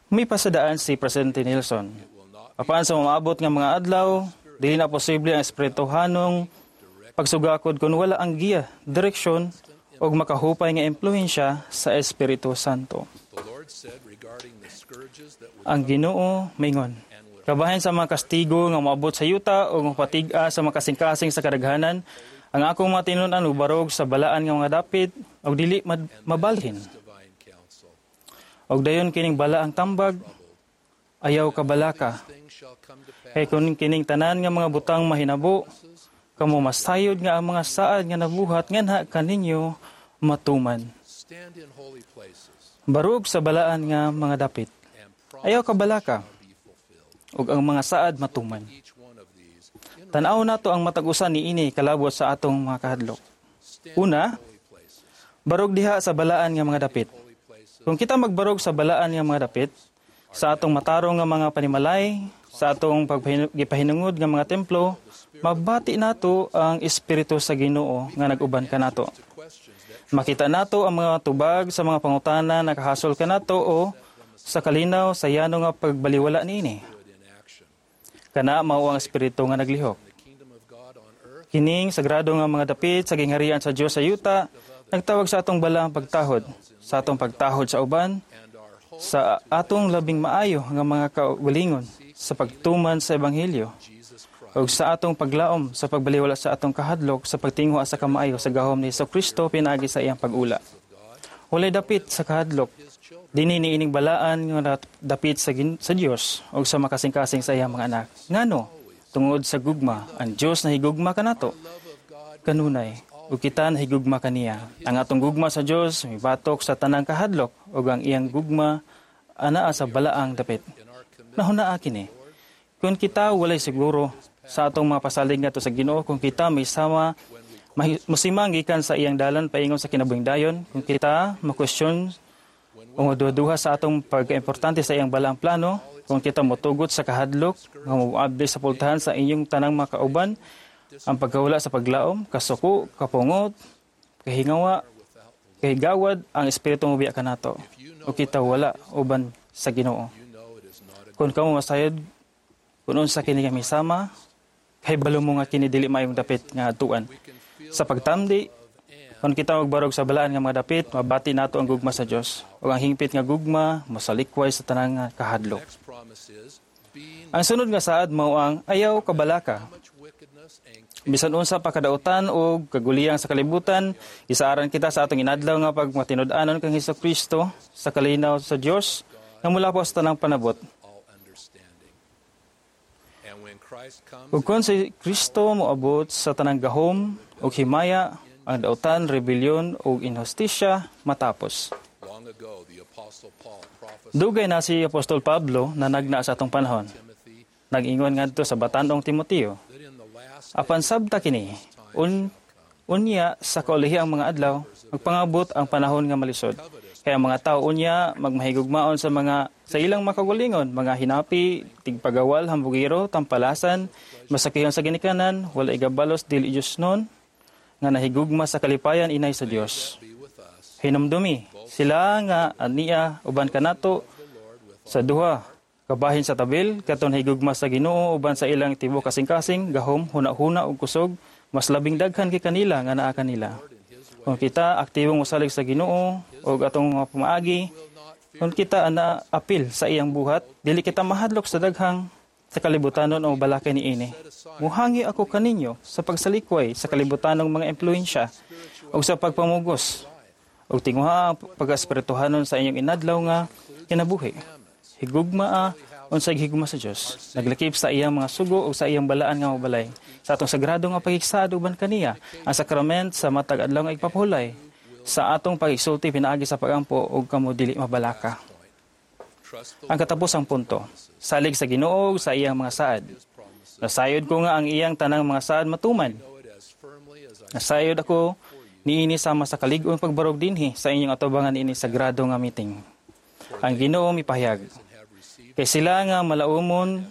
May pasadaan si Presidente Nelson. Apan sa maabot nga mga adlaw, dili na posible ang espirituhanong pagsugakod kung wala ang giya, direksyon ug makahupay nga impluwensya sa Espiritu Santo. Ang Ginoo mingon, kabahin sa mga kastigo nga moabot sa yuta o mapatig-a sa mga kasing-kasing sa kadaghanan, ang akong mga tinun-an barog sa balaan nga mga dapit ug dili mabalhin. Og dayon kining balaang tambag, ayaw kabalaka. Kay kun kining tanan nga mga butang mahinabo, kamo masayod nga ang mga saad nga nabuhat nganha kaninyo matuman. Barog sa balaan nga mga dapit. Ayaw kabalaka ug ang mga saad matuman. Tan-aw nato ang matag usa niini kalabot sa atong mga kahadlok. Una, barog diha sa balaan nga mga dapit. Kung kita magbarog sa balaan nga mga dapit, sa atong matarong nga mga panimalay, sa atong paggipahinungod nga mga templo, mabati nato ang espiritu sa Ginoo nga nag-uban kanato. Makita nato ang mga tubag sa mga pangutana na kahasol kanato o sa kalinaw sa yano nga pagbaliwala niini. Kana mao ang espiritu nga naglihok. Kining sagrado nga mga dapit sa gingharian sa Dios sa yuta nagtawag sa atong balaang pagtahod, sa atong pagtahod sa uban, sa atong labing maayo nga mga kaugalingon sa pagtuman sa ebanghelyo ug sa atong paglaom sa pagbaliwala sa atong kahadlok sa pagtinguha sa kamaayo sa gahom ni Kristo pinaagi sa iyang pag-ula. Walay dapit sa kahadlok dinhi niining balaan nga dapit sa, sa Dios ug sa makasing-kasing sa iyang mga anak. Ngano? Tungod sa gugma, ang Dios nahigugma kanato kanunay ug kita nahigugma kaniya. Ang atong gugma sa Dios mibatok sa tanang kahadlok ug ang iyang gugma anaa sa balaang dapit. Nahunaa kini. Kung kita walay siguro sa atong mga pasalig ngadto sa Ginoo, kung kita may sama musimang gikan sa iyang dalan paingon sa kinabuhing dayon, kung kita makwestiyon o maduha-duha sa atong pagkaimportante sa iyang balaang plano, kung kita motugot sa kahadlok nga moabli sa pultahan sa inyong tanang mga kauban, ang pagkawala sa paglaom, kasuko, kapungot, kahingawa, kahigawad, ang espiritu mobiya kanato. O kita wala uban sa Ginoo. Kung kamo masayod, kung unsa kini kami sama, kahibalo mo nga kini dili maayong dapit nga atuan. Sa pagtamdi, kung kita magbarog sa balaan nga mga dapit, mabati nato ang gugma sa Dios. Ug ang hingpit nga gugma mosalikway sa tanang nga kahadlok. Ang sunod nga saad mao ang ayaw kabalaka. Bisan unsa pa kadautan o kaguliyang sa kalibutan, isaaran kita sa atong inadlaw nga pagmatinud-anon kang Hesukristo sa kalinaw sa Dios nga mula po sa tanang panabot. Ug kon si Kristo moabot sa tanang gahom ug himaya, ang dautan, rebelyon ug inhustisya matapos. Dugay na si Apostol Pablo na nagna sa atong panahon. Nag-ingon ngadto sa batanong Timoteo. Apan sabta kini, un, unya sa kaulihi ang mga adlaw, magpangabot ang panahon nga malisod. Kaya ang mga tao unya magmahigugmaon sa mga sa ilang makaugalingon, mga hinapi, tigpagawal, hambugiro, tampalasan, masakihan sa ginikanan, wala igabalos dili Dios nun, nga nahigugma sa kalipayan inay sa Dios. Hinumdumi, sila nga aniya uban kanato sa duha kabahin sa tabil, katon higugma sa Ginoo uban sa ilang tibuok kasing-kasing, gahom, huna-huna ug kusog, mas labing daghan kay kanila nga naa kanila. Kung kita aktibong mosalig sa Ginoo ug atong mga pamaagi, kung kita ana apil sa iyang buhat, dili kita mahadlok sa daghang sa kalibutanon o balakay niini. Muhangi ako kaninyo sa pagsalikway sa kalibutanong mga impluwensya ug sa pagpamugos ug tinguha ang pag-espirituhanon sa inyong inadlaw nga kinabuhi. Higugma unsay higugma sa Dios. Naglakip sa iyang mga sugo ug sa iyang balaan nga mabalay. Sa atong sagrado nga pagigsaad uban kaniya, ang sakrament sa matag adlaw nga igpapahulay. Sa atong pagigsulti pinaagi sa pagampo ug kamo dili mabalaka. Ang katapusang punto, salig sa Ginoo sa iyang mga saad. Nasayod ko nga ang iyang tanang mga saad matuman. Nasayod ako niini sama sa kalig-on pagbarog dinhi sa inyong atubangan niini sagrado nga meeting. Ang Ginoo mipahayag. Kay sila nga malaumon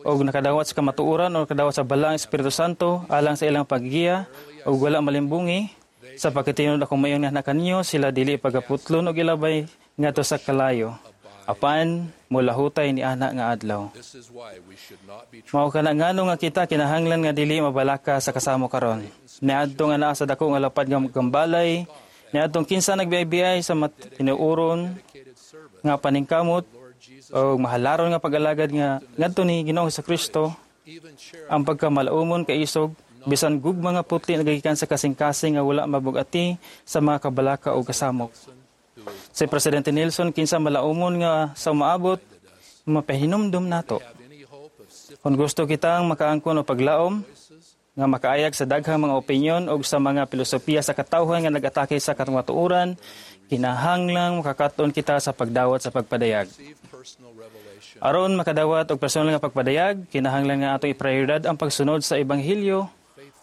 og nakadawat sa kamatuoran o nakadawat sa balaang Espiritu Santo alang sa ilang paggiya og wala malimbungi sa pagkatinod akong mayon nga kaninyo sila dili pagaputlon og ilabay ngadto sa kalayo. Apan mulahutay ni ana nga adlaw. Mao kana ngano nga kita kinahanglan nga dili mabalaka sa kasamo karon. Niadto nga naa sa dako nga lapad nga gambalay, niadtong kinsa nagbiay-biay sa tinuoron nga paningkamot o mahalaron nga pag-alagad nga ngadto ni Ginoong Kristo ang pagkamalaumon kaisog bisan gugma nga putli nagagikan sa kasing-kasing nga wala mabugati sa mga kabalaka o kasamok. Si Presidente Nelson kinsa malaumon nga sa umaabot mapahinumdum nato. Kung gusto kitang makaangkon o paglaom nga makaayag sa daghang mga opinyon o sa mga filosofiya sa katawhan nga nag-atake sa kamatuoran, kinahanglang makakaton kita sa pagdawat sa pagpadayag. Aron makadawat og personal nga pagpadayag, kinahanglan nga atong iprioridad ang pagsunod sa ebanghelyo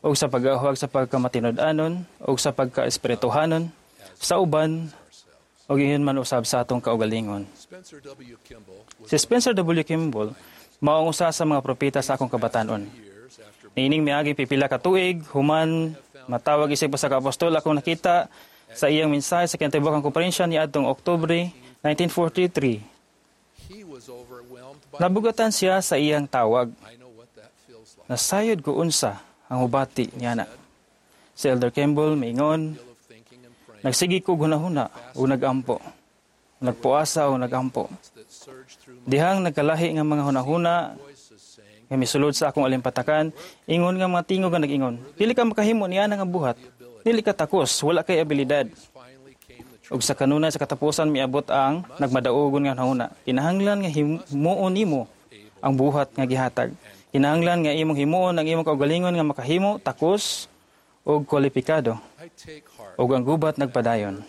o sa pag-ahuag sa pagkamatinud-anon o sa pagkaespirituhanon sa uban o ingon man usab sa atong kaugalingon. Si Spencer W. Kimball mao ang usa sa mga propeta sa akong kabatanon. Niining miagi pipila ka tuig, human matawag isip usa ka apostol akong nakita sa iyang mensahe sa kinatibuk-ang komperensya niadtong Oktubre nineteen forty-three. Nabugatan siya sa iyang tawag. Nasayod ko unsa ang hubati niya na. Si Elder Kimball miingon, nagsigi ko hunahuna o nagampo. Nagpuasa o nagampo. Dihang nagkalahi nga mga hunahuna nga misulod sa akong alimpatakan, ingon nga mga tingog nga nag-ingon. Dili ka makahimo niya nga buhat. Dili ka takos, wala kay abilidad. Ug sa kanunay sa katapusan miabot ang nagmadaugon nga hunahuna. Kinahanglan nga himuon nimo ang buhat nga gihatag. Kinahanglan nga imong himuon ang imong kaugalingon nga makahimo, takos ug kwalipikado. Ug ang gubat nagpadayon.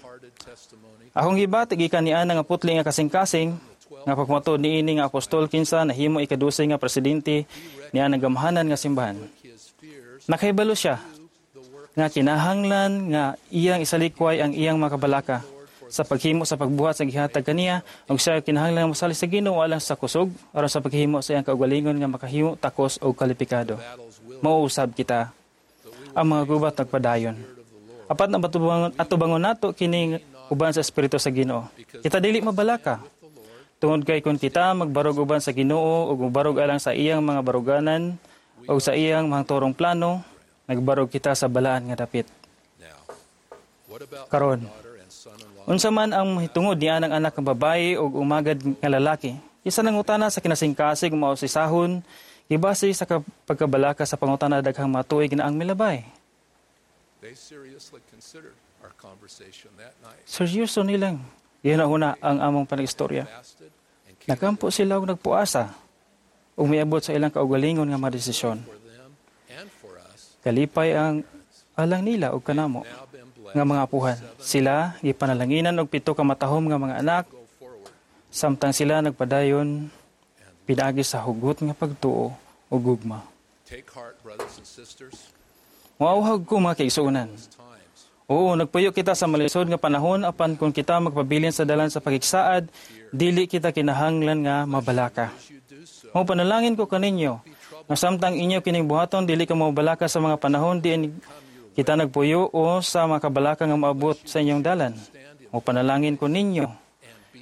Akong gibati gikan niana nga putli nga kasing-kasing nga pagmatuod niini nga apostol kinsa nahimo ikadose nga presidente niya ang gamhanan nga simbahan. Nakahibalo siya nga kinahanglan nga iyang isalikway ang iyang mga kabalaka sa paghimo sa pagbuhat sa gihatag kaniya ug siya kinahanglan nga mosali sa Ginoo alang sa kusog aron sa paghimo sa iyang kaugalingon nga makahimo takos og kalipikado. Mauusab kita ang mga gubat nagpadayon. Apat na atubangon, atubangon nato kini uban sa espiritu sa Ginoo. Kita dili mabalaka. Tungod kay kung kita magbarog uban sa Ginoo ug mobarog alang sa iyang mga baruganan ug sa iyang mahangturong plano, nagbarog kita sa balaan nga dapit. Karon, unsa man ang mahitungod niya ng anak nga babae ug umagad nga lalaki, isa nangutana sa kinasingkasig mausisahon, gibase sa pagkabalaka sa pangutana daghang matuig na ang milabay. Seryoso nilang gihinahuna ang among panagistorya. Nagampo sila og nagpuasa ug miabot sa ilang kaugalingon nga madesisyon. Kalipay ang alang nila og kanamo nga mga apuhan. Sila gipanalanginan og pito ka matahom nga mga anak samtang sila nagpadayon pinaagi sa hugot nga pagtuo ug gugma. Moauhag ko mga kaigsuonan. Oo, nagpuyo kita sa malisod nga panahon apan kung kita magpabilin sa dalan sa pagigsaad, dili kita kinahanglan nga mabalaka. Mo panalangin ko kaninyo nga samtang inyo kining buhaton dili ka mabalaka sa mga panahon diin kita nagpuyo o sa mga kabalaka nga maabot sa inyong dalan. Mo panalangin ko ninyo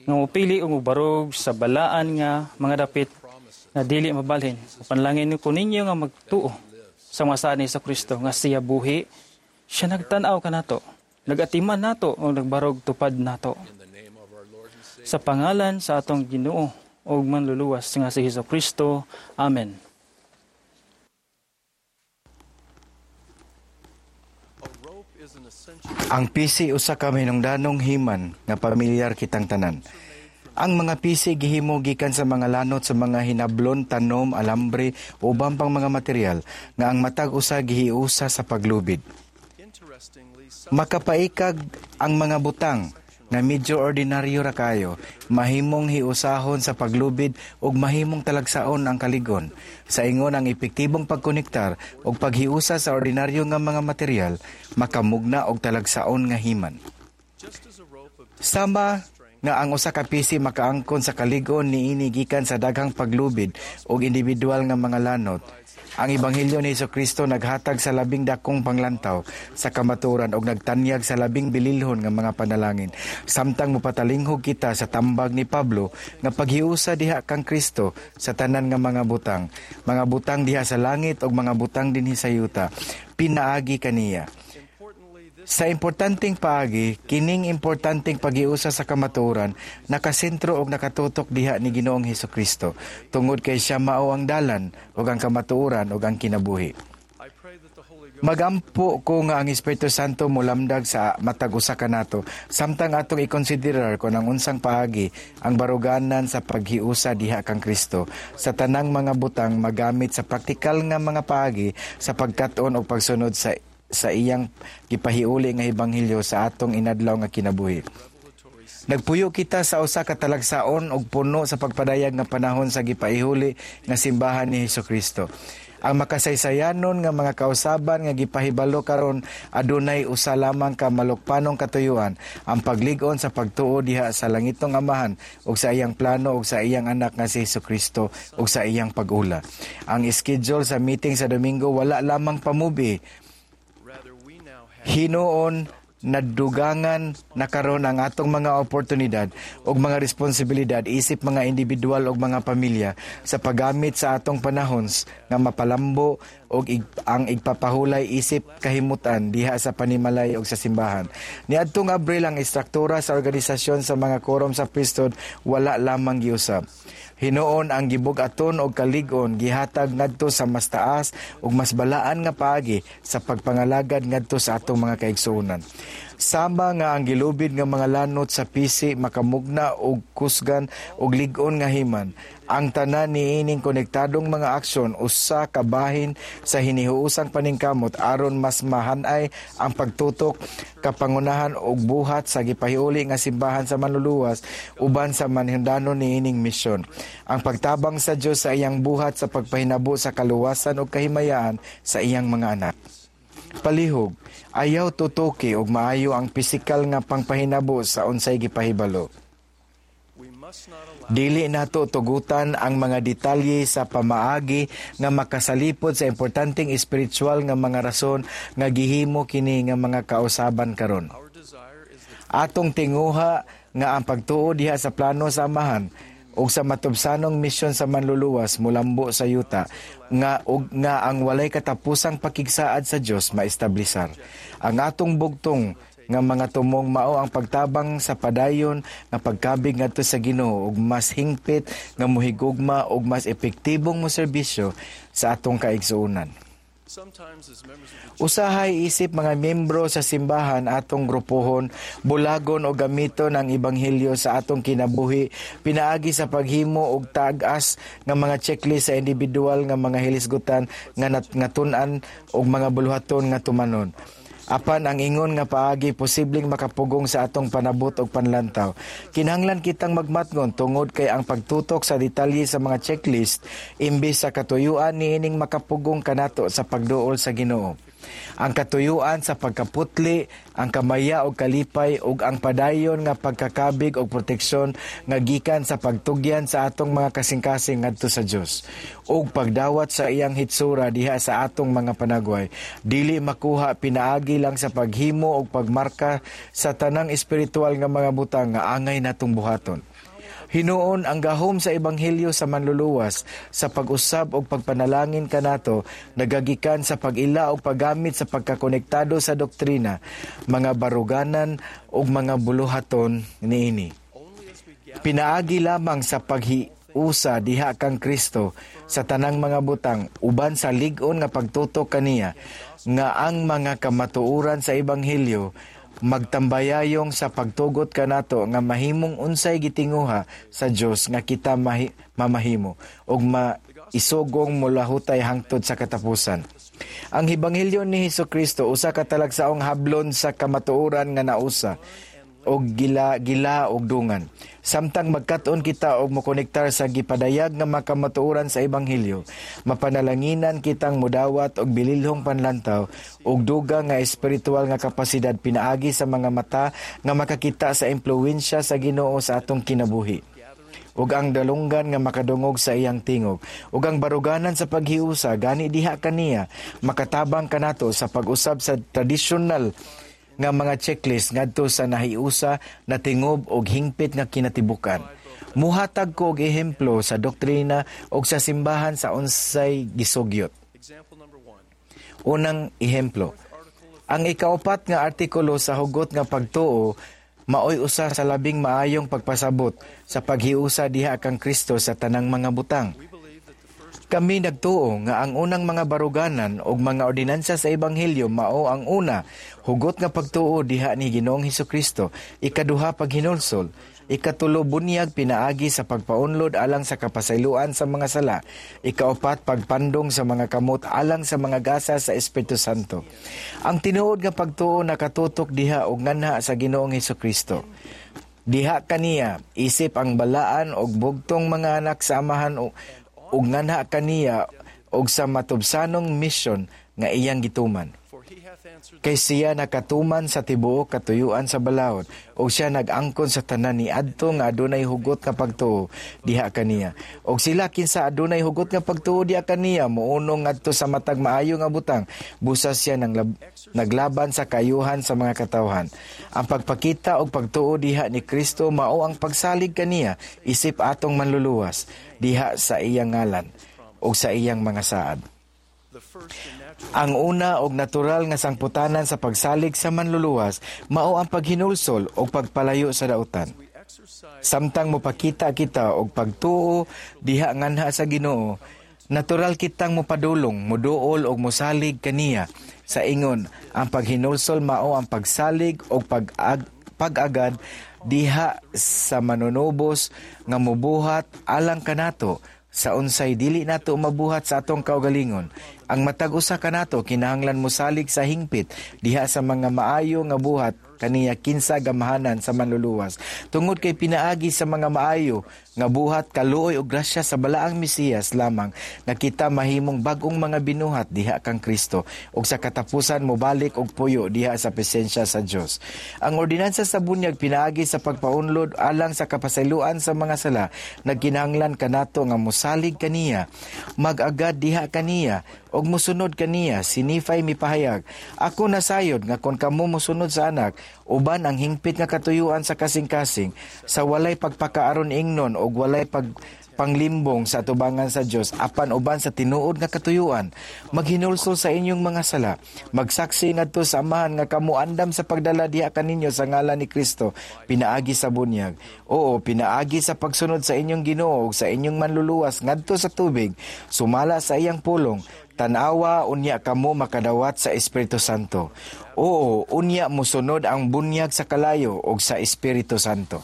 nga mopili o mobarog sa balaan nga mga dapit nga dili mabalhin. Mo panalangin ko ninyo nga magtuo sa mga saad ni Jesucristo nga siya buhi. Siya nagtan-aw kanato, nagatiman nato o nagbarog tupad nato. Sa pangalan sa atong Ginoo ug manluluwas nga si Jesucristo. Amen. Ang pisi usa ka mahinungdanong himan nga pamilyar kitang tanan. Ang mga pisi gihimo gikan sa mga lanot sa mga hinablon, tanom, alambre o uban pang mga material nga ang matag usa gihiusa sa paglubid. Makapaikag ang mga butang nga medyo ordinaryo ra kayo, mahimong hiusahon sa paglubid ug mahimong talagsaon ang kaligon. Sa ingon ang epektibong pagkonektar ug paghiusa sa ordinaryo nga mga material, makamugna og talagsaon nga himan. Sama nga ang usa ka P C makaangkon sa kalig-on niini gikan sa daghang paglubid og individual nga mga lanot, ang Ebanghelyo ni Kristo naghatag sa labing dakong panglantaw sa kamatuoran og nagtanyag sa labing bililhon nga mga panalangin. Samtang mopatalinghog kita sa tambag ni Pablo nga paghiusa diha kang Kristo sa tanan nga mga butang, mga butang diha sa langit ug mga butang dinhi sa yuta, pinaagi kaniya. Sa importanteng paagi, kining importanteng paghiusa sa kamatuoran nakasentro og nakatutok diha ni Ginoong Hesukristo tungod kay siya mao ang dalan ug ang kamatuoran ug ang kinabuhi. Magampo ko nga ang Espiritu Santo molamdag sa matag usa kanato samtang atong ikonsiderar kon ang unsang paagi ang baruganan sa paghiusa diha kang Kristo sa tanang mga butang magamit sa praktikal nga mga paagi sa pagkat-on og pagsunod sa sa iyang gipahiuli nga ebanghelyo sa atong inadlaw nga kinabuhi. Nagpuyo kita sa usa ka talagsaon og puno sa pagpadayag nga panahon sa gipaihuli nga simbahan ni Hesukristo. Ang makasaysayanon nga mga kausaban nga gipahibalo karon adunay usa lamang ka malukpanong katuyuan, ang paglig-on sa pagtuo diha sa langitong Amahan ug sa iyang plano ug sa iyang anak nga si Hesukristo ug sa iyang pag-ula. Ang schedule sa meeting sa Domingo wala lamang pamubi. Hinuon nadugangan na karon ang atong mga oportunidad ug mga responsibilidad isip mga individual ug mga pamilya sa paggamit sa atong panahon nga mapalambo og ig, ang igpapahulay isip kahimutan diha sa panimalay ug sa simbahan. Niadtong Abril, ang istruktura sa organisasyon sa mga quorum sa priesthood wala lamang giusab. Hinuon ang gibug-aton og kalig-on gihatag ngadto sa mas taas ug mas balaan nga paagi sa pagpangalagad ngadto sa atong mga kaigsuonan. Sama nga ang gilubid nga mga lanot sa P C makamugna og kusgan og lig-on nga himan, ang tanan niining konektadong mga aksyon usa ka bahin sa hinihuusang paningkamot aron mas mahanay ang pagtutok, kapangunahan ug buhat sa gipahiuli nga simbahan sa Manluluwas uban sa manhindanon niining misyon. Ang pagtabang sa Dios sa iyang buhat sa pagpahinabo sa kaluwasan ug kahimayaan sa iyang mga anak. Palihog, ayaw tutuki og maayo ang pisikal nga pangpahinabo sa unsay gipahibalo. Dili nato tugutan ang mga detalye sa pamaagi nga makasalipod sa importanteng espiritual nga mga rason nga gihimo kini nga mga kausaban karon. Atong tinguha nga ang pagtuo diha sa plano sa Amahan ug sa matubsanong misyon sa Manluluwas mulambo sa yuta nga ug nga ang walay katapusang pakigsaad sa Dios maestablisar. Ang atong bugtong nga mga tumong mao ang pagtabang sa padayon nga pagkabig ngadto sa Ginoo ug mas hingpit nga mohigugma ug mas epektibong moserbisyo sa atong kaigsuonan. Usahay isip mga miyembro sa simbahan, atong grupohon, bulagon o gamiton ang ebanghelyo sa atong kinabuhi pinaagi sa paghimo og tag-as nga mga checklist sa individual nga mga hilisgutan nga nat- nga tun-an og mga buluhaton nga tumanon. Apan ang ingon nga paagi posibleng makapugong sa atong panabot og panlantaw. Kinahanglan kitang magmatngon tungod kay ang pagtutok sa detalye sa mga checklist imbes sa katuyuan niining makapugong kanato sa pagduol sa Ginoo. Ang katuyuan sa pagkaputli, ang kamaya og kalipay ug ang padayon nga pagkakabig og proteksyon nga gikan sa pagtugyan sa atong mga kasing-kasing ngadto sa Dios ug pagdawat sa iyang hitsura diha sa atong mga panagway dili makuha pinaagi lang sa paghimo og pagmarka sa tanang espiritual nga mga butang nga angay natong buhaton. Hinuon ang gahom sa ebanghelyo sa Manluluwas sa pag-usab og pagpanalangin kanato nagagikan sa pag-ila og paggamit sa pagkakonektado sa doktrina, mga baruganan ug mga buluhaton niini. Pinaagi lamang sa paghiusa diha kang Kristo sa tanang mga butang uban sa lig-on nga pagtutok kaniya nga ang mga kamatuoran sa ebanghelyo magtambayayong sa pagtugot kanato nga mahimong unsay gitinguha sa Dios nga kita mahi, mamahimo ug maisugong molahutay hangtod sa katapusan. Ang ebanghelyo ni Hesukristo usa ka talagsaong hablon sa kamatuoran nga nausa. og gila gila og dungan. Samtang magkat-on kita og mokonektar sa gipadayag nga makamatuoran sa ebanghelyo, mapanalanginan kitang mudawat og bililhong panlantaw og dugang nga espiritual nga kapasidad pinaagi sa mga mata nga makakita sa impluwensya sa Ginoo sa atong kinabuhi ug ang dalunggan nga makadungog sa iyang tingog ug ang baruganan sa paghiusa gani diha kaniya makatabang kanato sa pag-usab sa tradisyonal nga mga checklist ngadto sa nahiusa na tingob og hingpit nga kinatibukan. Muhatag ko og ehemplo sa doktrina og sa simbahan sa unsay gisugyot. Unang ehemplo, ang ikaupat nga artikulo sa hugot nga pagtuo maoy usa sa labing maayong pagpasabot sa paghiusa diha kang Kristo sa tanang mga butang. Kami nagtuo nga ang unang mga baruganan og mga ordinansa sa ebanghelyo mao ang una, hugot nga pagtuo diha ni Ginoong Hesukristo, ikaduha paghinulsol, ikatulo bunyag pinaagi sa pagpaunlod alang sa kapasayloan sa mga sala, ikaupat pagpandong sa mga kamot alang sa mga gasa sa Espiritu Santo. Ang tinuod nga pagtuo nakatutok diha og nganha sa Ginoong Hesukristo. Diha kaniya isip ang balaan og bugtong mga anak sa Amahan o ug nganha kaniya og sa matubsanong misyon nga iyang gituman. Kay siya nakatuman sa tibuok katuyuan sa balaod ug siya nag-angkon sa tanan ni adto nga adunay hugot nga pagtuo diha kaniya. Og sila kinsa adunay hugot nga pagtuo diha kaniya mounong ngadto sa matag maayo nga butang, busa siya nang lab- naglaban sa kayuhan sa mga katawhan. Ang pagpakita og pagtuo diha ni Kristo mao ang pagsalig kaniya isip atong manluluwas diha sa iyang ngalan ug sa iyang mga saad. Ang una og natural nga sangputanan sa pagsalig sa manluluwas mao ang paghinulsol og pagpalayo sa dautan. Samtang mopakita kita og pagtuo diha nganha sa Ginoo, natural kitang mopadulong, moduol og mosalig kaniya. Sa ingon, ang paghinulsol mao ang pagsalig og pag-ag pag-agad diha sa manunubos nga mobuhat alang kanato sa unsay dili nato mabuhat sa atong kaugalingon. Ang matag usa kanato kinahanglan mosalig sa hingpit diha sa mga maayo nga buhat kaniya kinsa gamahanan sa manluluwas. Tungod kay pinaagi sa mga maayo nga buhat kaluoy og grasya sa balaang Mesiyas lamang nga kita mahimong bag-ong mga binuhat diha kang Kristo ug sa katapusan mobalik og puyo diha sa presensya sa Dios. Ang ordinansa sa bunyag pinaagi sa pagpaunlod alang sa kapasayloan sa mga sala nagkinahanglan kanato nga mosalig kaniya, mag-agad diha kaniya og mosunod kaniya. Si Nephi mipahayag, ako nasayod nga kon kamo mosunod sa anak uban ang hingpit nga katuyuan sa kasing-kasing sa walay pagpakaaron ingnon og walay pag panglimbong sa atubangan sa Dios apan uban sa tinuod nga katuyuan, maghinulsol sa inyong mga sala, magsaksi ngadto sa Amahan nga kamo andam sa pagdala diha kaninyo sa ngalan ni Kristo pinaagi sa bunyag. Oo, pinaagi sa pagsunod sa inyong Ginoo ug sa inyong manluluwas ngadto sa tubig, sumala sa iyang pulong. Tanawa unya kamo makadawat sa Espiritu Santo. Oo, unya mosunod ang bunyag sa kalayo ug sa Espiritu Santo.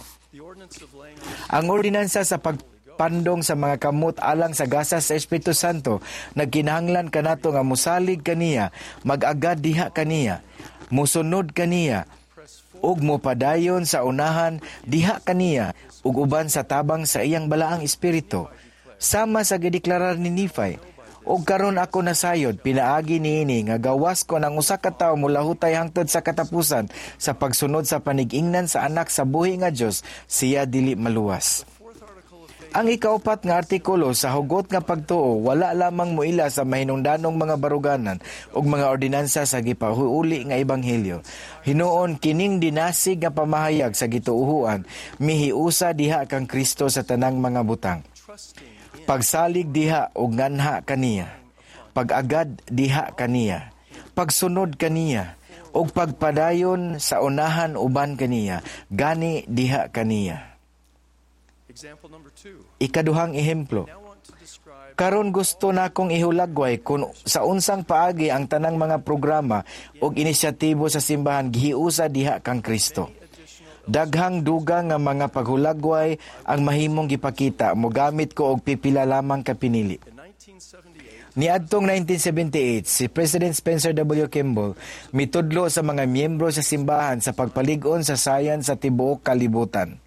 Ang ordinansa sa pagpandong sa mga kamot alang sa gasa sa Espiritu Santo nagkinahanglan kanato nga mosalig kaniya, mag-agad diha kaniya, mosunod kaniya, ug mopadayon sa unahan diha kaniya ug uban sa tabang sa iyang balaang espiritu. Sama sa gideklarar ni Nephi, og karon ako nasayod pinaagi niini nga gawas ko ng usa ka tawo molahutay hangtod sa katapusan sa pagsunod sa panigingnan sa anak sa buhi nga Dios, siya dili maluwas. Ang ikaupat nga artikulo sa hugot nga pagtuo wala lamang moila sa mahinungdanong mga baruganan ug mga ordinansa sa gipahuuli nga ebanghelyo. Hinuon kining dinasig nga pamahayag sa gituohan mihiusa diha kang Kristo sa tanang mga butang. Pagsalig diha og nganha kaniya, pag-agad diha kaniya, pagsunod kaniya, ug pagpadayon sa unahan uban kaniya, gani diha kaniya. Ikaduhang ehemplo. Karon gusto nakong ihulagway kung sa unsang paagi ang tanang mga programa ug inisyatibo sa simbahan gihiusa diha kang Kristo. Daghang dugang nga mga paghulagway ang mahimong gipakita, mogamit ko og pipila lamang ka pinili. Niadtong nineteen seventy-eight, si President Spencer W. Kimball mitudlo sa mga miyembro sa simbahan sa pagpalig-on sa science sa tibuok kalibutan.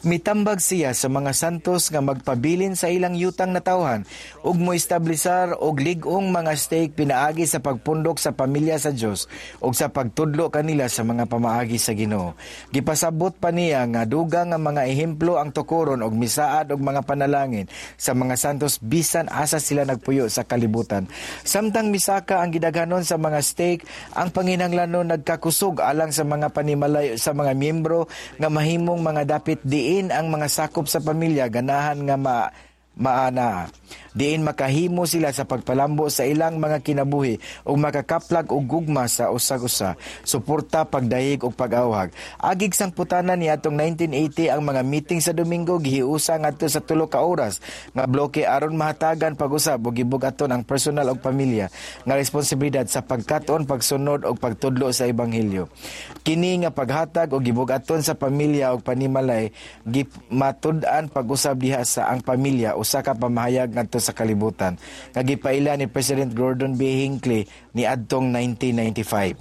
Mitambag siya sa mga santos nga magpabilin sa ilang yutang natawhan ug moestablisar og lig-ong mga stake pinaagi sa pagpundok sa pamilya sa Dios ug sa pagtudlo kanila sa mga pamaagi sa Ginoo. Gipasabot pa niya nga dugang nga mga ehemplo ang tukoron og misaad og mga panalangin sa mga santos bisan asa sila nagpuyo sa kalibutan. Samtang misaka ang gidaghanon sa mga stake, ang panginahanglanon nagkakusog alang sa mga panimalay sa mga miyembro nga mahimong mga dapit diin ang mga sakop sa pamilya ganahan nga ma maana diin makahimo sila sa pagpalambo sa ilang mga kinabuhi ug makakaplag og gugma sa usag-usa, suporta, pagdahig ug pag-awhag. Agig sangputanan niadtong nineteen eighty, ang mga meeting sa Domingo gihiusa ngadto sa tulo ka oras nga bloke aron mahatagan pag-usab ug gibug-aton ang personal ug pamilya nga responsibilidad sa pagkat-on, pagsunod ug pagtudlo sa ebanghelyo. Kini nga paghatag og gibug-aton sa pamilya ug panimalay matud-an pag-usab diha sa ang pamilya usa ka pamahayag ngadto sa kalibutan nga gipaila ni President Gordon B. Hinckley niadtong nineteen ninety-five.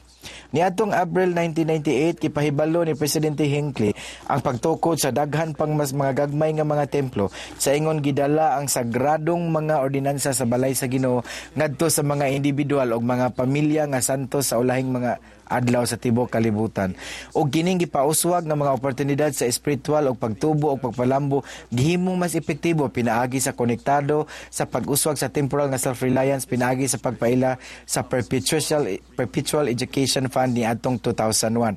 Niadtong Abril nineteen ninety-eight, gipahibalo ni Presidente Hinckley ang pagtukod sa daghan pang mas mga gagmay nga mga templo sa ingon gidala ang sagradong mga ordinansa sa balay sa Ginoo ngadto sa mga individual ug mga pamilya nga santos sa ulahing mga adlaw sa tibuok kalibutan. Og kining gipauswag nga mga oportunidad sa espiritual og pagtubo og pagpalambo gihimong mas epektibo pinaagi sa konektado sa pag-uswag sa temporal nga self-reliance pinaagi sa pagpaila sa perpetual perpetual education fund niadtong two thousand one.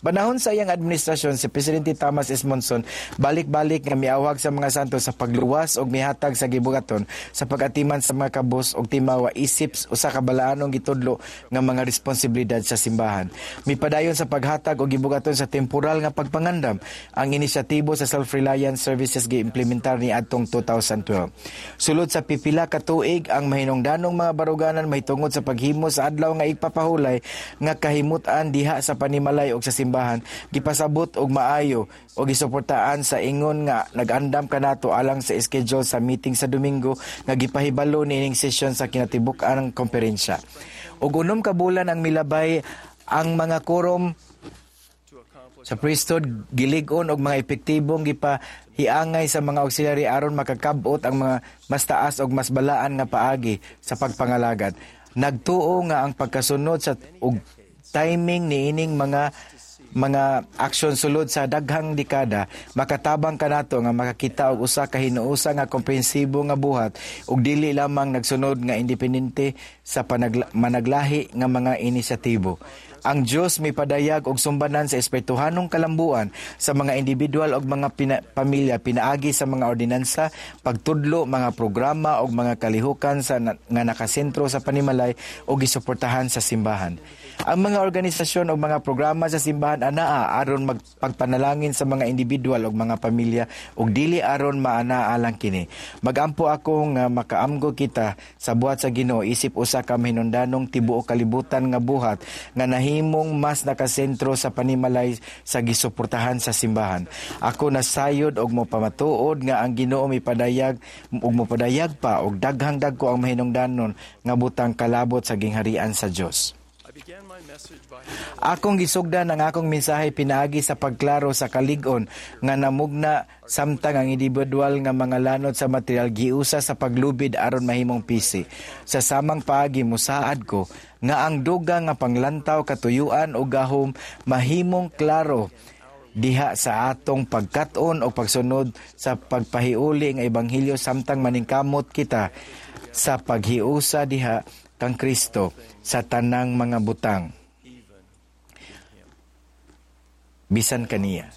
Panahon sa iyang administrasyon, si Presidente Thomas S. Monson balik-balik nga miawhag sa mga santos sa pagluwas og mihatag sa gibugaton sa pag-atiman sa mga kabus og timawa isip usa ka balaanong gitudlo nga mga responsibilidad sa simbahan. Mipadayon sa paghatag og gibugaton sa temporal nga pagpangandam ang inisyatibo sa self-reliance services giimplementar ni adtong two thousand twelve. Sulod sa pipila ka tuig, ang mahinungdanong mga baruganan mahitungod sa paghimo sa adlaw nga igpapahulay nga kahimutan diha sa panimalay og sa simbahan gipasabot og maayo o gisuportaan sa ingon nga nag-andam kanato alang sa schedule sa meeting sa Domingo nga gipahibalo niining session sa kinatibuk-an ng komperensya. Og unom ka bulan ang milabay, ang mga quorum sa priesthood gilig-on og mga epektibong gipahiangay sa mga auxiliary aron makakab-ot ang mga mas taas og mas balaan nga paagi sa pagpangalagad. Nagtuo nga ang pagkasunod sa og timing niining mga mga aksyon sulod sa daghang dekada makatabang kanato nga makakita og usa ka hinuosa nga komprehensibo nga buhat ug dili lamang nagsunod nga independente sa panagla- managlahi nga mga inisyatibo. Ang Dios mipadayag og sumbanan sa espirituhanong kalambuan sa mga individual og mga pina- pamilya pinaagi sa mga ordinansa, pagtudlo, mga programa og mga kalihukan sa na- nga nakasentro sa panimalay o gisuportahan sa simbahan. Ang mga organisasyon o mga programa sa simbahan anaa aron magpagpanalangin sa mga individual ug mga pamilya ug dili aron maanaa lang kini. Magampo ako nga makaamgo kita sa buhat sa Ginoo isip usa ka mahinungdanong tibuok kalibutan nga buhat nga nahimong mas nakasentro sa panimalay sa gisuportahan sa simbahan. Ako nasayod og mopamatuod nga ang Ginoo mipadayag ug mopadayag pa og daghang dagko ang mahinungdanon nga butang kalabot sa gingharian sa Dios. Akong gisugdan ang akong mensahe pinaagi sa pagklaro sa kalig-on nga namugna samtang ang individual nga mga lanot sa material giusa sa paglubid aron mahimong P C. Sa samang paagi, musaad ko nga ang dugang nga panglantaw, katuyuan o gahom mahimong klaro diha sa atong pagkat-on o pagsunod sa pagpahiuli nga ebanghelyo samtang maningkamot kita sa paghiusa diha kang Kristo sa tanang mga butang, bisan kaniya.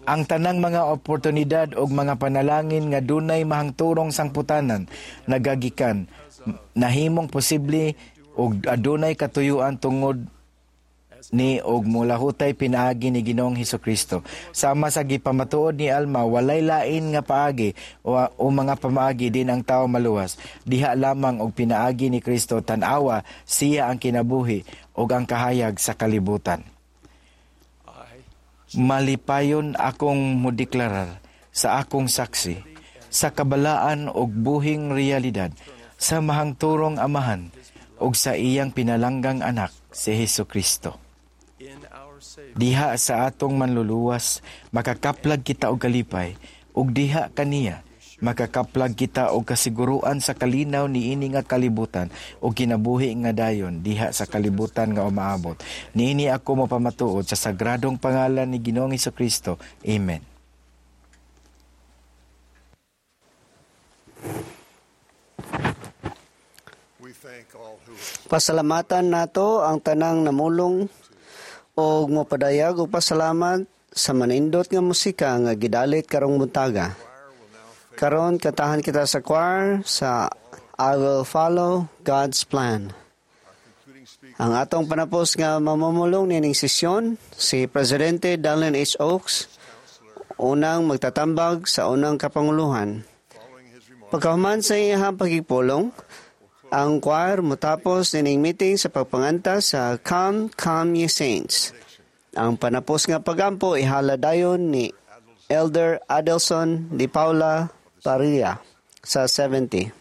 Ang tanang mga oportunidad og mga panalangin nga dunay mahangturong sangputanan nagagikan nahimong posible og adunay katuyuan tungod ni og mulahutay pinaagi ni Ginoong Hesukristo. Sama sa gipamatuod ni Alma, walay lain nga paagi o, o mga pamaagi din ang tao maluwas. Diha lamang og pinaagi ni Kristo. Tan-awa, siya ang kinabuhi ug ang kahayag sa kalibutan. Malipayon akong modeklarar sa akong saksi sa kabalaan og buhing realidad. sa mahangturong Amahan ug sa iyang pinalanggang anak si Hesukristo. Diha sa atong manluluwas makakaplag kita og kalipay, ug diha kaniya makakaplag kita og kasiguruan sa kalinaw niini nga kalibutan ug kinabuhi nga dayon diha sa kalibutan nga umaabot. Niini ako mapamatuod sa sagradong pangalan ni Ginoong Hesukristo. Amen. Pasalamatan nato ang tanang namulong og mopadayag og pasalamat sa manindot nga musika nga gidalit karong buntaga. Karon katahan kita sa choir sa I Will Follow God's Plan. Ang atong panapos nga mamumulong nining sesyon si Presidente Dallin H. Oaks, unang magtatambag sa unang kapanguluhan. Pagkahuman sa iyang pagipulong, ang choir motapos nining meeting sa pagpanganta sa Come, Come Ye Saints. Ang panapos nga pagampo ihala dayon ni Elder Adelson Di Paula Parilla sa seventy.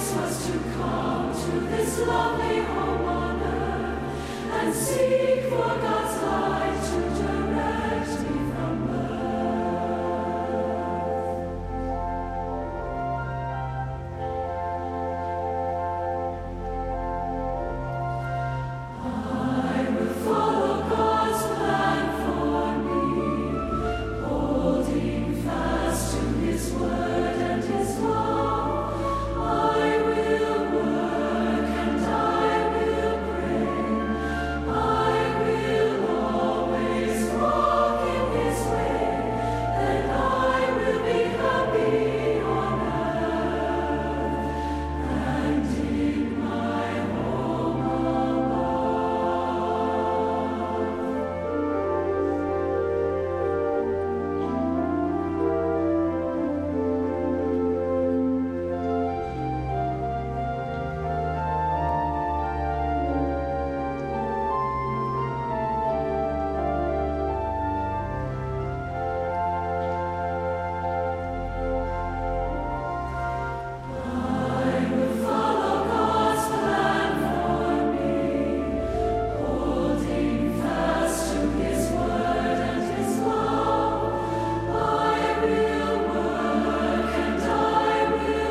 Was to come to this lovely home on earth and seek for God's light to direct me from birth. I will follow God's plan for me, holding fast to His word and His love. I will work and I will pray. I will always walk in His way, and I will be happy on earth and in my home above. I will follow God's plan for me, holding fast to His word and His love. I will work and I will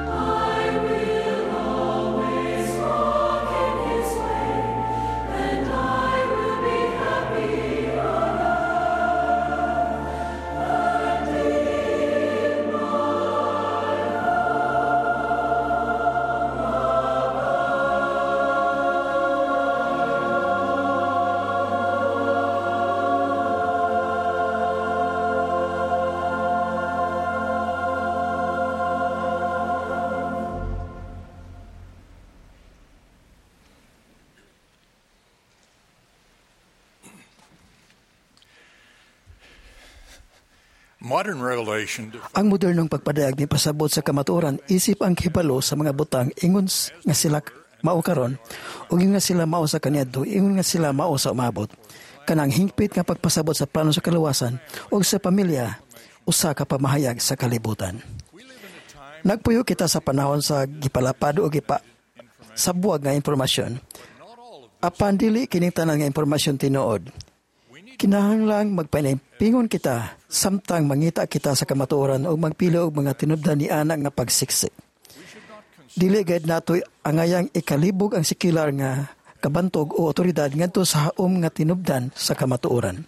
pray. I will always walk in His way, and I will be happy on earth and in my Modern revelation Ang modernong pagpadayag ni pasabot sa kamatuoran isip ang hibalo sa mga butang ingon nga sila mao karon ug ingon nga sila mao sa kaniadto, ingon nga sila mao sa umabot. Kanang hingpit nga pagpasabot sa plano sa kaluwasan ug sa pamilya usa ka pamahayag sa kalibutan. Nagpuyo kita sa panahon sa gipalapad o gipa sa buwag nga impormasyon. Apan dili kining tanan nga impormasyon tinuod. Kinahanglang magpanampingon kita samtang mangita kita sa kamatuoran o magpili og mga tinubdan ni anak nga pagsiksik. Dili gayud nato angayang ikalibog ang sekular nga kabantog o otoridad ngadto sa haom nga tinubdan sa kamatuoran.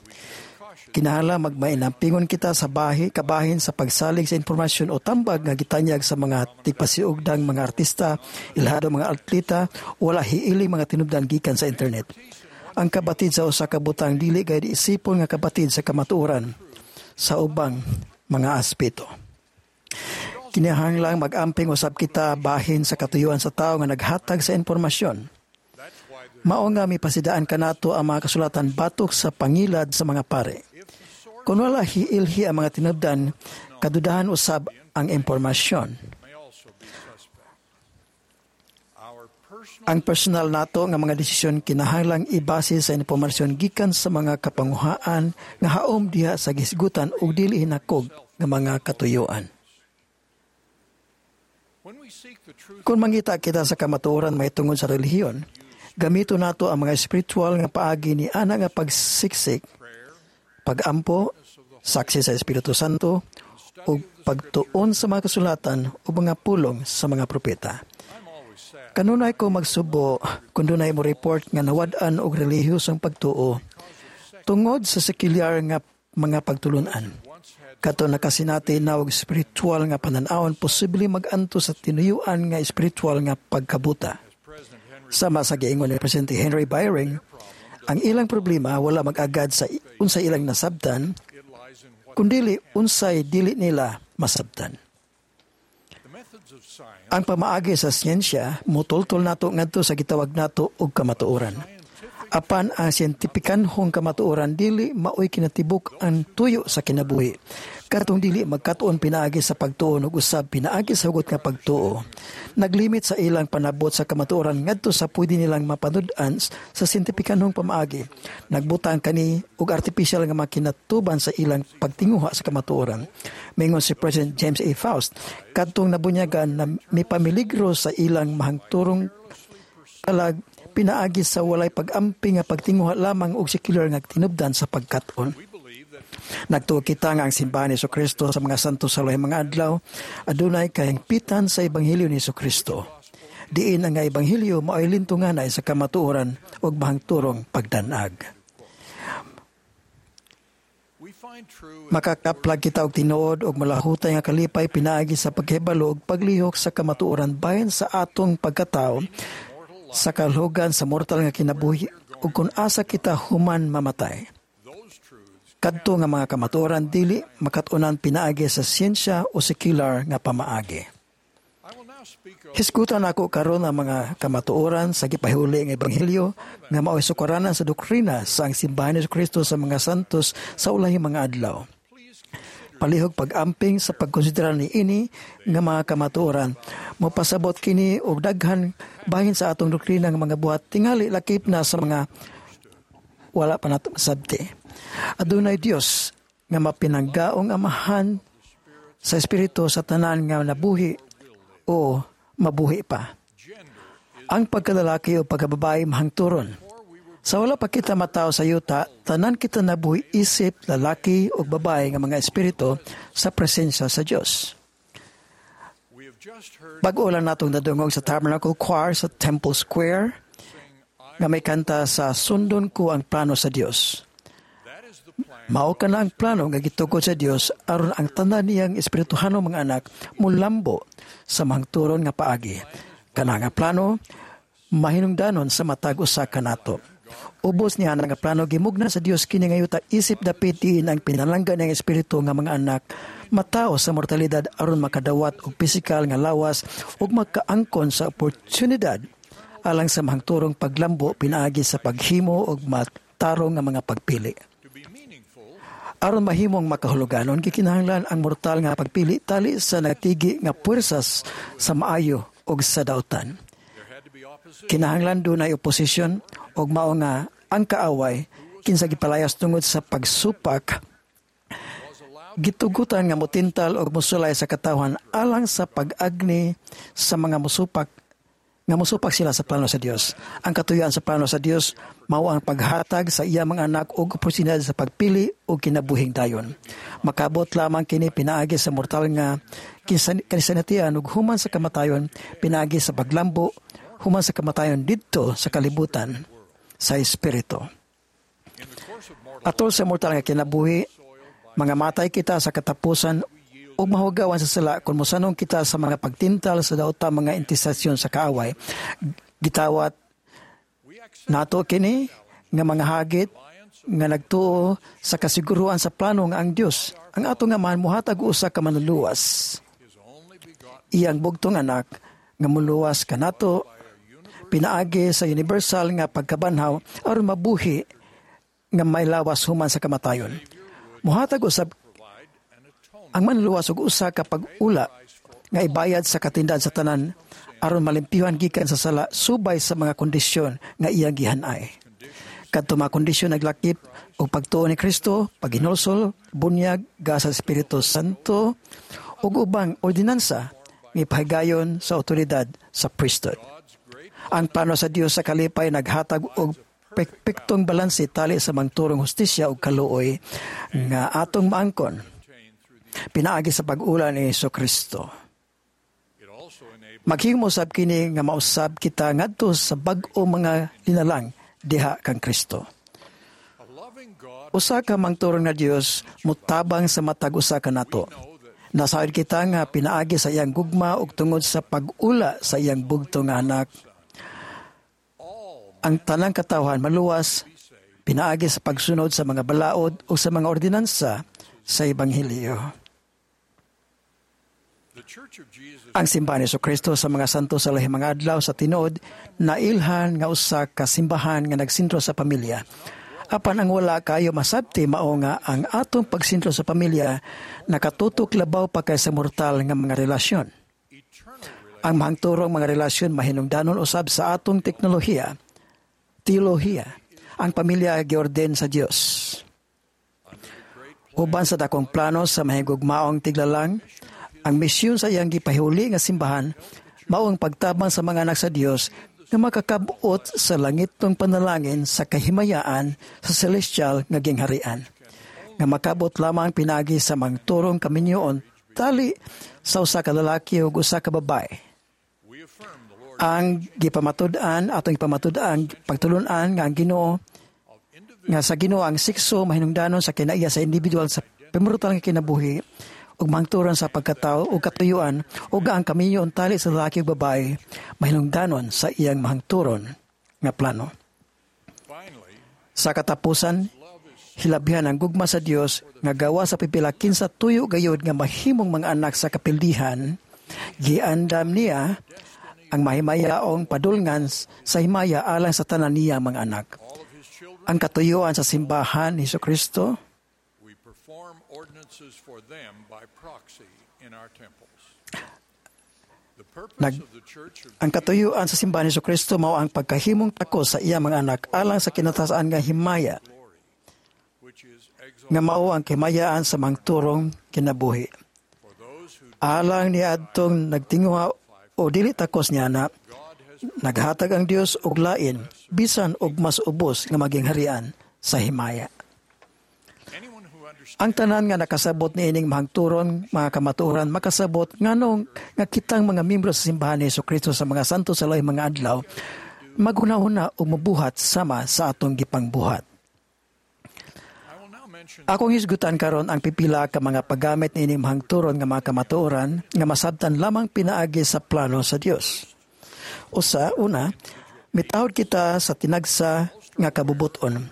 Kinahanglan magmainampingon kita sa bahi kabahin sa pagsalig sa impormasyon o tambag nga gitanyag sa mga tigpasiugdang mga artista, ilhado mga atleta, wala hiiling mga tinubdan gikan sa internet. Ang kabatid sa usa ka butang dili gayud isipon nga kabatid sa kamatuoran sa ubang mga aspeto. Kinahanglang mag-amping usab kita bahin sa katuyuan sa tawo nga naghatag sa impormasyon. Mao nga mipasidaan kanato ang mga kasulatan batok sa pangilad sa mga pare. Kung wala hiilhi ang mga tinubdan, kadudahan usab ang impormasyon. Ang personal nato nga mga desisyon kinahanglang ibase sa impormasyon gikan sa mga kapanguhaan nga haom diha sa gihisgutan ug dili hinakog nga mga katuyuan. Kung mangita kita sa kamatuoran mahitungod sa relihiyon, gamito nato ang mga espiritual nga paagi ni ana nga pagsiksik, pagampo, saksi sa Espiritu Santo, ug pagtuon sa mga kasulatan o mga pulong sa mga propeta. Kanunay ko magsubo kung dunay mo report nga nawad-an og relihiyosong pagtuo tungod sa sekular nga mga pagtulunan. Kato nakasinati na og espiritual nga panan-awon posible mag-anto sa tinuyuan nga espiritual nga pagkabuta. Sama sa giingon ni Presidente Henry Byring, ang ilang problema wala mag-agad sa unsay ilang nasabtan, kundili unsay dili nila masabtan. Ang pamaagi sa siyensya mutultol nato ngadto sa gitawag nato og kamatuoran. Apan ang siyentipikanhong kamatuoran dili maoy kinatibuk ang tuyo sa kinabuhi. Katong dili magkatuon pinaagi sa pagtuon ug usab pinaagi sa hugot nga pagtuo. Naglimit sa ilang panabot sa kamatuoran ngadto sa pwede nilang mapanud-an sa siyentipikanhong pamaagi. Nagbutang kani og artificial nga makinatuban sa ilang pagtinguha sa kamatuoran. Mingon si President James A. Faust, kadtong nabunyagan na mipamiligro sa ilang mahangturong kalag pinaagi sa walay pag-amping nga pagtinguha lamang og sekular nga tinubdan sa pagkat-on. Nagtuo kita nga ang simbahan ni Kristo sa mga santo sa ulahing mga adlaw adunay kahingpitan sa ebanghelyo ni Kristo. Diin ang nga ebanghelyo mao'y lintunganay sa kamatuoran ug mahangturong pagdanag. Makakaplag kita og tinuod og malahutay nga kalipay pinaagi sa paghibalo ug paglihok sa kamatuoran bahin sa atong pagkatawo sa kalhugan sa mortal nga kinabuhi ug kun asa kita human mamatay. Kadto nga mga kamatuoran dili makat-unan pinaagi sa siyensya o sekular nga pamaagi. Hisgutan ako karon ang mga kamatuoran sa gipahuli nga ebanghelyo nga mao'y sukaranan sa doktrina sa ang simbahan ni Kristo sa mga santos sa ulahing mga adlaw. Palihog pag-amping sa pagkonsidera ni ini nga mga kamatuoran, mopasabot kini og daghan bahin sa atong doktrina nga mga buhat tingali lakip na sa mga wala pa nato masabti. Adunay Dios nga mapinanggaong amahan sa espiritu sa tanan nga nabuhi o mabuhi pa. Ang pagkalalaki o pagkababae mahangturon. Sa wala pa kita matawo sa yuta, tanan kita nabuhi isip lalaki o babae nga mga espiritu sa presensya sa Dios. Bag-o lang natong nadungog sa Tabernacle Choir sa Temple Square nga may kanta sa Sundon ko ang plano sa Dios. Mao kana ang plano nga gitugod sa Dios aron ang tanan niyang espirituhanong mga anak mulambo sa mahangturon nga paagi. Kana nga plano mahinungdanon sa matag usa kanato. Ubos niya nga plano gimugna sa Dios kini nga yuta isip dapit diin ang pinalangga ng espiritu nga mga anak matao sa mortalidad aron makadawat og pisikal nga lawas ug makaangkon sa oportunidad alang sa mahangturong paglambo pinaagi sa paghimo og matarong nga mga pagpili. Aron mahimong makahuluganon, gikinahanglan ang mortal nga pagpili tali sa nagtigi nga puwersas sa maayo ug sa dautan. Kinahanglan dunay oposisyon ug mao nga ang kaaway kinsa gipalayas tungod sa pagsupak gitugutan nga motintal og mosulay sa katawhan alang sa pag-agni sa mga musupak nga mosupak sila sa plano sa Dios. Ang katuyuan sa plano sa Dios mao ang paghatag sa iya mga anak og oportunidad sa pagpili og kinabuhing dayon. Makabot lamang kini pinaagi sa mortal nga kanisanatian ug human sa kamatayon pinaagi sa paglambo human sa kamatayon didto sa kalibutan sa espiritu. Atol sa mortal nga kinabuhi, mga matay kita sa katapusan ug mahugawan sa sala kung mosanong kita sa mga pagtintal sa dauta mga intisasyon sa kaaway. Gitawat nato kini nga mga hagit nga nagtuo sa kasiguruan sa plano nga ang Dios ang atong Amahan mohatag usa ka manluluwas. iyang bugtong anak nga muluwas kanato pinaagi sa universal nga pagkabanhaw aron mabuhi nga may lawas human sa kamatayon. Muhatag usab ang manluluwas og usa ka pag-ula nga ibayad sa katindan sa tanan aron malimpyuhan gikan sa sala subay sa mga kondisyon nga iyang gihanay. Kadto mga kondisyon naglakip og pagtuo ni Kristo, paghinulsol, bunyag, gasa sa Espiritu Santo ug ubang ordinansa nga ipahigayon sa otoridad sa priesthood. Ang plano sa Dios sa kalipay naghatag og perpektong balanse tali sa mangturong hustisya ug kaluoy nga atong maangkon pinaagi sa pag-ula ni Hesus Kristo. Maghimo sab kini nga mausab kita ngadto sa bag-o mga linalang diha kang Kristo. Usa ka mangturong nga Dios mutabang sa matag usa kanato. Nasayod kita nga pinaagi sa iyang gugma ug tungod sa pag-ula sa iyang bugtong nga anak. Ang tanang katawhan maluwas pinaagi sa pagsunod sa mga balaod o sa mga ordinansa sa Ebanghelyo. Ang simbahan ni Kristo sa mga santo sa lahing mga adlaw sa tinuod nailhan nga usa ka simbahan nga nagsentro sa pamilya. Apan ang wala kayo masabti mao nga ang atong pagsentro sa pamilya nakatutok labaw pa kaysa mortal nga mga relasyon. Ang mahangturong mga relasyon mahinungdanon usab sa atong teknolohiya, teolohiya. Ang pamilya giorden sa Dios. Uban sa dakong plano sa mahigugmaong tiglalang, ang misyon sa iyang gipahuli nga simbahan mao ang pagtabang sa mga anak sa Dios nga makakabot sa langitong panalangin sa kahimayaan sa celestial nga gingharian. Nga makabot lamang pinagi sa mangturong kaminyoon tali sa usa ka lalaki ug usa ka babae. Ang gipamatud-an atong gipamatud-an pagtulun-an nga ang Ginoo nga sa Ginoo ang sekso mahinungdanon sa kinaiya sa individual sa pemortal nga kinabuhi ug mangturan sa pagkatao ug katuyuan ug ang kaminyoon tali sa lalaki ug babae mahinungdanon sa iyang mahangturon nga plano. Sa katapusan, hilabihan ang gugma sa Dios nga gawa sa pipila kinsa tuyo gayud nga mahimong mga anak sa kapildihan, giandam niya ang mahimayaong padulngan sa himaya alang sa tanan niya mga anak. Ang katuyuan sa simbahan ni Kristo Nag, ang katuyuan sa simbahan ni Kristo mao ang pagkahimong tako sa iya mga anak alang sa kinatasan nga himaya nga mao ang kimayaan sa mangturong kinabuhi. Alang ni adtong nagtinguha o dili takos niya na naghatag ang Dios og lain bisan og mas ubos nga maging harian sa himaya. Ang tanan nga nakasabot niining mahangturon mga kamatuoran makasabot nganong nga kitang mga miyembro sa simbahan ni Kristo sa mga santo sa lahi mga adlaw maghunahuna ug mobuhat sama sa atong gipangbuhat. Akong hisgutan karon ang pipila ka mga paggamit niining mahangturon nga mga kamatuoran nga masabtan lamang pinaagi sa plano sa Dios. Usa, una, mitahod kita sa tinagsa nga kabubuton.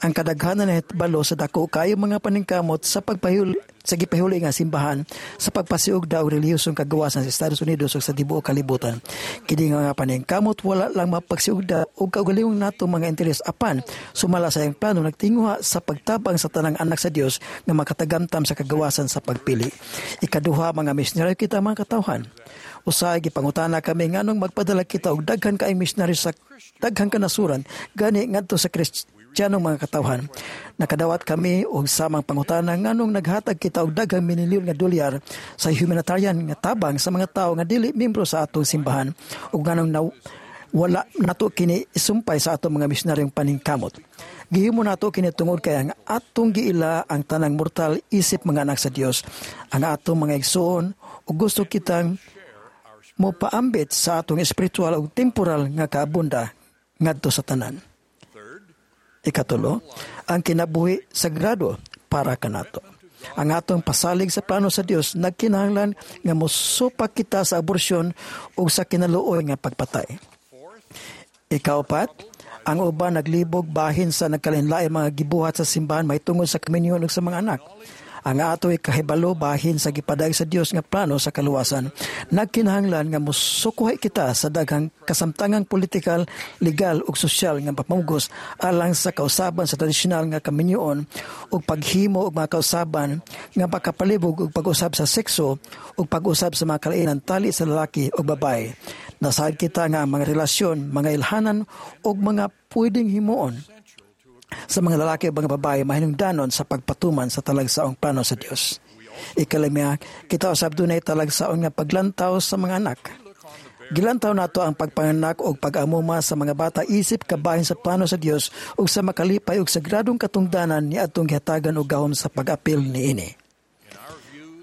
Ang kadaghanan na balo sa dako kayo mga paningkamot sa pagpahuli sa gipahuli nga simbahan sa pagpasiugda og relihiyosong kagawasan sa Estados Unidos ug sa tibuok kalibutan. Kini nga mga paningkamot wala lang mapagsiugda og kaugalingong nato mga interes apan sumala sa iyang plano nagtinguha sa pagtabang sa tanang anak sa Dios nga makatagamtam sa kagawasan sa pagpili. Ikaduha, mga misyonaryo kita mga katawhan. Usahay gipangutana kami nganong magpadala kita og daghan kaayong misyonaryo sa daghan kanasuran gani ngadto sa Kristiyanong mga katawhan. Nakadawat kami og samang pangutana nganong naghatag kita og daghang milyon nga dolyar sa humanitarian nga tabang sa mga tawo nga dili miyembro sa atong simbahan ug nganong na, wala nato kini isumpay sa atong mga misyonaryong paningkamot. Gihimo nato kini tungod kay ang atong giila ang tanang mortal isip mga anak sa Dios, ang atong mga igsoon ug gusto kitang mopaambit sa atong espiritual ug temporal nga kaabunda ngadto sa tanan. Ikatulo, ang kinabuhi sagrado para kanato. Ang atong pasalig sa plano sa Dios nagkinahanglan nga mosupak kita sa aborsyon ug sa kinaluoy nga pagpatay. Ikaupat, ang uban naglibog bahin sa nagkalainlaing mga gibuhat sa simbahan mahitungod sa kaminyoon ug sa mga anak. Ang ato ikahibalo bahin sa gipadayag sa Dios nga plano sa kaluwasan, nagkinahanglan nga mosukuhay kita sa daghang kasamtangang politikal, legal ug sosyal nga pamugos alang sa kausaban sa tradisyonal nga kaminyoon ug paghimo og mga kausaban nga makapalibog og pag-usab sa sekso ug pag-usab sa mga kalainan tali sa lalaki ug babae. Nasaad kita nga ang mga relasyon, mga ilhanan ug mga pwedeng himuon sa mga lalaki o mga babae mahinungdanon sa pagpatuman sa talagsaong plano sa Dios. Ikalimia, kita usab dunay talagsaon nga paglantaw sa mga anak. Gilantaw nato ang pagpanganak o pag-amuma sa mga bata isip kabahin sa plano sa Dios ug sa makalipay ug sagradong katungdanan ni atong gihatagan og gahom sa pag-apil niini.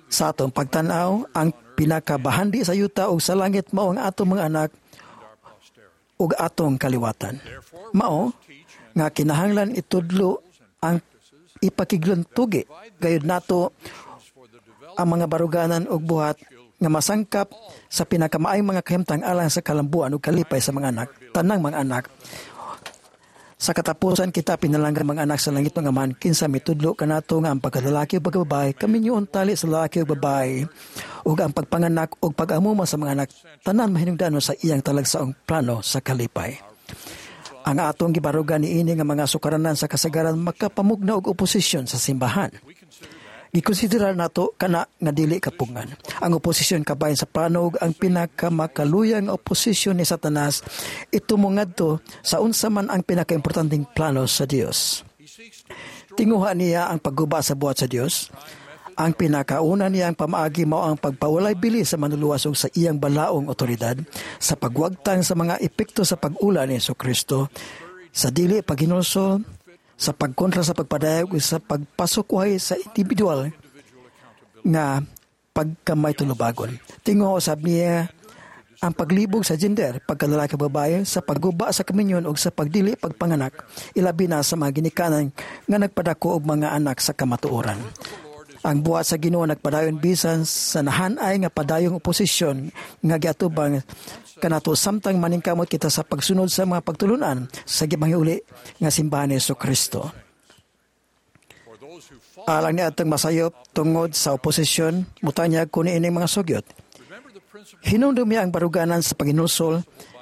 Sa atong pagtan-aw, ang pinakabahandi sa yuta ug sa langit mao ang atong mga anak ug atong kaliwatan. Mao nga kinahanglan itudlo ang ipakiglantugi gayud nato ang mga baruganan ug buhat nga masangkap sa pinakamaayong mga kahimtang alang sa kalambuan ug kalipay sa mga anak, tanang mga anak. Sa katapusan kita pinalanggan mga anak sa langit ng Amahan, kinsa mitudlo kanato nga ang pagkalalaki ug pagkababae kaminyoon tali sa lalaki ug babae ug ang pagpanganak ug pag-amuma sa mga anak tanan mahinungdanon sa iyang talagsaong plano sa kalipay. Ang atong gibarugan niini nga mga sukaranan sa kasagaran makapamugna og oposisyon sa simbahan. Gikonsiderar nato kana nga dili kapungan. Ang oposisyon kabahin sa plano ug ang pinakamakaluyang oposisyon ni Satanas ito mongadto sa unsa man ang pinakaimportanteng plano sa Dios. Tinguha niya ang pagguba sa buhat sa Dios. Ang pinakauna niyang pamaagi mao ang pagpawalay bili sa manluluwas ug sa iyang balaong otoridad sa pagwagtang sa mga epekto sa pag-ula ni Hesukristo, sa dili paghinulsol, sa pagkontra sa pagpadayag ug sa pagpasukwahi sa individual nga pagkamay tulubagon. Tinguha usab niya ang paglibog sa gender, pagkalalaki ug babae, sa pagguba sa kaminyon ug sa pagdili pagpanganak, ilabi na sa mga ginikanan nga nagpadako og mga anak sa kamatuoran. Ang buhat sa Ginoo nagpadayon bisan sa nahanay nga padayong oposisyon nga giatubang kanato samtang maningkamot kita sa pagsunod sa mga pagtulunan sa gipanghiuli nga simbahan ni Hesukristo. Alang ni atong masayop tungod sa oposisyon, mutanyag ko niining mga sugyot. Hinumdumi ang baruganan sa paghinulsol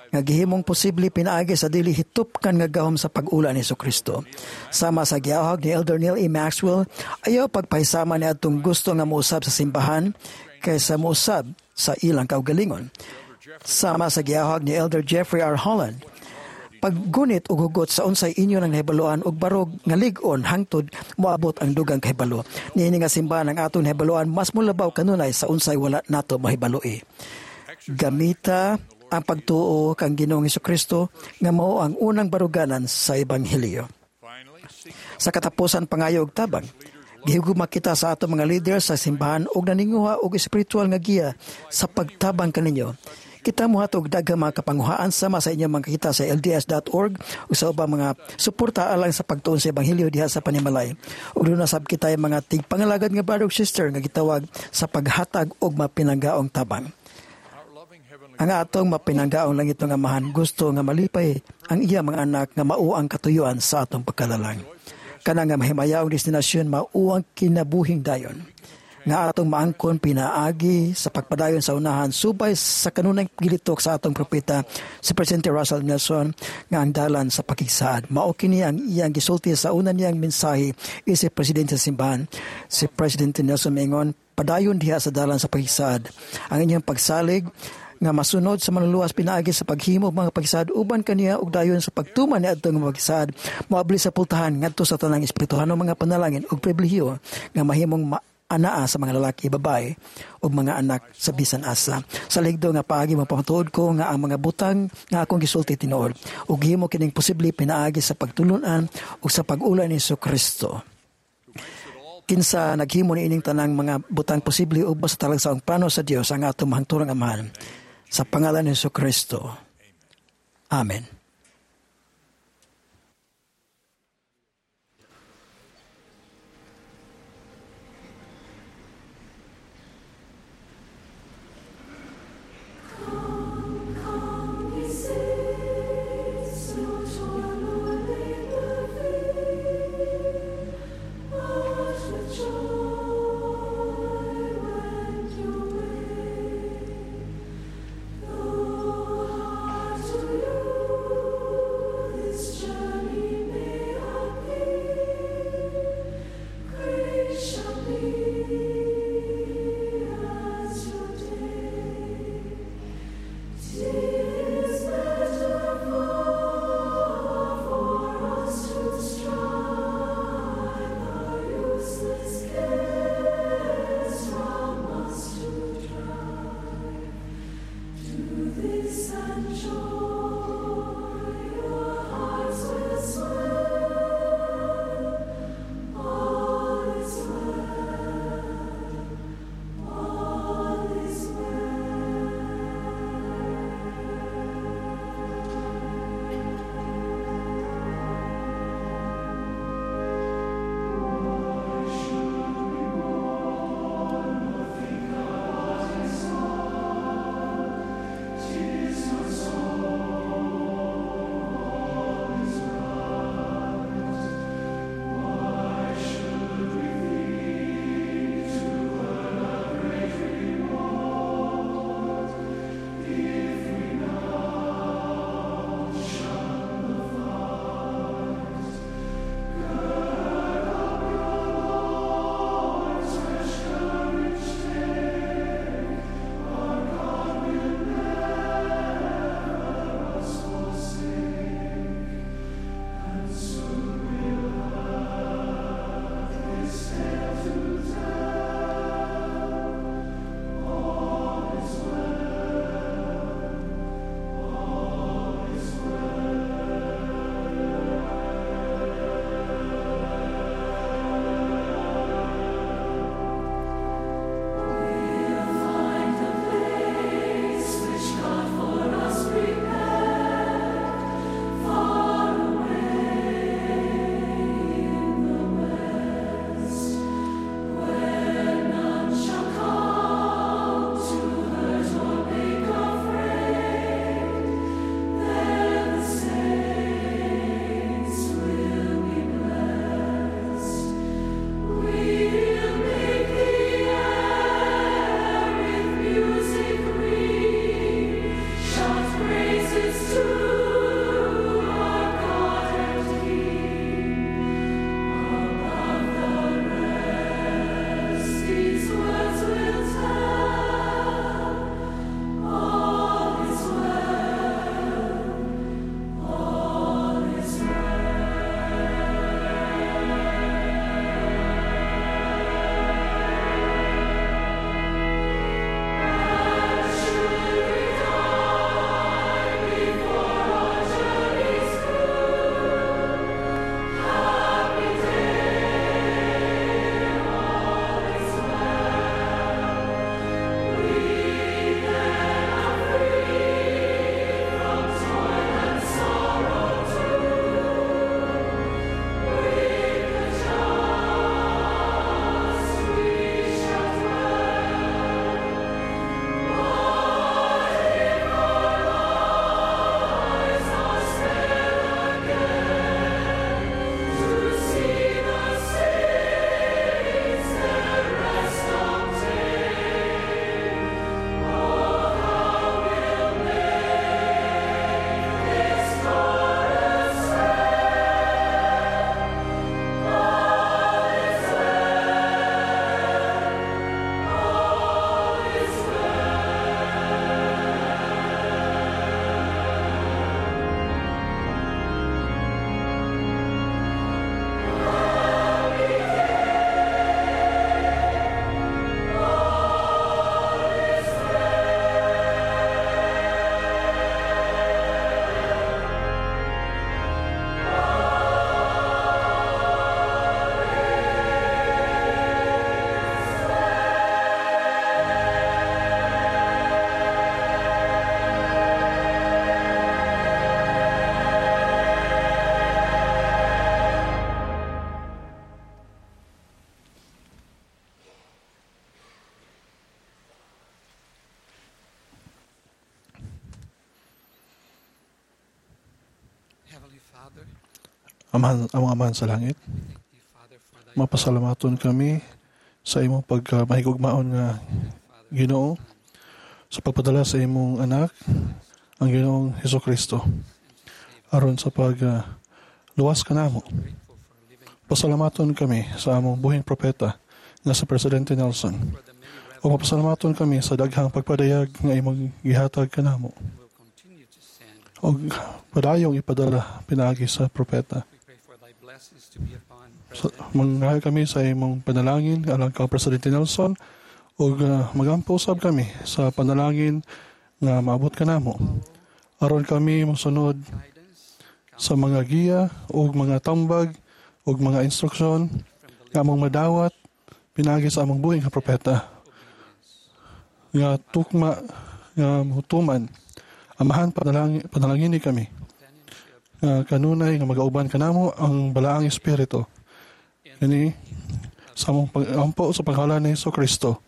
nga gihimong posible pinaagi sa dili hitupkan nga gahom sa pag-ula ni Hesukristo. Sama sa giahog ni Elder Neil E. Maxwell, ayaw pagpahisama ni atong gusto nga mousab sa simbahan kaysa mousab sa ilang kaugalingon. Sama sa giahog ni Elder Jeffrey R. Holland, paggunit og hugot sa unsay inyo nang nahibaluan og barog nga lig-on hangtod moabot ang dugang kahibalo. Niini nga simbahan ang atong nahibaluan mas molabaw kanunay sa unsay wala nato mahibaloi. Gamita ang pagtuo kang Ginoong Hesukristo nga mao ang unang baruganan sa ebanghelyo. Sa katapusan pangayo og tabang, gihigugma kita sa ato mga leader sa simbahan og naninguha og espiritual nga giya sa pagtabang kaninyo. Kita mohatog daghang mga kapanguhaan sama sa inyong mga kita sa L D S dot org ug sa ubang mga suporta alang sa pagtuon sa ebanghelyo diha sa panimalay. Ug duna sab kita mga tigpangalagad nga brother ug sister nga gitawag sa paghatag og mapinanggaong tabang. Ang atong mapinanggaong langit nga Amahan gusto nga malipay ang iya mga anak nga mao ang katuyuan sa atong pagkalalang. Kana nga mahimayaong destinasyon mao ang kinabuhing dayon nga atong maangkon pinaagi sa pagpadayon sa unahan subay sa kanunay gilitok sa atong propeta si Presidente Russell Nelson nga ang dalan sa pakigsaad. Mao kini ang iyang gisulti sa una niyang mensahe isip presidente sa simbahan. Si Presidente Nelson mingon, padayon diha sa dalan sa pakigsaad. Ang inyong pagsalig nga masunod sa manluluwas pinaagi sa paghimo og mga pagsaad uban kaniya og dayon sa pagtuman niadtong mga pagsaad moabli sa pultahan ngadto sa tanang espirituhanong mga panalangin ug pribilehiyo nga mahimong ma- anaa sa mga lalaki, babae ug mga anak sa bisan asa. Sa ligdo nga paagi mapamatuod ko nga ang mga butang nga akong gisulti tinuod ug gihimo kining posible pinaagi sa pagtulun-an ug sa pag-ula ni Hesukristo. Kinsa naghimo niining tanang mga butang posible ubos sa talagsaong plano sa Dios ang atong mahangturang Amahan. Sa pangalan ni Hesukristo. Amen. Come, come, ye saints, no toil nor labor vain, but with joy Amahan, among Amahan sa langit, mapasalamaton kami sa imong pagka mahigugmaon nga Ginoo sa pagpadala sa imong anak, ang Ginoong Hesus Kristo, aron sa pag uh, luwas kanamo. Pasalamaton kami sa among buhing propeta nga si Presidente Nelson. O mapasalamaton kami sa daghang pagpadayag nga imong gihatag kanamo. Og padayong ipadala pinaagi sa propeta. So, mangayo kami sa imong panalangin alang kang Presidente Nelson ug uh, magampo usab kami sa panalangin nga maabot kanamo aron kami mosunod sa mga giya ug mga tambag ug mga instruksyon nga among madawat pinaagi sa among buhi nga propeta nga tukma nga mutuman. Amahan, panalangin, panalangini kami nga kanunay nga magauban kanamo ang Balaang Espiritu. Kini sa among pag-ampo sa pangalan ni Hesus Kristo.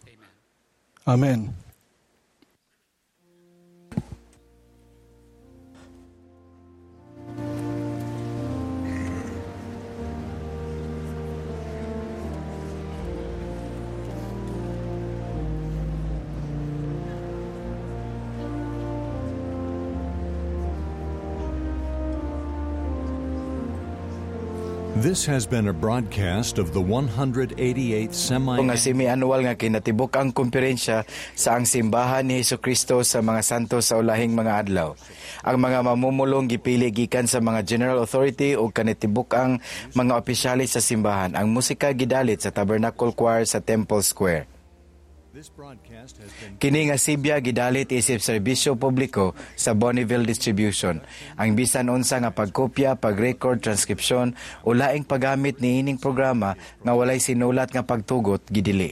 Amen. This has been a broadcast of the one hundred eighty-eighth semi Nga semi-annual nga kinatibuk-ang kumperensya sa Ang Simbahan ni Hesukristo sa mga Santos sa Ulahing mga Adlaw. Ang mga mamumulong gipili gikan sa mga General Authority o kinatibuk-ang mga opisyalis sa simbahan. Ang musika gidalit sa Tabernacle Choir sa Temple Square. This broadcast has been Kini nga sibya gidalit isip serbisyo publiko sa Bonneville Distribution. Ang bisan unsa nga pagkopya, pag-record, transkripsyon o laing paggamit niining programa nga walay sinulat nga pagtugot gidili.